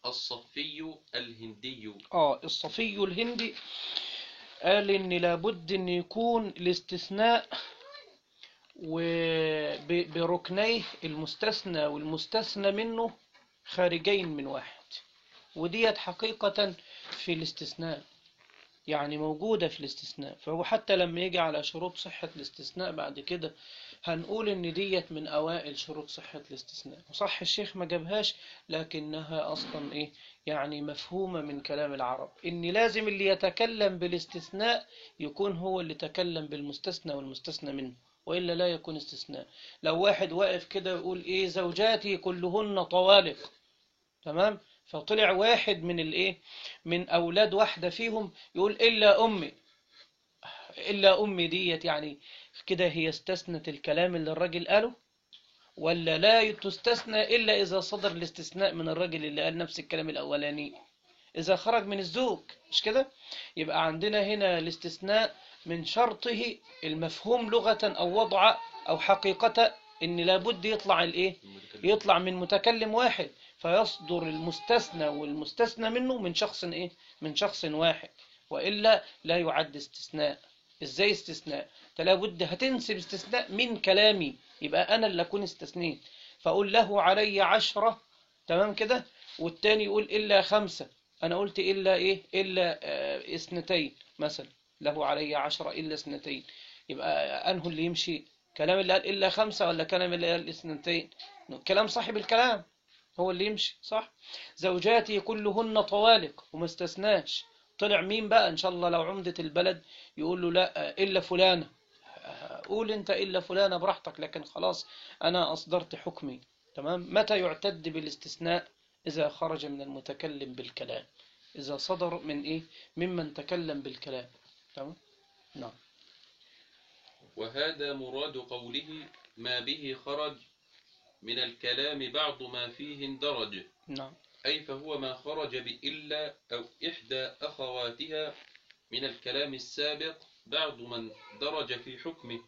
الصفي الهندي. آه الصفي الهندي قال إن لابد إن يكون الاستثناء وبركنيه المستثنى والمستثنى منه خارجين من واحد، وديت حقيقة في الاستثناء، يعني موجودة في الاستثناء. فهو حتى لما يجي على شروط صحة الاستثناء بعد كده هنقول إن ديت من أوائل شروط صحة الاستثناء. وصح الشيخ ما جابهاش لكنها أصلا إيه يعني مفهومة من كلام العرب، إن لازم اللي يتكلم بالاستثناء يكون هو اللي تكلم بالمستثنى والمستثنى منه، وإلا لا يكون استثناء. لو واحد واقف كده يقول إيه زوجاتي كلهن طوالق، تمام، فطلع واحد من الايه من اولاد واحده فيهم يقول الا امي، الا امي ديت يعني كده هي استثنت الكلام اللي الراجل قاله، ولا لا تستثنى الا اذا صدر الاستثناء من الراجل اللي قال نفس الكلام الاولاني، اذا خرج من الزوج، مش كده؟ يبقى عندنا هنا الاستثناء من شرطه المفهوم لغة او وضع او حقيقة ان لابد يطلع الايه يطلع من متكلم واحد، فيصدر المستثنى والمستثنى منه من شخص ايه من شخص واحد، وإلا لا يعد استثناء. ازاي استثناء؟ فلا بد هتنسب استثناء من كلامي، يبقى انا اللي اكون استثنيت، فاقول له علي عشرة، تمام كده، والتاني يقول الا خمسة، انا قلت الا ايه الا آه اثنتين مثلا، له علي عشرة الا اثنتين، يبقى انه اللي يمشي كلام اللي قال الا خمسة ولا كلام اللي قال اثنتين؟ كلام صاحب الكلام هو اللي يمشي، صح؟ زوجاتي كلهن طوالق وما استثناش، طلع مين بقى؟ ان شاء الله لو عمدة البلد يقول له لا الا فلانة، قول انت الا فلانة براحتك، لكن خلاص انا اصدرت حكمي. تمام. متى يعتد بالاستثناء؟ اذا خرج من المتكلم بالكلام، اذا صدر من ايه ممن تكلم بالكلام. تمام. نعم. وهذا مراد قوله ما به خرج من الكلام بعض ما فيه اندرج. نعم. أي فهو ما خرج بإلا أو إحدى أخواتها من الكلام السابق بعض من درج في حكمه،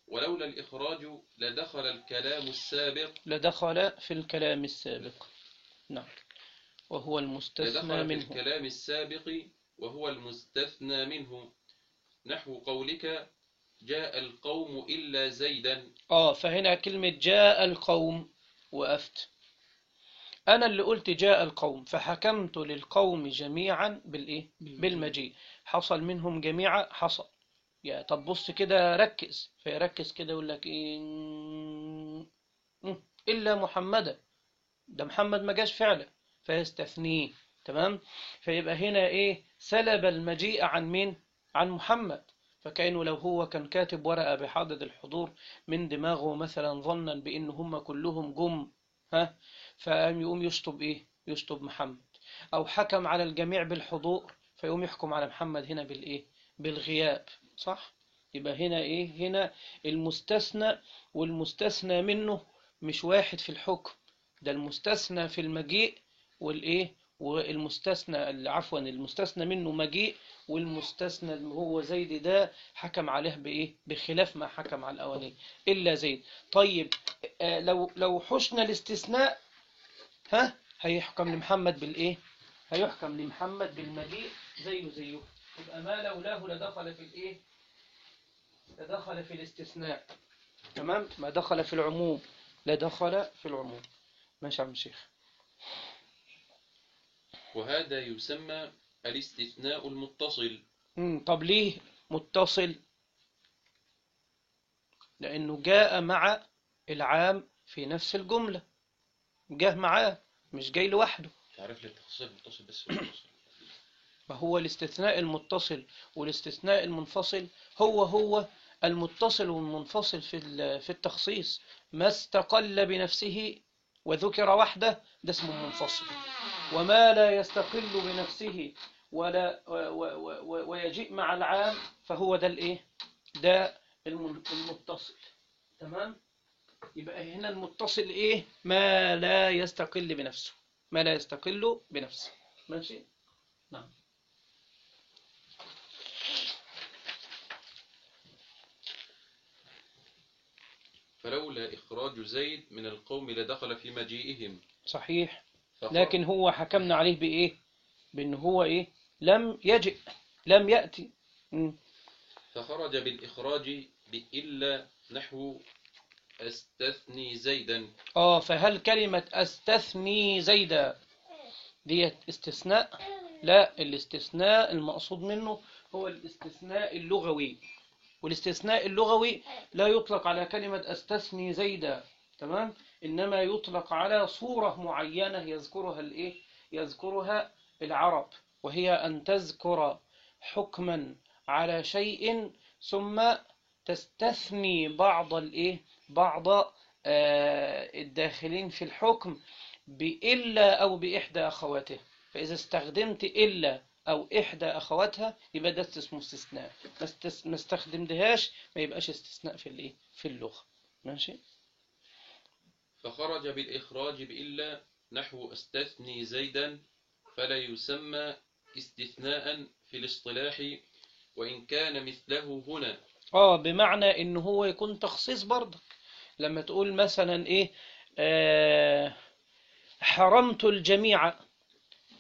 ولولا الإخراج لدخل الكلام السابق لدخل في الكلام السابق. نعم. وهو المستثنى لدخل في منه. الكلام السابق وهو المستثنى منه، نحو قولك جاء القوم إلا زيدا. آه فهنا كلمة جاء القوم وقفت، أنا اللي قلت جاء القوم فحكمت للقوم جميعا بالإيه؟ بالمجيء، حصل منهم جميعا حصل. يا طب بص كده ركز، فيركز كده يقول لك إيه إلا محمدا، ده محمد ما جاش فعلا فيستثنيه. تمام. فيبقى هنا إيه؟ سلب المجيء عن مين؟ عن محمد. فكأنه لو هو كان كاتب ورقة بحدد الحضور من دماغه مثلا ظنا بأن هم كلهم جم، ها، فقام يقوم يشطب إيه؟ يشطب محمد. أو حكم على الجميع بالحضور فيقوم يحكم على محمد هنا بالإيه؟ بالغياب. صح؟ يبقى هنا إيه؟ هنا المستثنى والمستثنى منه مش واحد في الحكم، ده المستثنى في المجيء والإيه؟ والمستثنى عفوا المستثنى منه مجيء، والمستثنى اللي هو زيد ده حكم عليه بإيه؟ بخلاف ما حكم على الأولين إلا زيد. طيب آه لو لو حشنا الاستثناء، ها، هيحكم لمحمد بالإيه؟ هيحكم لمحمد بالمجيء زيه زيه. يبقى ما لولاه لدخل في الإيه؟ لدخل في الاستثناء. تمام. ما دخل في العموم لدخل في العموم. ماشي يا عم الشيخ. وهذا يسمى الاستثناء المتصل. مم. طب ليه متصل؟ لأنه جاء مع العام في نفس الجملة، جاء معاه مش جاي لوحده. تعرف لي التخصيص المتصل بس المتصل. ما هو الاستثناء المتصل والاستثناء المنفصل هو هو المتصل والمنفصل في في التخصيص. ما استقل بنفسه وذكر وحده ده اسمه منفصل، وما لا يستقل بنفسه ولا ويجيء مع العام فهو ده الايه؟ ده المتصل. تمام. يبقى هنا المتصل ايه؟ ما لا يستقل بنفسه، ما لا يستقل بنفسه. ماشي. نعم. فلولا إخراج زيد من القوم لدخل في مجيئهم. صحيح. فخرج لكن هو حكمنا عليه بإيه؟ بأن هو إيه؟ لم يجئ، لم يأتي. م. فخرج بالإخراج بإلا نحو أستثني زيدا. آه فهل كلمة أستثني زيدا دي استثناء؟ لا، الاستثناء المقصود منه هو الاستثناء اللغوي، والاستثناء اللغوي لا يطلق على كلمة أستثني زيدا. تمام. إنما يطلق على صورة معينة يذكرها الإيه؟ يذكرها العرب، وهي أن تذكر حكما على شيء ثم تستثني بعض الإيه؟ بعض آه الداخلين في الحكم بإلا أو بإحدى أخواته. فإذا استخدمت إلا أو إحدى أخواتها يبقى ده اسمه استثناء، ما استخدمتهاش ما يبقاش استثناء في الإيه؟ في اللغة. ماشي. فخرج بالإخراج بإلا نحو أستثني زيدا فلا يسمى استثناء في الاصطلاح وإن كان مثله هنا. آه بمعنى إن هو يكون تخصيص برضك. لما تقول مثلا إيه؟ آه حرمت الجميع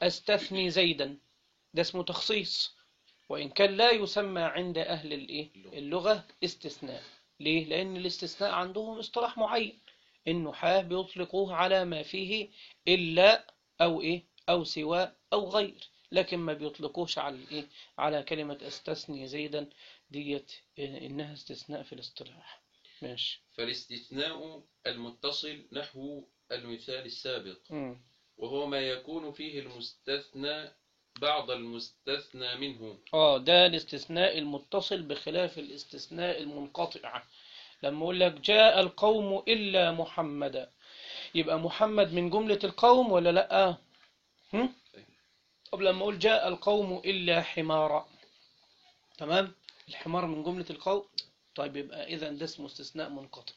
أستثني زيدا، ده اسمه تخصيص، وإن كان لا يسمى عند أهل الإيه؟ اللغة استثناء. ليه؟ لأن الاستثناء عندهم اصطلاح معين، النحاة بيطلقوه على ما فيه إلا أو إيه؟ أو سوى أو غير، لكن ما بيطلقوش على الإيه؟ على كلمة أستثني زيدا ديت إنها استثناء في الاصطلاح. ماشي. فالاستثناء المتصل نحو المثال السابق، م. وهو ما يكون فيه المستثنى بعض المستثنى منه. آه ده الاستثناء المتصل بخلاف الاستثناء المنقطع. لما أقول لك جاء القوم إلا محمدا، يبقى محمد من جملة القوم ولا لأ؟ هم؟ طب لما أقول جاء القوم إلا حمارا، تمام، الحمار من جملة القوم، طيب يبقى إذا ده اسمه استثناء منقطع.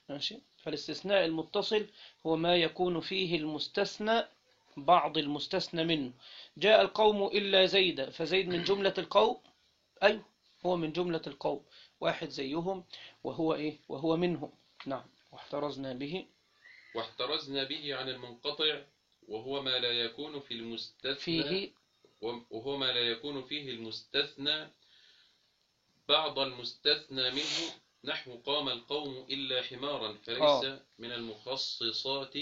ماشي. فالاستثناء المتصل هو ما يكون فيه المستثنى بعض المستثنى منه. جاء القوم إلا زيدا، فزيد من جملة القوم، أيوه هو من جملة القوم، واحد زيهم وهو إيه؟ وهو منهم. نعم. واحترزنا به واحترزنا به عن المنقطع وهو ما لا يكون في المستثنى فيه وهو ما لا يكون فيه المستثنى بعض المستثنى منه نحو قام القوم إلا حمارا فليس آه. من المخصصات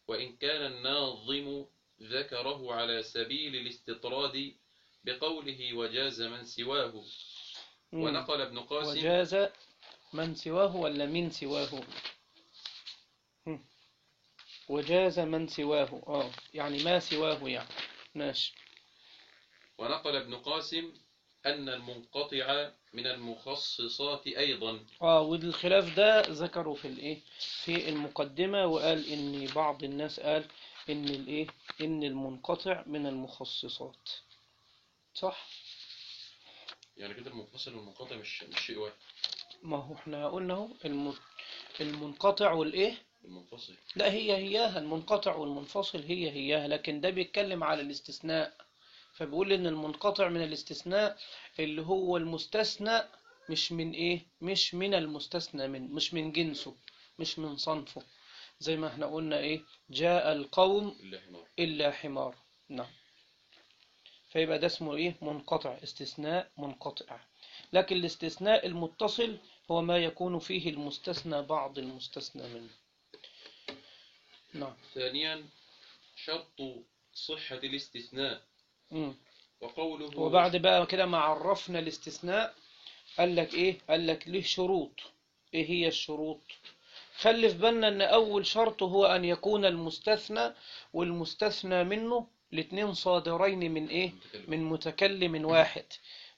وإن كان الناظم ذكره على سبيل الاستطراد بقوله وجاز من سواه. مم. ونقل ابن قاسم وجاز من سواه ولا من سواه؟ هم. وجاز من سواه، اه يعني ما سواه يعني. ماشي. ونقل ابن قاسم أن المنقطع من المخصصات أيضا. اه والخلاف ده ذكره في الايه في المقدمة، وقال ان بعض الناس قال ان الايه ان المنقطع من المخصصات. صح. يعني كده المنفصل والمنقطع مش مش شيء واحد. ما هو احنا قلنا اهو الم- المنقطع والايه المنفصل لا هي هياها، المنقطع والمنفصل هي هياها، لكن ده بيتكلم على الاستثناء. فبيقول ان المنقطع من الاستثناء اللي هو المستثنى مش من ايه مش من المستثنى من مش من جنسه، مش من صنفه. زي ما احنا قلنا ايه جاء القوم إلا حمار. الا حمار. نعم. فيبقى ده اسمه ايه منقطع، استثناء منقطع. لكن الاستثناء المتصل هو ما يكون فيه المستثنى بعض المستثنى منه. نعم. ثانيا شرط صحة الاستثناء. مم. وقوله وبعد بقى كده ما عرفنا الاستثناء قال لك ايه قال لك له شروط. ايه هي الشروط؟ خلي في بالنا ان اول شرط هو ان يكون المستثنى والمستثنى منه الاثنين صادرين من ايه متكلم. من متكلم واحد.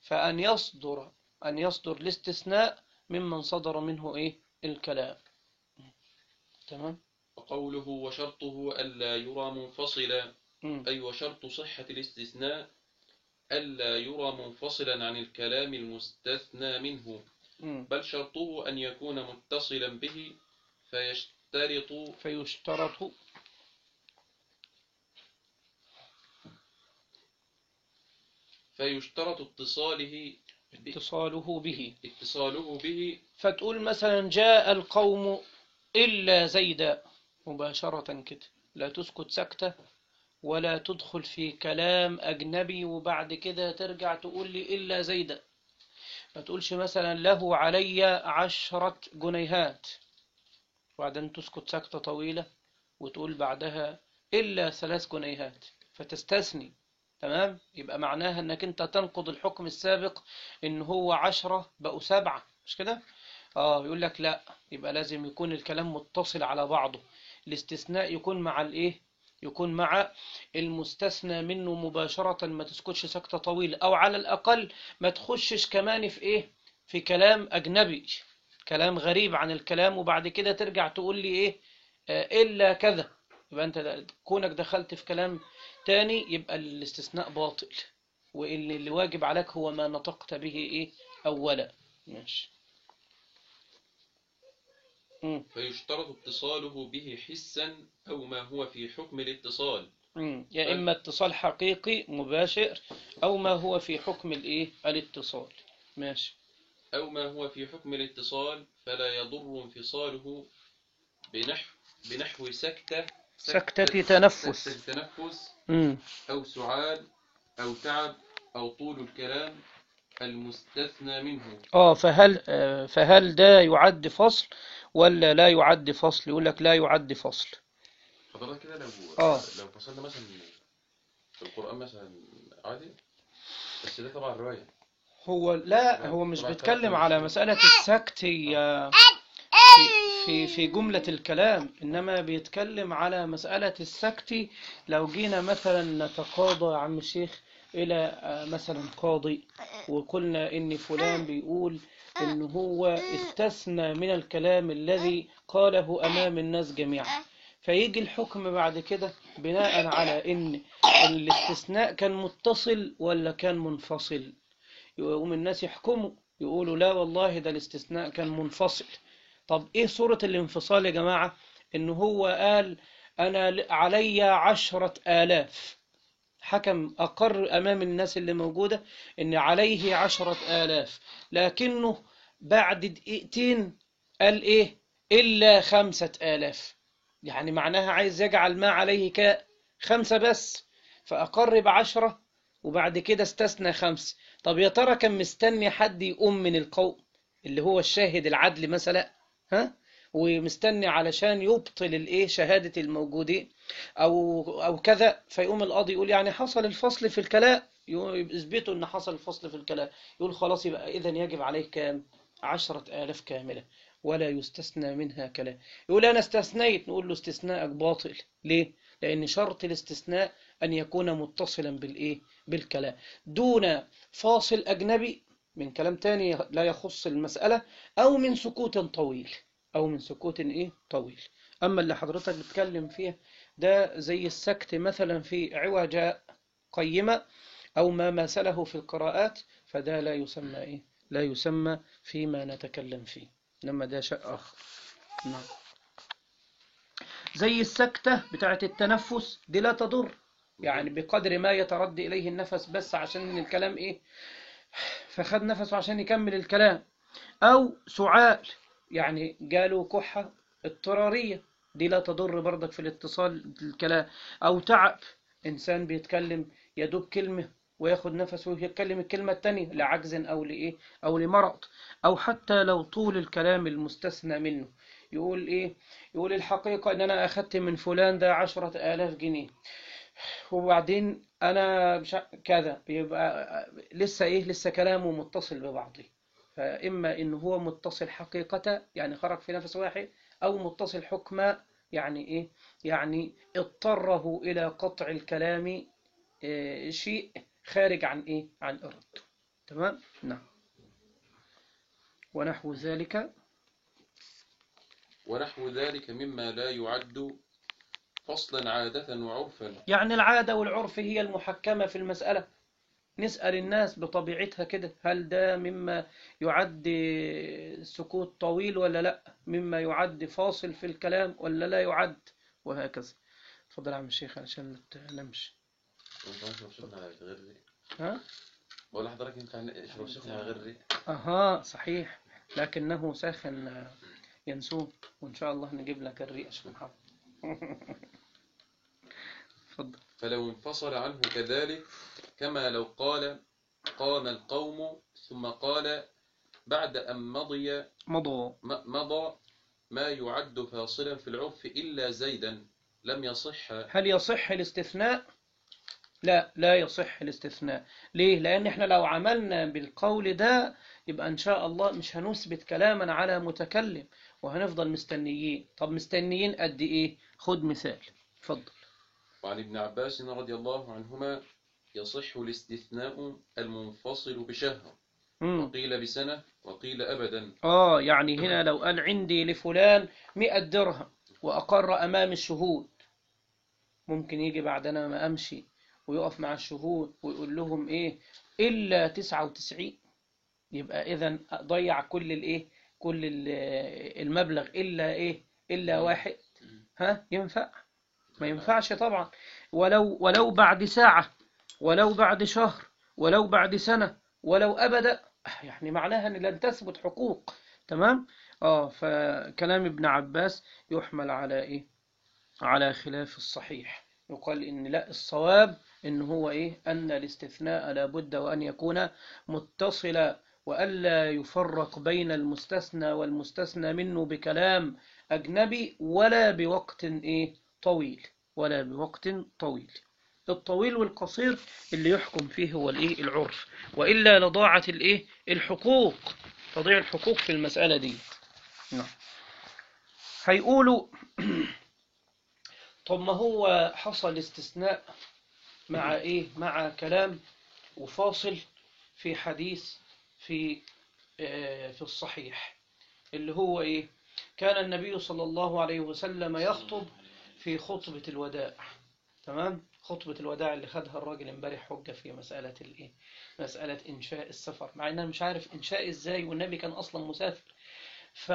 فان يصدر ان يصدر الاستثناء ممن صدر منه ايه الكلام. تمام. وقوله وشرطه ألا يرى منفصلا، مم. أي وشرط صحة الاستثناء ألا يرى منفصلا عن الكلام المستثنى منه، مم. بل شرطه أن يكون متصلا به فيشترط فيشترط فيشترط اتصاله ب- اتصاله به. اتصاله به. فتقول مثلا جاء القوم إلا زيدا مباشرة كده، لا تسكت سكتة ولا تدخل في كلام أجنبي وبعد كده ترجع تقول لي إلا زيدا. ما تقولش مثلا له علي عشرة جنيهات وبعدين تسكت سكتة طويلة وتقول بعدها إلا ثلاث جنيهات فتستثني. تمام. يبقى معناها انك انت تنقض الحكم السابق ان هو عشرة بقوا سبعة، مش كده؟ اه يقول لك لا، يبقى لازم يكون الكلام متصل على بعضه. الاستثناء يكون مع الايه يكون مع المستثنى منه مباشرة، ما تسكتش سكتة طويلة، او على الاقل ما تخشش كمان في ايه في كلام اجنبي، كلام غريب عن الكلام وبعد كده ترجع تقول لي ايه آه الا كذا. يبقى انت كونك دخلت في كلام تاني يبقى الاستثناء باطل، واللي اللي واجب عليك هو ما نطقت به ايه اولا. ماشي. مم. فيشترط اتصاله به حسا أو ما هو في حكم الاتصال. مم. يا إما اتصال حقيقي مباشر أو ما هو في حكم الإيه الاتصال. ماشي. أو ما هو في حكم الاتصال فلا يضر انفصاله بنحو بنحو سكتة سكتة تنفس. سكتة تنفس مم. أو سعال أو تعب أو طول الكلام المستثنى منه. اه فهل آه، فهل ده يعد فصل ولا لا يعد فصل؟ يقول لك لا يعد فصل. حضرتك كده لو اه لو فصلنا مثلا في القرآن مثلا عادي، بس ده طبعا رواية. هو لا هو مش بيتكلم على مسألة السكت هي في في في جملة الكلام، إنما بيتكلم على مسألة السكت. لو جينا مثلا نتقاضى يا عم الشيخ إلى آه، مثلا قاضي وقلنا إن فلان بيقول إن هو استثنى من الكلام الذي قاله أمام الناس جميعا، فيجي الحكم بعد كده بناء على إن الاستثناء كان متصل ولا كان منفصل. يقوم الناس يحكموا يقولوا لا والله ده الاستثناء كان منفصل. طب ايه صورة الانفصال يا جماعة؟ ان هو قال انا علي عشرة آلاف، حكم اقر امام الناس اللي موجودة ان عليه عشرة آلاف، لكنه بعد دقيقتين قال ايه الا خمسة آلاف، يعني معناها عايز يجعل ما عليه كخمسة بس، فاقر بعشرة وبعد كده استثنى خمس. طب يا ترى كان مستني حد يقوم من القوم اللي هو الشاهد العدل مثلا، ها، ومستني علشان يبطل الايه شهادة الموجودين او او كذا، فيقوم القاضي يقول يعني حصل الفصل في الكلام، يثبتوا ان حصل الفصل في الكلام، يقول خلاص يبقى اذا يجب عليه كام عشرة آلاف كاملة، ولا يستثنى منها كلام. يقول أنا استثنيت، نقول له استثناءك باطل. ليه؟ لأن شرط الاستثناء أن يكون متصلا بالإيه؟ بالكلام، دون فاصل أجنبي من كلام تاني لا يخص المسألة، أو من سكوت طويل، أو من سكوت إيه؟ طويل. أما اللي حضرتك بتكلم فيه ده زي السكت مثلا في عوجاء قيمة أو ما مثله في القراءات، فده لا يسمى إيه؟ لا يسمى فيما نتكلم فيه، لما ده شيء آخر. نعم. زي السكتة بتاعت التنفس دي لا تضر، يعني بقدر ما يتردي إليه النفس بس عشان الكلام إيه، فخد نفسه عشان يكمل الكلام. أو سعال، يعني قالوا كحة اضطرارية، دي لا تضر برضك في الاتصال الكلام. أو تعب، إنسان بيتكلم يدوب كلمة وياخد نفسه ويتكلم الكلمة التانية لعجز أو لإيه أو لمرض. أو حتى لو طول الكلام المستثنى منه، يقول إيه، يقول الحقيقة إن أنا أخدت من فلان ده عشرة آلاف جنيه، وبعدين أنا مش ع- كذا، يبقى لسه إيه، لسه كلامه متصل ببعضه. فإما إن هو متصل حقيقة يعني خرج في نفس واحد، أو متصل حكما يعني إيه، يعني اضطره إلى قطع الكلام إيه، شيء خارج عن إيه، عن إرادته. تمام. نعم. ونحو ذلك. ونحو ذلك مما لا يعد فصلا عادة وعرفا. يعني العادة والعرف هي المحكمة في المسألة. نسأل الناس بطبيعتها كده، هل ده مما يعد سكوت طويل ولا لا، مما يعد فاصل في الكلام ولا لا يعد، وهكذا. تفضل يا عم الشيخ علشان ما تنامش. ها؟ بقول لحضرتك ينفع نشرب سخن على غير ريق؟ اها صحيح، لكنه ساخن ينسون، وان شاء الله نجيب لك الريق يا شيخ محمد. تفضل. فلو انفصل عنه كذلك، كما لو قال قام القوم ثم قال بعد أن مضي مضوا. م- مضى ما يعد فاصلا في العرف إلا زيدا، لم يصح. هل يصح الاستثناء؟ لا، لا يصح الاستثناء. ليه؟ لأن احنا لو عملنا بالقول ده يبقى إن شاء الله مش هنثبت كلاما على متكلم، وهنفضل مستنيين. طب مستنيين قد إيه؟ خد مثال. اتفضل. وعن ابن عباس رضي الله عنهما يصح الاستثناء المنفصل بشهر، مم. وقيل بسنة وقيل أبدا. آه يعني هنا لو قال عندي لفلان مئة درهم وأقر أمام الشهود، ممكن يجي بعد أنا ما أمشي ويقف مع الشهود ويقول لهم إيه، إلا تسعة وتسعين، يبقى إذن ضيع كل الإيه، كل ال- المبلغ إلا إيه، إلا واحد. ها ينفع؟ ما ينفعش طبعا. ولو ولو بعد ساعة، ولو بعد شهر، ولو بعد سنة، ولو أبدا، يعني معناها أن لن تثبت حقوق. تمام. آه فكلام ابن عباس يحمل على إيه، على خلاف الصحيح. يقال إن لا، الصواب إن هو إيه، أن الاستثناء لابد وأن يكون متصلا، وألا يفرق بين المستثنى والمستثنى منه بكلام أجنبي، ولا بوقت إيه طويل، ولا بوقت طويل. الطويل والقصير اللي يحكم فيه هو الإيه، العرف، وإلا لضاعت الإيه، الحقوق، تضيع الحقوق في المسألة دي. نعم. هيقولوا طب ما هو حصل استثناء مع إيه، مع كلام وفاصل في حديث في آه، في الصحيح، اللي هو إيه، كان النبي صلى الله عليه وسلم يخطب في خطبة الوداع. تمام. خطبة الوداع اللي خدها الراجل امبارح حجة في مسألة الإيه، مسألة إنشاء السفر، مع إن أنا مش عارف إنشاء إزاي والنبي كان أصلا مسافر. ف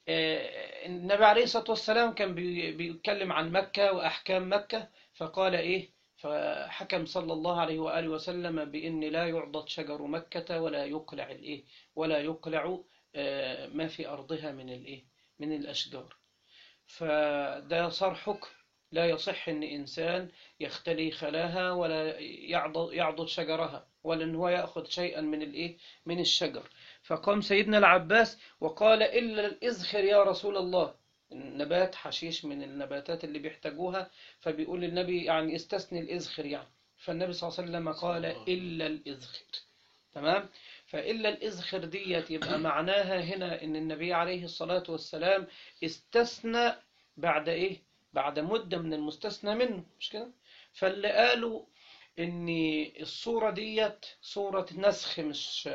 آه، النبي عليه الصلاة والسلام كان بي- بيتكلم عن مكة وأحكام مكة، فقال إيه، فحكم صلى الله عليه وآله وسلم بأن لا يعضد شجر مكة ولا يقلع الإيه، ولا يقلع آه، ما في أرضها من الإيه، من الأشجار. فده صار حكم، لا يصح أن إنسان يختلي خلاها ولا يعضد يعضد شجرها، ولا أن هو يأخذ شيئا من الإيه، من الشجر. فقام سيدنا العباس وقال إلا الإزخر يا رسول الله، نبات حشيش من النباتات اللي بيحتاجوها، فبيقول النبي يعني استثني الإزخر يعني. فالنبي صلى الله عليه وسلم قال إلا الإزخر. تمام. فإلا الإذخر ديت يبقى معناها هنا إن النبي عليه الصلاة والسلام استثنى بعد إيه؟ بعد مدة من المستثنى منه، مش كده؟ فاللي قالوا إن الصورة ديت صورة نسخ، مش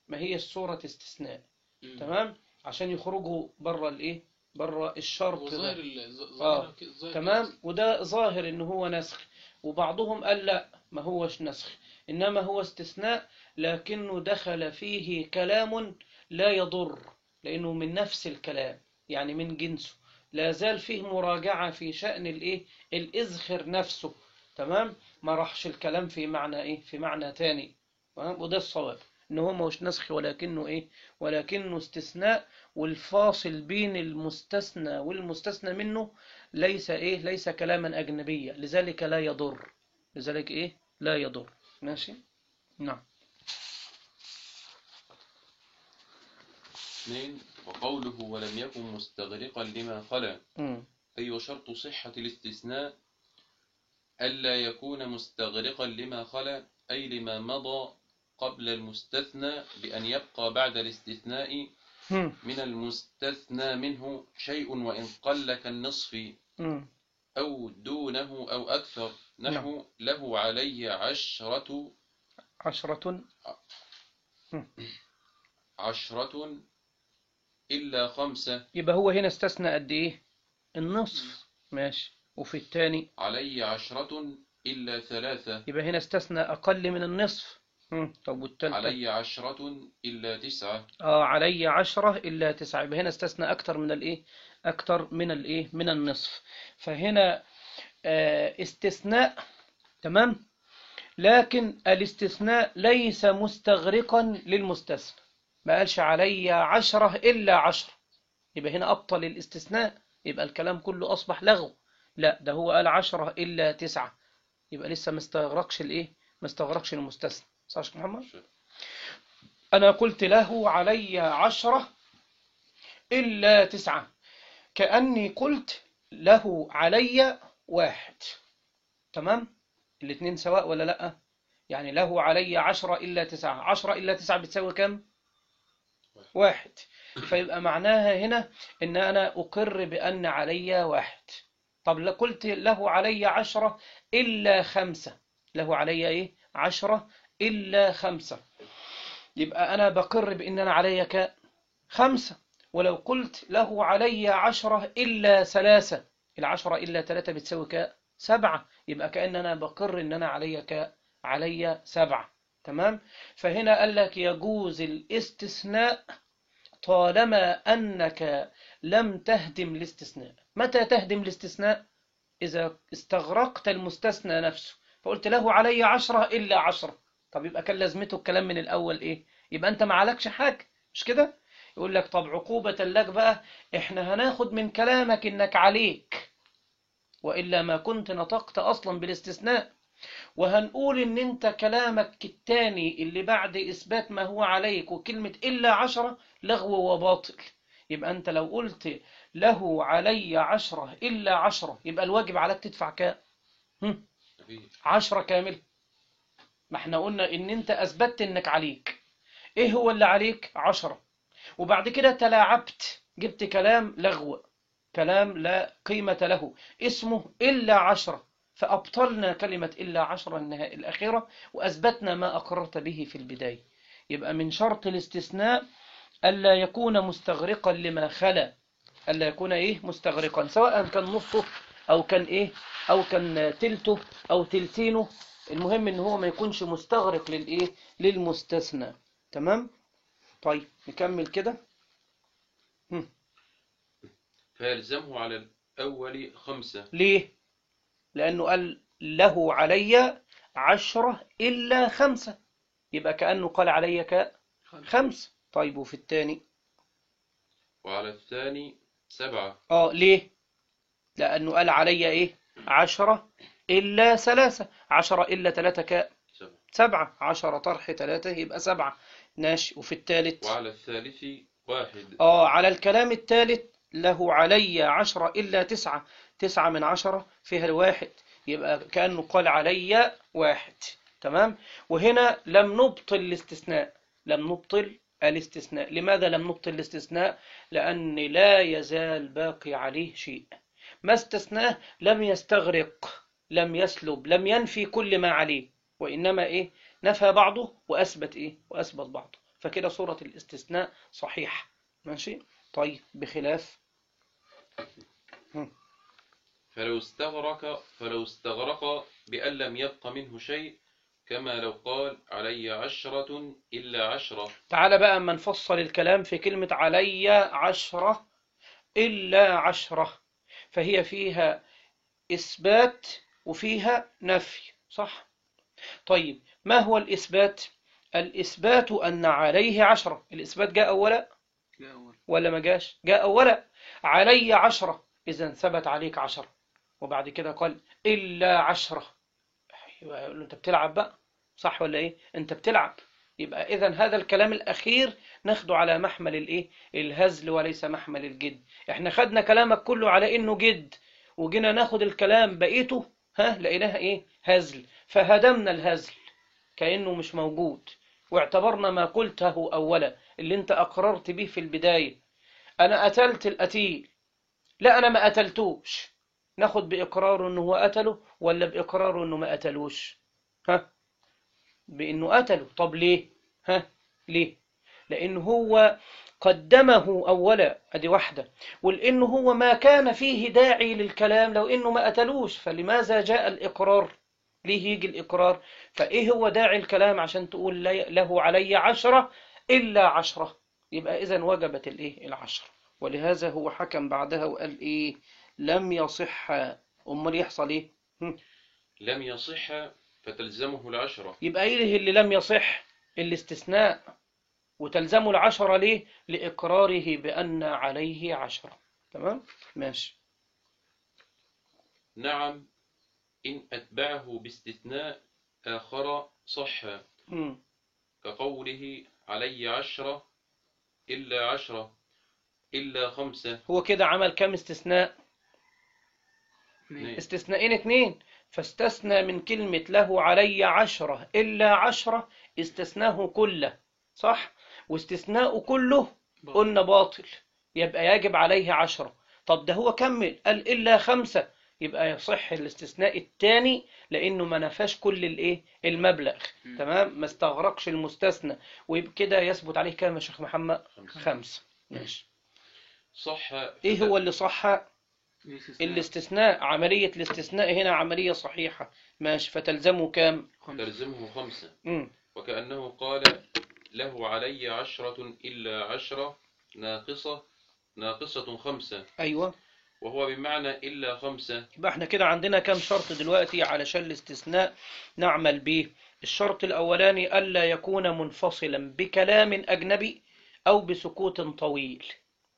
ما هي الصورة استثناء. تمام؟ عشان يخرجوا بره الإيه؟ بره الشرط هو ده. ظاهر ال- ظ- آه. ظاهر كده- ظاهر تمام، كده. وده ظاهر إن هو نسخ. وبعضهم قال لا، ما هوش نسخ، إنما هو استثناء، لكنه دخل فيه كلام لا يضر، لأنه من نفس الكلام، يعني من جنسه، لا زال فيه مراجعة في شأن الإيه؟ الإذخر نفسه. تمام، ما راحش الكلام في معنى إيه؟ في معنى تاني. تمام؟ وده الصواب، إن هو مش نسخ، ولكنه إيه؟ ولكنه استثناء، والفاصل بين المستثنى والمستثنى منه ليس إيه؟ ليس كلاما أجنبيا، لذلك لا يضر، لذلك إيه؟ لا يضر. ماشي؟ نعم. اثنين، وقوله ولم يكن مستغرقا لما خلا، مم. أي وشرط صحة الاستثناء ألا يكون مستغرقا لما خلا، أي لما مضى قبل المستثنى، بأن يبقى بعد الاستثناء مم. من المستثنى منه شيء وإن قل كالنصف مم. أو دونه أو أكثر، نحو له علي عشرة عشرة. عشرة إلا خمسة، يبقى هو هنا استثنى قد إيه؟ النصف. ماشي. وفي الثاني علي عشرة إلا ثلاثة، يبقى هنا استثنى أقل من النصف. مم. طب والثالثة؟ علي عشرة إلا تسعة، آه علي عشرة إلا تسعة، يبقى هنا استثنى أكتر من الإيه؟ أكتر من الإيه؟ من النصف. فهنا آه استثناء. تمام، لكن الاستثناء ليس مستغرقا للمستثنى، ما قالش علي عشرة إلا عشرة، يبقى هنا أبطل الاستثناء، يبقى الكلام كله أصبح لغو. لا، ده هو قال عشرة إلا تسعة، يبقى لسه ما استغرقش الإيه؟ ما استغرقش المستثنى. صح يا شيخ محمد؟ أنا قلت له علي عشرة إلا تسعة، كأني قلت له علي واحد. تمام، الاثنين سواء ولا لأ؟ يعني له علي عشرة إلا تسعة، عشرة إلا تسعة بتساوي كم؟ واحد. فيبقى معناها هنا إن أنا أقر بأن علي واحد. طب لو قلت له علي عشرة إلا خمسة، له علي إيه؟ عشرة إلا خمسة، يبقى أنا بقر بأن أنا علي خمسة. ولو قلت له علي عشرة إلا ثلاثة، العشرة إلا ثلاثة بتساوي كام؟ سبعة، يبقى كأن أنا بقر إن أنا علي ك علي سبعة. تمام، فهنا قال لك يجوز الاستثناء طالما أنك لم تهدم الاستثناء. متى تهدم الاستثناء؟ إذا استغرقت المستثنى نفسه، فقلت له علي عشرة إلا عشرة، طب يبقى كان لازمته الكلام من الأول إيه؟ يبقى أنت ما عليكش حاجة، مش كده؟ يقول لك طب عقوبة لك بقى، إحنا هناخد من كلامك إنك عليك، وإلا ما كنت نطقت أصلا بالاستثناء، وهنقول إن أنت كلامك التاني اللي بعد إثبات ما هو عليك وكلمة إلا عشرة لغو وباطل. يبقى أنت لو قلت له علي عشرة إلا عشرة، يبقى الواجب عليك تدفع كام؟ عشرة كامل. ما احنا قلنا إن أنت أثبتت إنك عليك. إيه هو اللي عليك؟ عشرة. وبعد كده تلاعبت، جبت كلام لغو، كلام لا قيمة له، اسمه إلا عشرة، فأبطلنا كلمة إلا عشرة النهاية الأخيرة، وأثبتنا ما أقررت به في البداية. يبقى من شرط الاستثناء ألا يكون مستغرقا لما خلا، ألا يكون إيه؟ مستغرقا، سواء كان نصه أو كان إيه؟ أو كان تلته أو تلتينه، المهم إن هو ما يكونش مستغرق للإيه؟ للمستثنى. تمام؟ طيب نكمل كده. هم. فيلزمه على الأول خمسة. ليه؟ لأنه قال له علي عشرة إلا خمسة، يبقى كأنه قال علي كخمسة. طيب وفي الثاني؟ وعلى الثاني سبعة. آه ليه؟ لأنه قال علي إيه؟ عشرة إلا ثلاثة، عشرة إلا ثلاثة ك سبعة. سبعة، عشرة طرح ثلاثة يبقى سبعة. ماشي. وفي الثالث؟ وعلى الثالث واحد. آه على الكلام الثالث له علي عشرة إلا تسعة، تسعة من عشرة فيها الواحد، يبقى كأنه قال علي واحد. تمام، وهنا لم نبطل الاستثناء، لم نبطل الاستثناء. لماذا لم نبطل الاستثناء؟ لأن لا يزال باقي عليه شيء، ما استثناه لم يستغرق، لم يسلب، لم ينفي كل ما عليه، وإنما إيه؟ نفى بعضه وأثبت إيه؟ وأثبت بعضه. فكده صورة الاستثناء صحيح. ماشي. طيب بخلاف فلو استغرق فلو استغرق بأن لم يبق منه شيء، كما لو قال علي عشرة إلا عشرة. تعال بقى أما نفصل الكلام في كلمة علي عشرة إلا عشرة، فهي فيها إثبات وفيها نفي، صح؟ طيب ما هو الإثبات؟ الإثبات أن عليه عشرة. الإثبات جاء أولا ولا ما جاش؟ جاء أولا. علي عشرة، إذن ثبت عليك عشرة. وبعد كده قال إلا عشرة، يبقى يقول له أنت بتلعب بقى، صح ولا إيه؟ أنت بتلعب. يبقى إذن هذا الكلام الأخير ناخده على محمل الإيه؟ الهزل وليس محمل الجد. إحنا خدنا كلامك كله على إنه جد، وجينا ناخد الكلام بقيته ها لقيناها إيه؟ هزل، فهدمنا الهزل كأنه مش موجود، واعتبرنا ما قلته أولا اللي أنت أقررت به في البداية، أنا قتلت القتيل، لا أنا ما قتلتوش، ناخد بإقراره أنه هو قتله ولا بإقراره أنه ما قتلوش؟ ها؟ بأنه قتله. طب ليه؟ ها؟ ليه؟ لأنه هو قدمه أولا، أدي واحدة، ولأنه هو ما كان فيه داعي للكلام لو أنه ما قتلوش، فلماذا جاء الإقرار؟ ليه يجي الإقرار؟ فإيه هو داعي الكلام عشان تقول له علي عشرة إلا عشرة؟ يبقى إذن وجبت الإيه؟ العشرة. ولهذا هو حكم بعدها وقال إيه؟ لم يصح. أمال يحصل إيه؟ لم يصح فتلزمه العشرة. يبقى إيه اللي لم يصح؟ الاستثناء، وتلزمه العشرة ليه؟ لإقراره بأن عليه عشرة. تمام؟ ماشي. نعم، إن أتبعه باستثناء آخر صح، مم. كقوله علي عشرة إلا عشرة إلا خمسة. هو كده عمل كم استثناء؟ اثنين. استثناءين اتنين. فاستثنى من كلمة له علي عشرة إلا عشرة، استثناه كله، صح؟ واستثناء كله قلنا باطل، يبقى يجب عليه عشرة. طب ده هو كمل قال إلا خمسة، يبقى يصح الاستثناء الثاني لأنه ما نفاش كل الإيه؟ المبلغ. م. تمام؟ ما استغرقش المستثنى، وبكده يثبت عليه كام يا شيخ محمد؟ خمسة. خمسة. ماشي. صح. إيه هو اللي صح؟ الاستثناء. عملية الاستثناء هنا عملية صحيحة. ماشي. فتلزمه كام؟ تلزمه خمسة. م. وكأنه قال له علي عشرة إلا عشرة ناقصة ناقصة خمسة. أيوة. وهو بمعنى إلا خمسة. يبقى احنا كده عندنا كام شرط دلوقتي علشان الاستثناء نعمل به؟ الشرط الأولاني ألا يكون منفصلا بكلام أجنبي أو بسكوت طويل.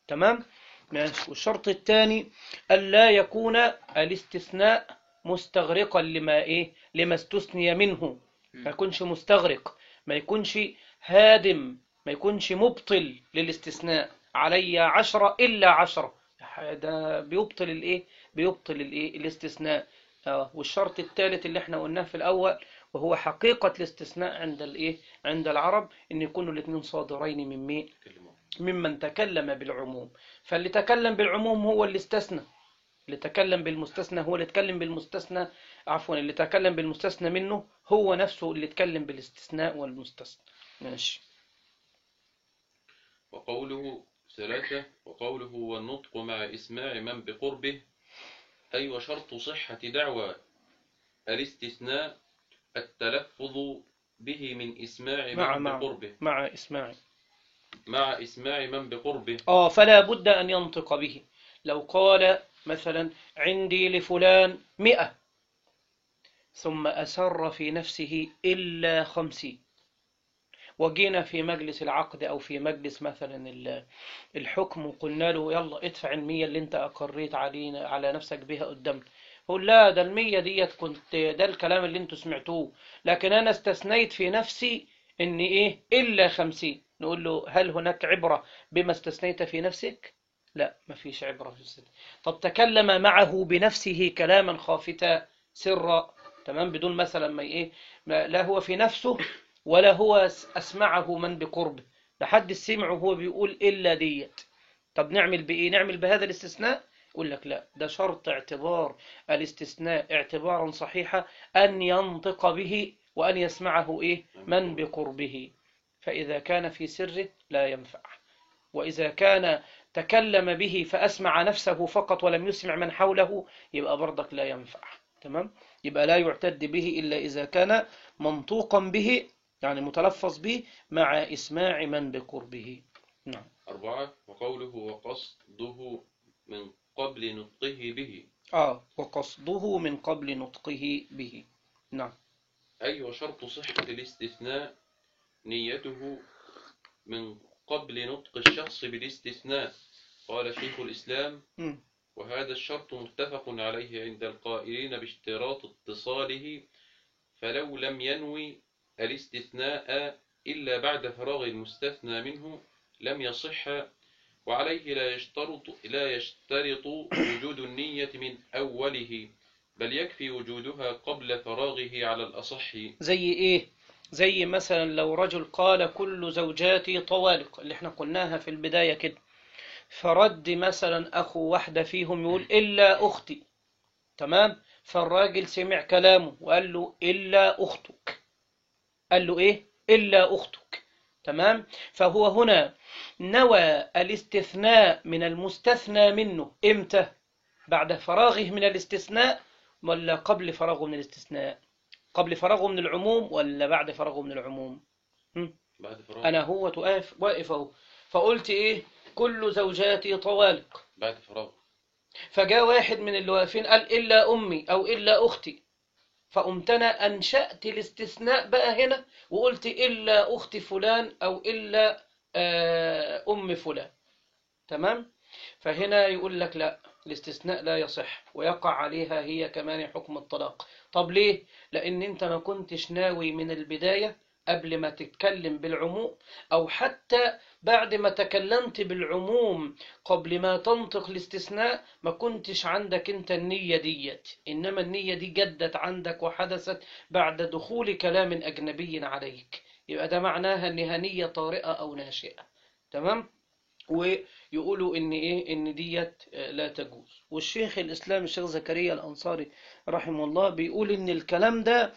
تمام؟ ماشي. والشرط الثاني ألا يكون الاستثناء مستغرقا لما إيه؟ لما استثني منه، ما يكونش مستغرق، ما يكونش هادم، ما يكونش مبطل للاستثناء. علي عشرة إلا عشرة، ده بيبطل الايه؟ بيبطل الايه؟ الاستثناء. اه. والشرط الثالث اللي احنا قلناه في الاول وهو حقيقة الاستثناء عند الايه؟ عند العرب ان يكونوا الاثنين صادرين من مين؟ ممن تكلم بالعموم. فاللي تكلم بالعموم هو اللي استثنى، اللي تكلم بالمستثنى هو اللي تكلم بالمستثنى، عفوا اللي تكلم بالمستثنى منه هو نفسه اللي تكلم بالاستثناء والمستثنى. ماشي. وقوله ثلاثة. وقوله والنطق مع إسماع من بقربه، أي وشرط صحة دعوى الاستثناء التلفظ به من إسماع مع من مع بقربه. مع إسماع مع إسماع من بقربه. آه فلا بد أن ينطق به. لو قال مثلا عندي لفلان مئة ثم أسر في نفسه إلا خمسين، وجينا في مجلس العقد أو في مجلس مثلا الحكم وقلنا له يلا ادفع المية اللي انت أقريت علينا على نفسك بها قدامنا، قل لا ده المية ديت كنت ده الكلام اللي انتوا سمعتوه، لكن أنا استثنيت في نفسي إن إيه إلا خمسين. نقول له هل هناك عبرة بما استثنيت في نفسك؟ لا، ما فيش عبرة في الستة. طب تكلم معه بنفسه كلاما خافتا سرا، تمام، بدون مثلا ما إيه، لا هو في نفسه ولا هو أسمعه من بقربه، لحد سمعه وهو بيقول إلا ديت. طب نعمل بإيه؟ نعمل بهذا الاستثناء؟ يقول لك لا، ده شرط اعتبار الاستثناء اعتبارا صحيحا أن ينطق به وأن يسمعه إيه؟ من بقربه. فإذا كان في سره لا ينفع، وإذا كان تكلم به فأسمع نفسه فقط ولم يسمع من حوله يبقى برضك لا ينفع. تمام؟ يبقى لا يعتد به إلا إذا كان منطوقا به، يعني متلفظ به مع إسماع من بقربه. نعم. أربعة. وقوله وقصده من قبل نطقه به. آه وقصده من قبل نطقه به. نعم. أي وشرط صحة الاستثناء نيته من قبل نطق الشخص بالاستثناء. قال شيخ الإسلام: م. وهذا الشرط متفق عليه عند القائلين باشتراط اتصاله، فلو لم ينوي الاستثناء إلا بعد فراغ المستثنى منه لم يصح، وعليه لا يشترط لا يشترط وجود النية من أوله، بل يكفي وجودها قبل فراغه على الأصح. زي إيه؟ زي مثلا لو رجل قال كل زوجاتي طوالق، اللي احنا قلناها في البداية كده، فرد مثلا أخو واحدة فيهم يقول إلا أختي. تمام؟ فالراجل سمع كلامه وقال له إلا أختك. قال له إيه؟ إلا أختك. تمام؟ فهو هنا نوى الاستثناء من المستثنى منه إمتى؟ بعد فراغه من الاستثناء ولا قبل فراغه من الاستثناء؟ قبل فراغه من العموم ولا بعد فراغه من العموم؟ هم؟ بعد فراغ. أنا هو واقف واقف أهو، فقلت إيه؟ كل زوجاتي طوالق. بعد فراغ. فجاء واحد من اللي واقفين قال إلا أمي أو إلا أختي، فقمت أنا أنشأت الاستثناء بقى هنا وقلت إلا أخت فلان أو إلا أم فلان. تمام؟ فهنا يقول لك لا، الاستثناء لا يصح ويقع عليها هي كمان حكم الطلاق. طب ليه؟ لأن أنت ما كنتش ناوي من البداية قبل ما تتكلم بالعموم، أو حتى بعد ما تكلمت بالعموم قبل ما تنطق الاستثناء ما كنتش عندك أنت النية ديت، إنما النية دي جدت عندك وحدثت بعد دخول كلام أجنبي عليك، يبقى ده معناها أنها نية طارئة أو ناشئة. تمام؟ ويقولوا ان ايه ان ديت لا تجوز. والشيخ الاسلام الشيخ زكريا الانصاري رحمه الله بيقول ان الكلام ده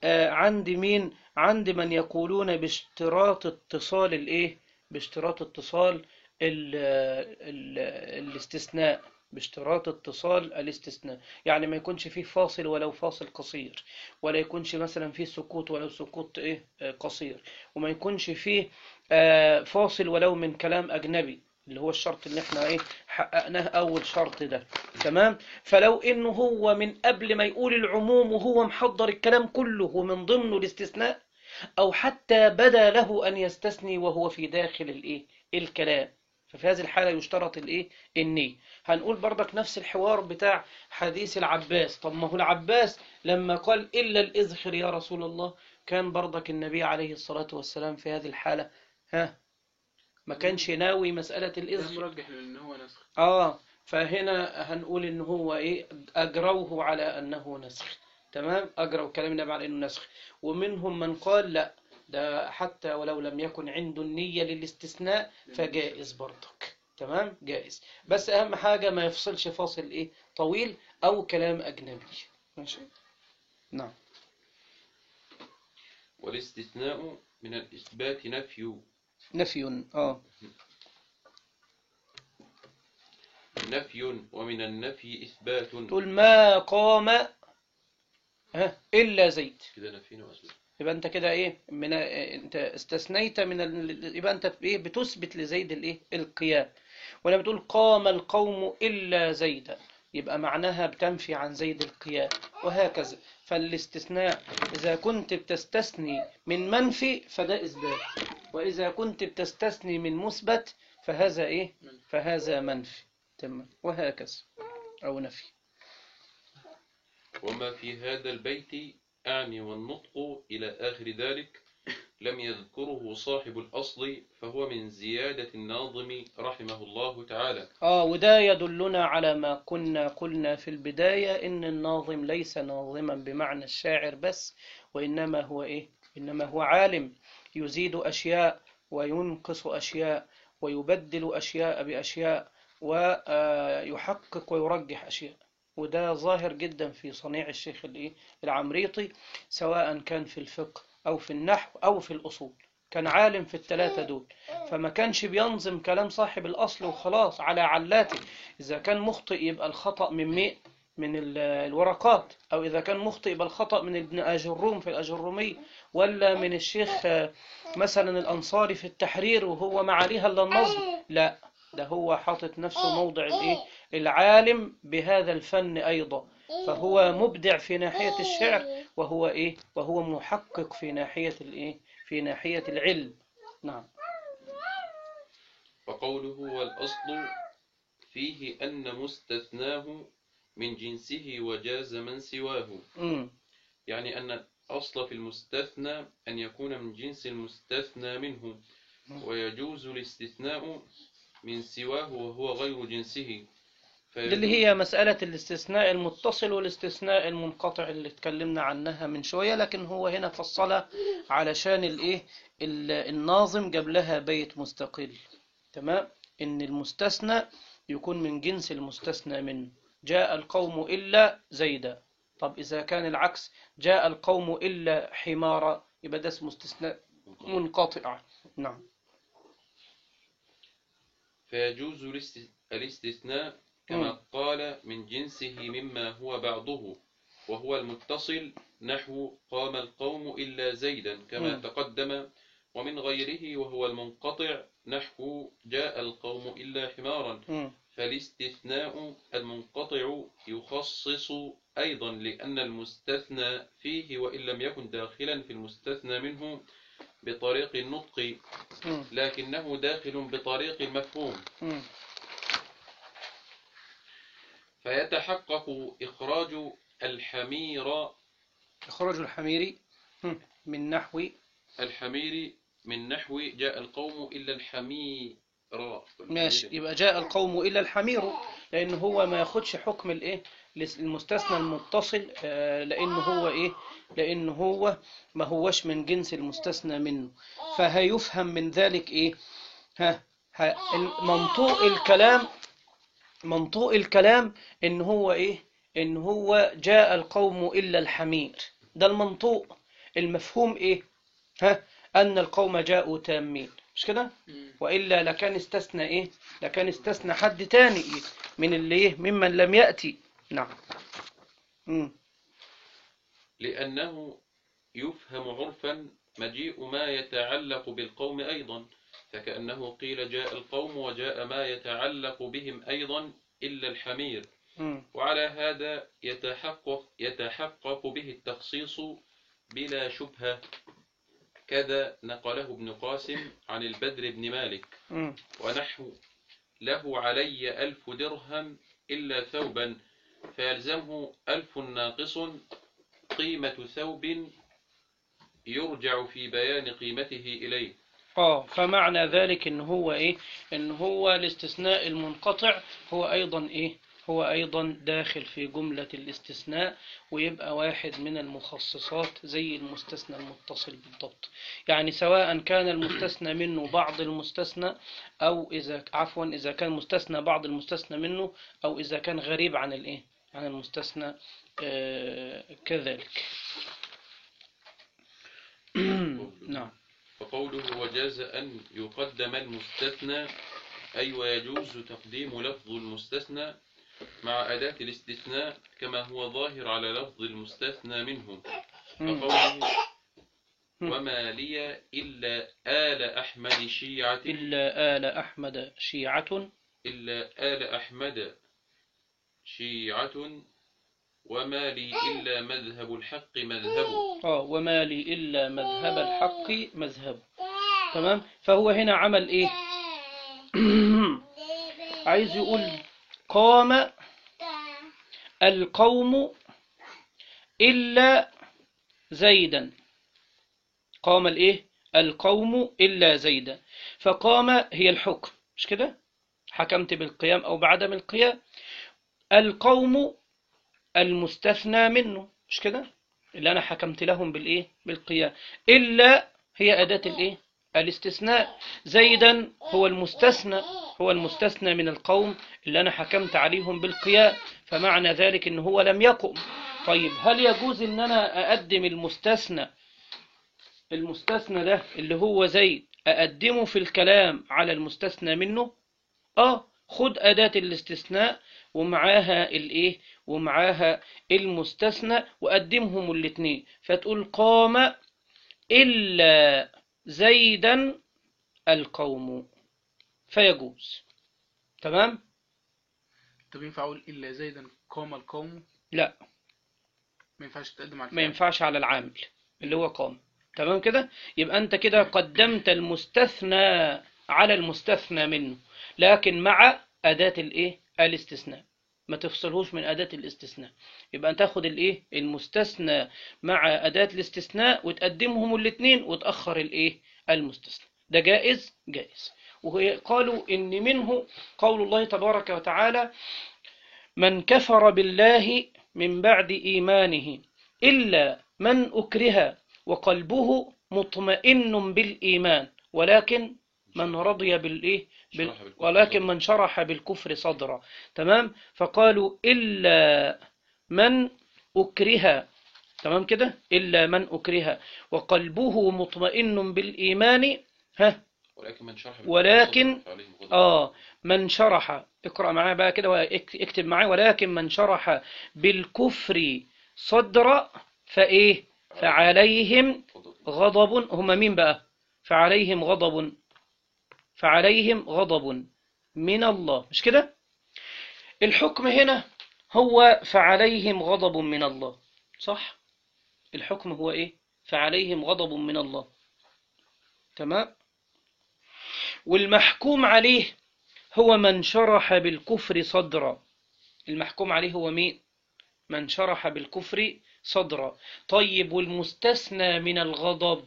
عند مين؟ عند من يقولون باشتراط اتصال الايه باشتراط اتصال ال ال الاستثناء باشتراط اتصال الاستثناء، يعني ما يكونش فيه فاصل ولو فاصل قصير، ولا يكونش مثلا فيه سكوت ولو سكوت ايه قصير، وما يكونش فيه فاصل ولو من كلام أجنبي، اللي هو الشرط اللي احنا ايه حققناه أول شرط ده. تمام؟ فلو إنه هو من قبل ما يقول العموم وهو محضر الكلام كله ومن ضمنه الاستثناء، أو حتى بدا له أن يستثني وهو في داخل الايه الكلام، ففي هذه الحالة يشترط الايه النية. هنقول برضك نفس الحوار بتاع حديث العباس. طب ما هو العباس لما قال إلا الإذخر يا رسول الله، كان برضك النبي عليه الصلاة والسلام في هذه الحالة ها ما كانش ناوي مسألة الإذخر. مرجح لأن هو نسخ. آه فهنا هنقول إن هو إيه أجروه على أنه نسخ. تمام؟ أجروا كلام النبي على أنه نسخ. ومنهم من قال لا، ده حتى ولو لم يكن عنده النية للاستثناء فجائز برضك. تمام؟ جائز، بس أهم حاجة ما يفصلش فاصل إيه طويل أو كلام أجنبي. ماشي؟ نعم. والاستثناء من الإثبات نفي. نفي. آه نفي ومن النفي إثبات. تقول ما قام ها إلا زيد، كده نفينا وأثبات. يبقى أنت كده إيه من أنت استثنيت من ال... يبقى أنت إيه بتثبت لزيد الإيه القيام. ولما بتقول قام القوم إلا زيدا يبقى معناها بتنفي عن زيد القيام، وهكذا. فالاستثناء إذا كنت بتستثني من منفي فده إثبات، وإذا كنت بتستثني من مثبت فهذا إيه فهذا منفي. تمام؟ وهكذا أو نفي. وما في هذا البيت أعني والنطق إلى آخر ذلك لم يذكره صاحب الأصل، فهو من زيادة الناظم رحمه الله تعالى. آه وده يدلنا على ما كنا قلنا في البداية، إن الناظم ليس ناظما بمعنى الشاعر بس، وإنما هو إيه إنما هو عالم يزيد أشياء وينقص أشياء ويبدل أشياء بأشياء ويحقق ويرجح أشياء. وده ظاهر جدا في صنيع الشيخ العمريطي، سواء كان في الفقه أو في النحو أو في الأصول، كان عالم في الثلاثة دول، فما كانش بينظم كلام صاحب الأصل وخلاص على علاته. إذا كان مخطئ يبقى الخطأ من مئة من الورقات، أو إذا كان مخطئ يبقى الخطأ من ابن أجروم في الأجرومية، ولا من الشيخ مثلا الأنصاري في التحرير وهو ما عليها إلا النظم. لا، ده هو حاطط نفسه موضع الإيه؟ العالم بهذا الفن أيضا، فهو مبدع في ناحية الشعر، وهو إيه؟ وهو محقق في ناحية الإيه؟ في ناحية العلم. نعم. وقوله والأصل فيه أن مستثناه من جنسه وجاز من سواه. م. يعني أن الأصل في المستثنى أن يكون من جنس المستثنى منه، ويجوز الاستثناء من سواه وهو غير جنسه. اللي هي مسألة الاستثناء المتصل والاستثناء المنقطع اللي اتكلمنا عنها من شوية، لكن هو هنا فصلها علشان الايه الناظم جاب لها بيت مستقل. تمام. ان المستثنى يكون من جنس المستثنى منه. جاء القوم إلا زيدا. طب إذا كان العكس، جاء القوم إلا حمارا، يبقى ده اسمه استثناء منقطع. نعم. فيجوز الاستثناء كما قال من جنسه مما هو بعضه، وهو المتصل نحو قام القوم إلا زيدا كما م. تقدم، ومن غيره وهو المنقطع نحو جاء القوم إلا حمارا. م. فالاستثناء المنقطع يخصص أيضا، لأن المستثنى فيه وإن لم يكن داخلا في المستثنى منه بطريق النطق، لكنه داخل بطريق المفهوم، فيتحقق إخراج الحمير إخراج الحمير من نحو الحمير من نحو جاء القوم إلا الحمير. ماشي، يبقى جاء القوم إلا الحمير، لأنه هو ما ياخدش حكم الإيه المستثنى المتصل، لأنه هو إيه لأنه هو ما هوش من جنس المستثنى منه. فهيفهم من ذلك إيه ها, ها منطوق الكلام منطوق الكلام إن هو إيه إن هو جاء القوم إلا الحمير. ده المنطوق. المفهوم إيه ها أن القوم جاءوا تامين، مش كده؟ وإلا لكان استثنى إيه لكان استثنى حد تاني إيه؟ من اللي إيه ممن لم يأتي. نعم. مم. لأنه يفهم عرفا مجيء ما يتعلق بالقوم أيضا، فكأنه قيل جاء القوم وجاء ما يتعلق بهم أيضا إلا الحمير. م. وعلى هذا يتحقق, يتحقق به التخصيص بلا شبهة، كذا نقله ابن قاسم عن البدر بن مالك. م. ونحو له علي ألف درهم إلا ثوبا، فيلزمه ألف ناقص قيمة ثوب يرجع في بيان قيمته إليه. آه فمعنى ذلك إن هو إيه إن هو الاستثناء المنقطع هو أيضا إيه هو أيضا داخل في جملة الاستثناء، ويبقى واحد من المخصصات زي المستثنى المتصل بالضبط. يعني سواء كان المستثنى منه بعض المستثنى، أو إذا عفوا إذا كان مستثنى بعض المستثنى منه، أو إذا كان غريب عن الإيه عن المستثنى آه كذلك. نعم. وقوله وجاز أن يقدم المستثنى أي ويجوز تقديم لفظ المستثنى مع أداة الاستثناء كما هو ظاهر على لفظ المستثنى منه. فقوله وما لي إلا آل أحمد شيعة إلا آل أحمد شيعة إلا آل أحمد شيعة وما لي إلا مذهب الحق مذهب. آه وما لي إلا مذهب الحق مذهب. تمام. فهو هنا عمل إيه عايز يقول قام القوم إلا زيدا. قام الإيه القوم إلا زيدا. فقام هي الحكم، مش كده؟ حكمت بالقيام أو بعدم القيام. القوم المستثنى منه، مش كده؟ اللي أنا حكمت لهم بالإيه؟ بالقيام. إلا هي أداة الإيه؟ الاستثناء. زيدا هو المستثنى، هو المستثنى من القوم اللي أنا حكمت عليهم بالقيام، فمعنى ذلك إن هو لم يقم. طيب هل يجوز إن أنا أقدم المستثنى، المستثنى ده اللي هو زيد، أقدمه في الكلام على المستثنى منه؟ آه، خد أداة الاستثناء ومعاها الإيه؟ ومعاها المستثنى وقدمهم الاثنين، فتقول قام إلا زيدا القوم، فيجوز. تمام؟ طب ينفع اقول الا زيدا قام القوم؟ لا، ما ينفعش تقدم على ما الفعل. ينفعش على العامل اللي هو قام. تمام كده؟ يبقى أنت كده قدمت المستثنى على المستثنى منه، لكن مع أداة الإيه؟ الاستثناء، ما تفصلهوش من أداة الاستثناء. يبقى أنت تاخد الإيه؟ المستثنى مع أداة الاستثناء وتقدمهم الاثنين وتأخر الإيه؟ المستثنى. ده جائز؟ جائز. وقالوا إن منه قول الله تبارك وتعالى: من كفر بالله من بعد إيمانه إلا من أكره وقلبه مطمئن بالإيمان ولكن من رضي بالإيه؟ بال... ولكن من شرح بالكفر صدرا. تمام؟ فقالوا إلا من أكره. تمام كده؟ إلا من أكره وقلبه مطمئن بالإيمان. ها؟ ولكن من شرح ولكن آه من شرح، اقرأ معايا بقى كده واكتب معايا: ولكن من شرح بالكفر صدرا فإيه؟ فعليهم غضب. هم مين بقى؟ فعليهم غضب، فعليهم غضب من الله. مش كده؟ الحكم هنا هو فعليهم غضب من الله، صح؟ الحكم هو إيه؟ فعليهم غضب من الله. تمام؟ والمحكوم عليه هو من شرح بالكفر صدرا. المحكوم عليه هو مين؟ من شرح بالكفر صدرا. طيب والمستثنى من الغضب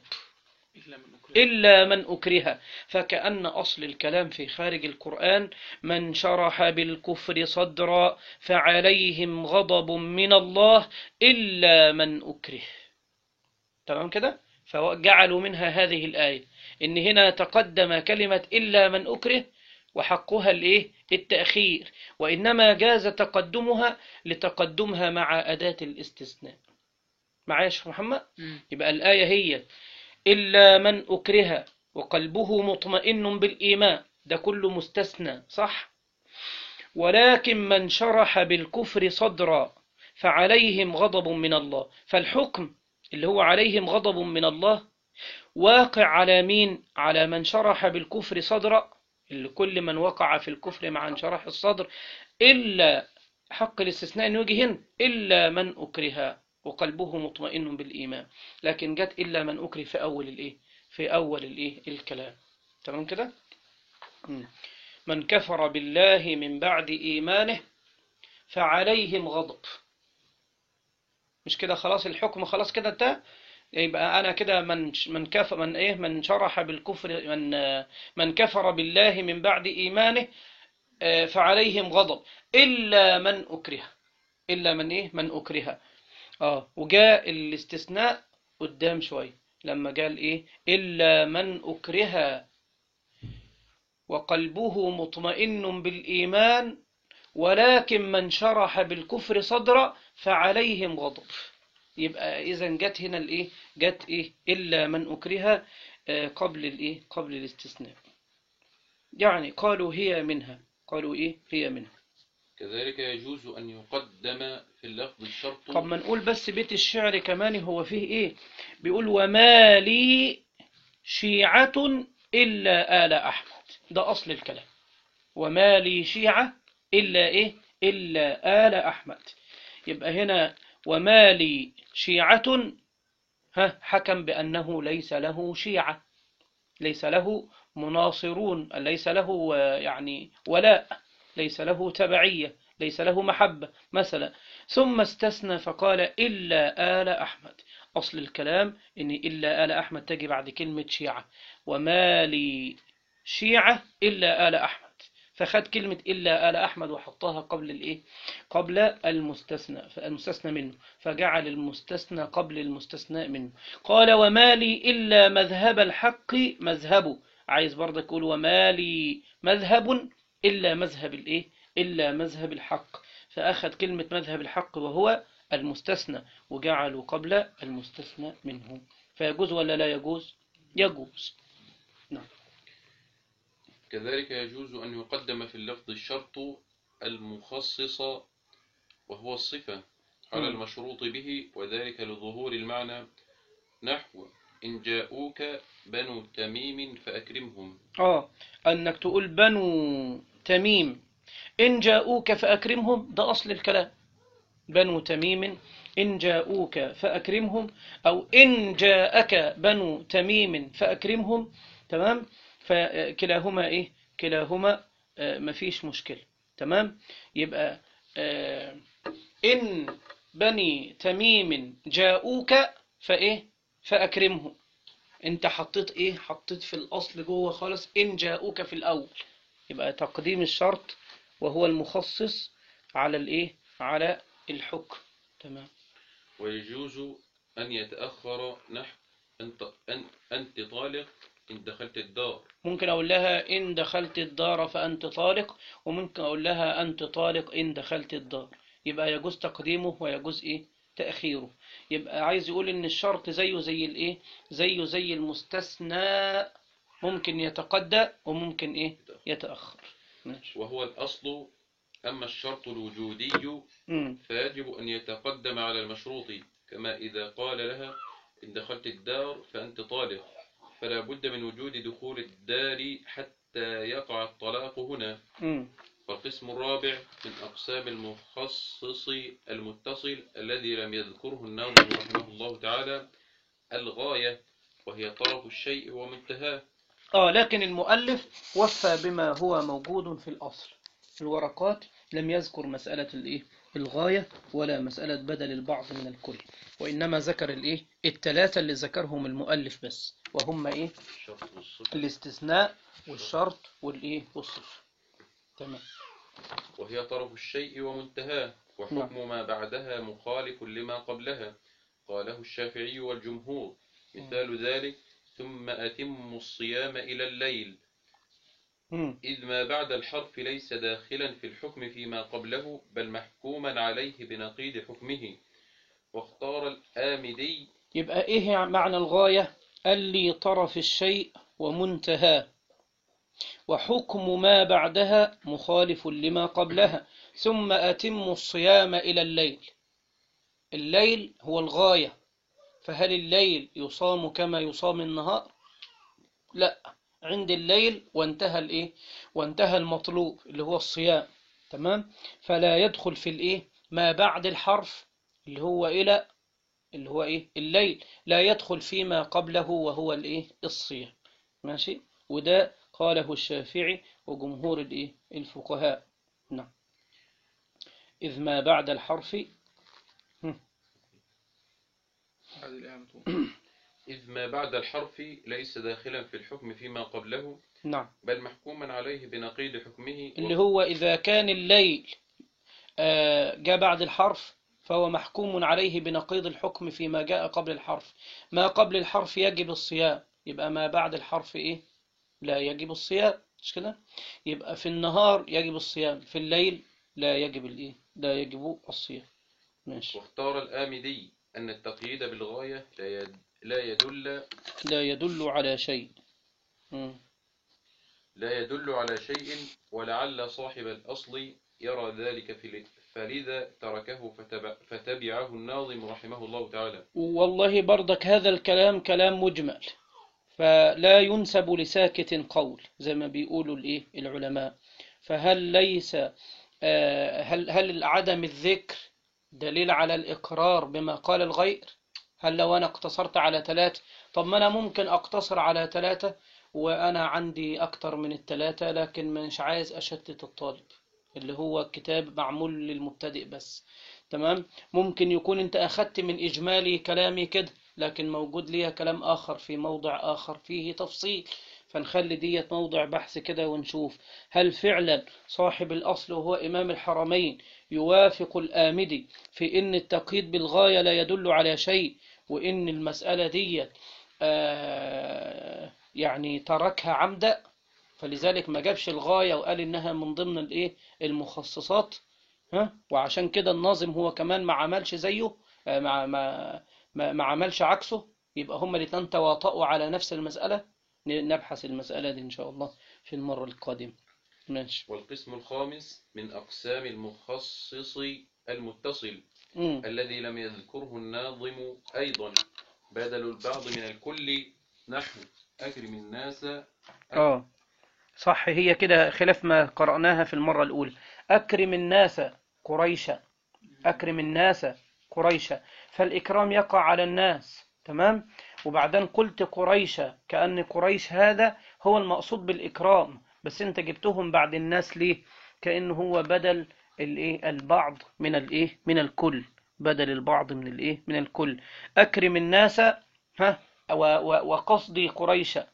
إلا من أكره، فكأن أصل الكلام في خارج القرآن: من شرح بالكفر صدرا فعليهم غضب من الله إلا من أكره. تمام كده؟ فجعلوا منها هذه الآية إن هنا تقدم كلمة إلا من أكره وحقها الإيه؟ التأخير، وإنما جاز تقدمها لتقدمها مع أداة الاستثناء. معايا يا شيخ محمد؟ يبقى الآية هي إلا من أكره وقلبه مطمئن بالإيمان، ده كله مستثنى، صح؟ ولكن من شرح بالكفر صدرا فعليهم غضب من الله. فالحكم اللي هو عليهم غضب من الله واقع على مين؟ على من شرح بالكفر صدرا، اللي كل من وقع في الكفر مع انشراح الصدر، إلا حق الاستثناء إنه يجي هنا إلا من أكره وقلبه مطمئن بالإيمان، لكن جت إلا من أكره في أول الإيه؟ في أول الإيه؟ الكلام. تمام كده؟ من كفر بالله من بعد إيمانه فعليهم غضب. مش كده خلاص الحكم خلاص كده انتهى؟ يبقى أنا كده من من كفر من إيه من شرح بالكفر من من كفر بالله من بعد إيمانه فعليهم غضب إلا من أكره. إلا من إيه؟ من أكره. آه وجاء الاستثناء قدام شوية لما قال إيه؟ إلا من أكره وقلبه مطمئن بالإيمان ولكن من شرح بالكفر صدرا فعليهم غضب. يبقى إذا جت هنا الإيه؟ جت إيه؟ إلا من أكره قبل الإيه؟ قبل الاستثناء. يعني قالوا هي منها، قالوا إيه؟ هي منها. كذلك يجوز أن يقدم في اللفظ الشرط. طب ما نقول بس بيت الشعر كمان هو فيه إيه؟ بيقول: وما لي شيعة إلا آل أحمد. ده أصل الكلام. وما لي شيعة إلا إيه؟ إلا آل أحمد. يبقى هنا وما لي شيعة، ها حكم بأنه ليس له شيعة، ليس له مناصرون، ليس له يعني ولاء، ليس له تبعية، ليس له محبة مثلا. ثم استثنى فقال إلا آل أحمد. أصل الكلام إن إلا آل أحمد تجي بعد كلمة شيعة. وما لي شيعة إلا آل أحمد. فخد كلمة إلا آل أحمد وحطها قبل الإيه؟ قبل المستثنى المستثنى منه، فجعل المستثنى قبل المستثنى منه. قال وما لي إلا مذهب الحق مذهبه، عايز برضه يقول وما لي مذهب إلا مذهب الإيه؟ إلا مذهب الحق، فأخذ كلمة مذهب الحق وهو المستثنى وجعله قبل المستثنى منه. فيجوز ولا لا يجوز؟ يجوز. نعم. كذلك يجوز أن يقدم في اللفظ الشرط المخصص وهو الصفة على مم. المشروط به، وذلك لظهور المعنى، نحو إن جاءوك بنو تميم فأكرمهم. آه أنك تقول بنو تميم إن جاءوك فأكرمهم، ده أصل الكلام. بنو تميم إن جاءوك فأكرمهم، أو إن جاءك بنو تميم فأكرمهم. تمام. فكلاهما إيه؟ كلاهما آه مفيش مشكلة. تمام. يبقى آه إن بني تميم جاءوك فإيه؟ فأكرمهم. أنت حطيت إيه؟ حطيت في الأصل جوه خالص إن جاءوك في الأول، يبقى تقديم الشرط وهو المخصص على الإيه؟ على الحكم. تمام. ويجوز أن يتأخر، نحو أنت, أن أنت طالق إن دخلت الدار. ممكن أقول لها إن دخلت الدار فأنت طالق، وممكن أقول لها أنت طالق إن دخلت الدار. يبقى يجوز تقديمه ويجوز إيه؟ تأخيره. يبقى عايز يقول إن الشرط زيه زي الإيه؟ زيه زي المستثنى، ممكن يتقدم وممكن إيه؟ يتأخر. ماشي. وهو الأصل. أما الشرط الوجودي مم. فيجب أن يتقدم على المشروط، كما إذا قال لها إن دخلت الدار فأنت طالق، فلا بد من وجود دخول الدار حتى يقع الطلاق هنا. مم. فالقسم الرابع من أقسام المخصص المتصل الذي لم يذكره الناظم رحمه الله تعالى الغاية، وهي طرف الشيء ومنتهاه. آه لكن المؤلف وفى بما هو موجود في الأصل. في الورقات لم يذكر مسألة الإيه؟ الغاية، ولا مسألة بدل البعض من الكل، وإنما ذكر الإيه؟ الثلاثة اللي ذكرهم المؤلف بس، وهم إيه؟ الشرط والصفة الاستثناء والشرط والإيه؟ والصفة. تمام. وهي طرف الشيء ومنتهاه، وحكم ما بعدها مخالف لما قبلها، قاله الشافعي والجمهور. مثال ذلك ثم أتم الصيام إلى الليل، مم. إذ ما بعد الحرف ليس داخلا في الحكم فيما قبله، بل محكوما عليه بنقيض حكمه. واختار الآمدي. يبقى إيه معنى الغاية؟ اللي طرف الشيء ومنتهاه، وحكم ما بعدها مخالف لما قبلها. ثم أتم الصيام إلى الليل، الليل هو الغاية، فهل الليل يصام كما يصام النهار؟ لا، عند الليل وانتهى الإيه؟ وانتهى المطلوب اللي هو الصيام. تمام. فلا يدخل في الإيه؟ ما بعد الحرف اللي هو إلى، اللي هو إيه؟ الليل، لا يدخل فيما قبله وهو الإيه؟ الصيام. ماشي. وده قاله الشافعي وجمهور الإيه؟ الفقهاء. نعم. إذ ما بعد الحرف إذ ما بعد الحرف ليس داخلا في الحكم فيما قبله، نعم، بل محكوما عليه بنقيض حكمه. اللي هو إذا كان الليل آه، جاء بعد الحرف فهو محكوم عليه بنقيض الحكم فيما جاء قبل الحرف. ما قبل الحرف يجب الصيام، يبقى ما بعد الحرف إيه؟ لا يجب الصيام، مش كده؟ يبقى في النهار يجب الصيام، في الليل لا يجب الإيه؟ لا يجب الصيام. ماشي. واختار الآمدي أن التقييد بالغاية لا يد- لا يدل لا يدل على شيء. مم. لا يدل على شيء، ولعل صاحب الأصل يرى ذلك في فلذا تركه فتبع فتبعه الناظم رحمه الله تعالى. والله برضك هذا الكلام كلام مجمل، فلا ينسب لساكت قول زي ما بيقولوا الإيه؟ العلماء. فهل ليس آه، هل هل عدم الذكر دليل على الإقرار بما قال الغير؟ هل لو أنا اقتصرت على ثلاثة، طب ما أنا ممكن أقتصر على ثلاثة وأنا عندي أكتر من الثلاثة، لكن مش عايز أشتت الطالب، اللي هو كتاب معمول للمبتدئ بس. تمام. ممكن يكون أنت أخذت من إجمالي كلامي كده، لكن موجود لي كلام آخر في موضع آخر فيه تفصيل، فنخلي ديت موضع بحث كده ونشوف هل فعلا صاحب الأصل وهو إمام الحرمين يوافق الآمدي في إن التقييد بالغاية لا يدل على شيء، وإن المسألة ديت آه يعني تركها عمدا، فلذلك ما جابش الغاية وقال إنها من ضمن الإيه المخصصات. ها، وعشان كده الناظم هو كمان ما عملش زيه، آه، ما ما ما ما عملش عكسه، يبقى هما الاتنين تواطؤوا على نفس المسألة. ن- نبحث المسألة دي إن شاء الله في المرة القادمة. ماشي. والقسم الخامس من أقسام المخصص المتصل مم. الذي لم يذكره الناظم أيضا بدل البعض من الكل، نحو أكرم الناس. اه صح، هي كده خلاف ما قرأناها في المرة الأولى. أكرم الناس قريشا، أكرم الناس قريشا، فالإكرام يقع على الناس، تمام. وبعدين قلت قريشا كأن قريش هذا هو المقصود بالإكرام، بس أنت جبتهم بعد الناس ليه؟ كأنه هو بدل الإيه البعض من الإيه من الكل، بدل البعض من الإيه من الكل. أكرم الناس، ها، و- و- وقصدي قريشا،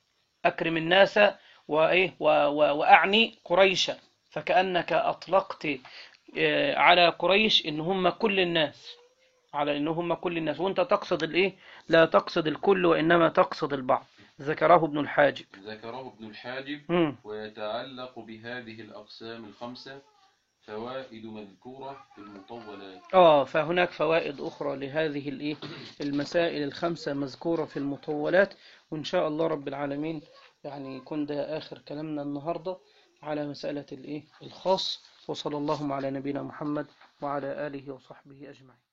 أكرم الناس وإيه و- و- وأعني قريشا، فكأنك أطلقت آه، على قريش إن هم كل الناس، على إن هم كل الناس، وأنت تقصد الإيه؟ لا تقصد الكل وإنما تقصد البعض. ذكره ابن الحاجب. ذكره ابن الحاجب. مم. ويتعلق بهذه الأقسام الخمسة فوائد مذكورة في المطولات. آه فهناك فوائد أخرى لهذه الإيه المسائل الخمسة مذكورة في المطولات، وإن شاء الله رب العالمين يعني يكون ده آخر كلامنا النهاردة على مسألة الإيه الخاص. وصلى اللهم على نبينا محمد وعلى آله وصحبه أجمعين.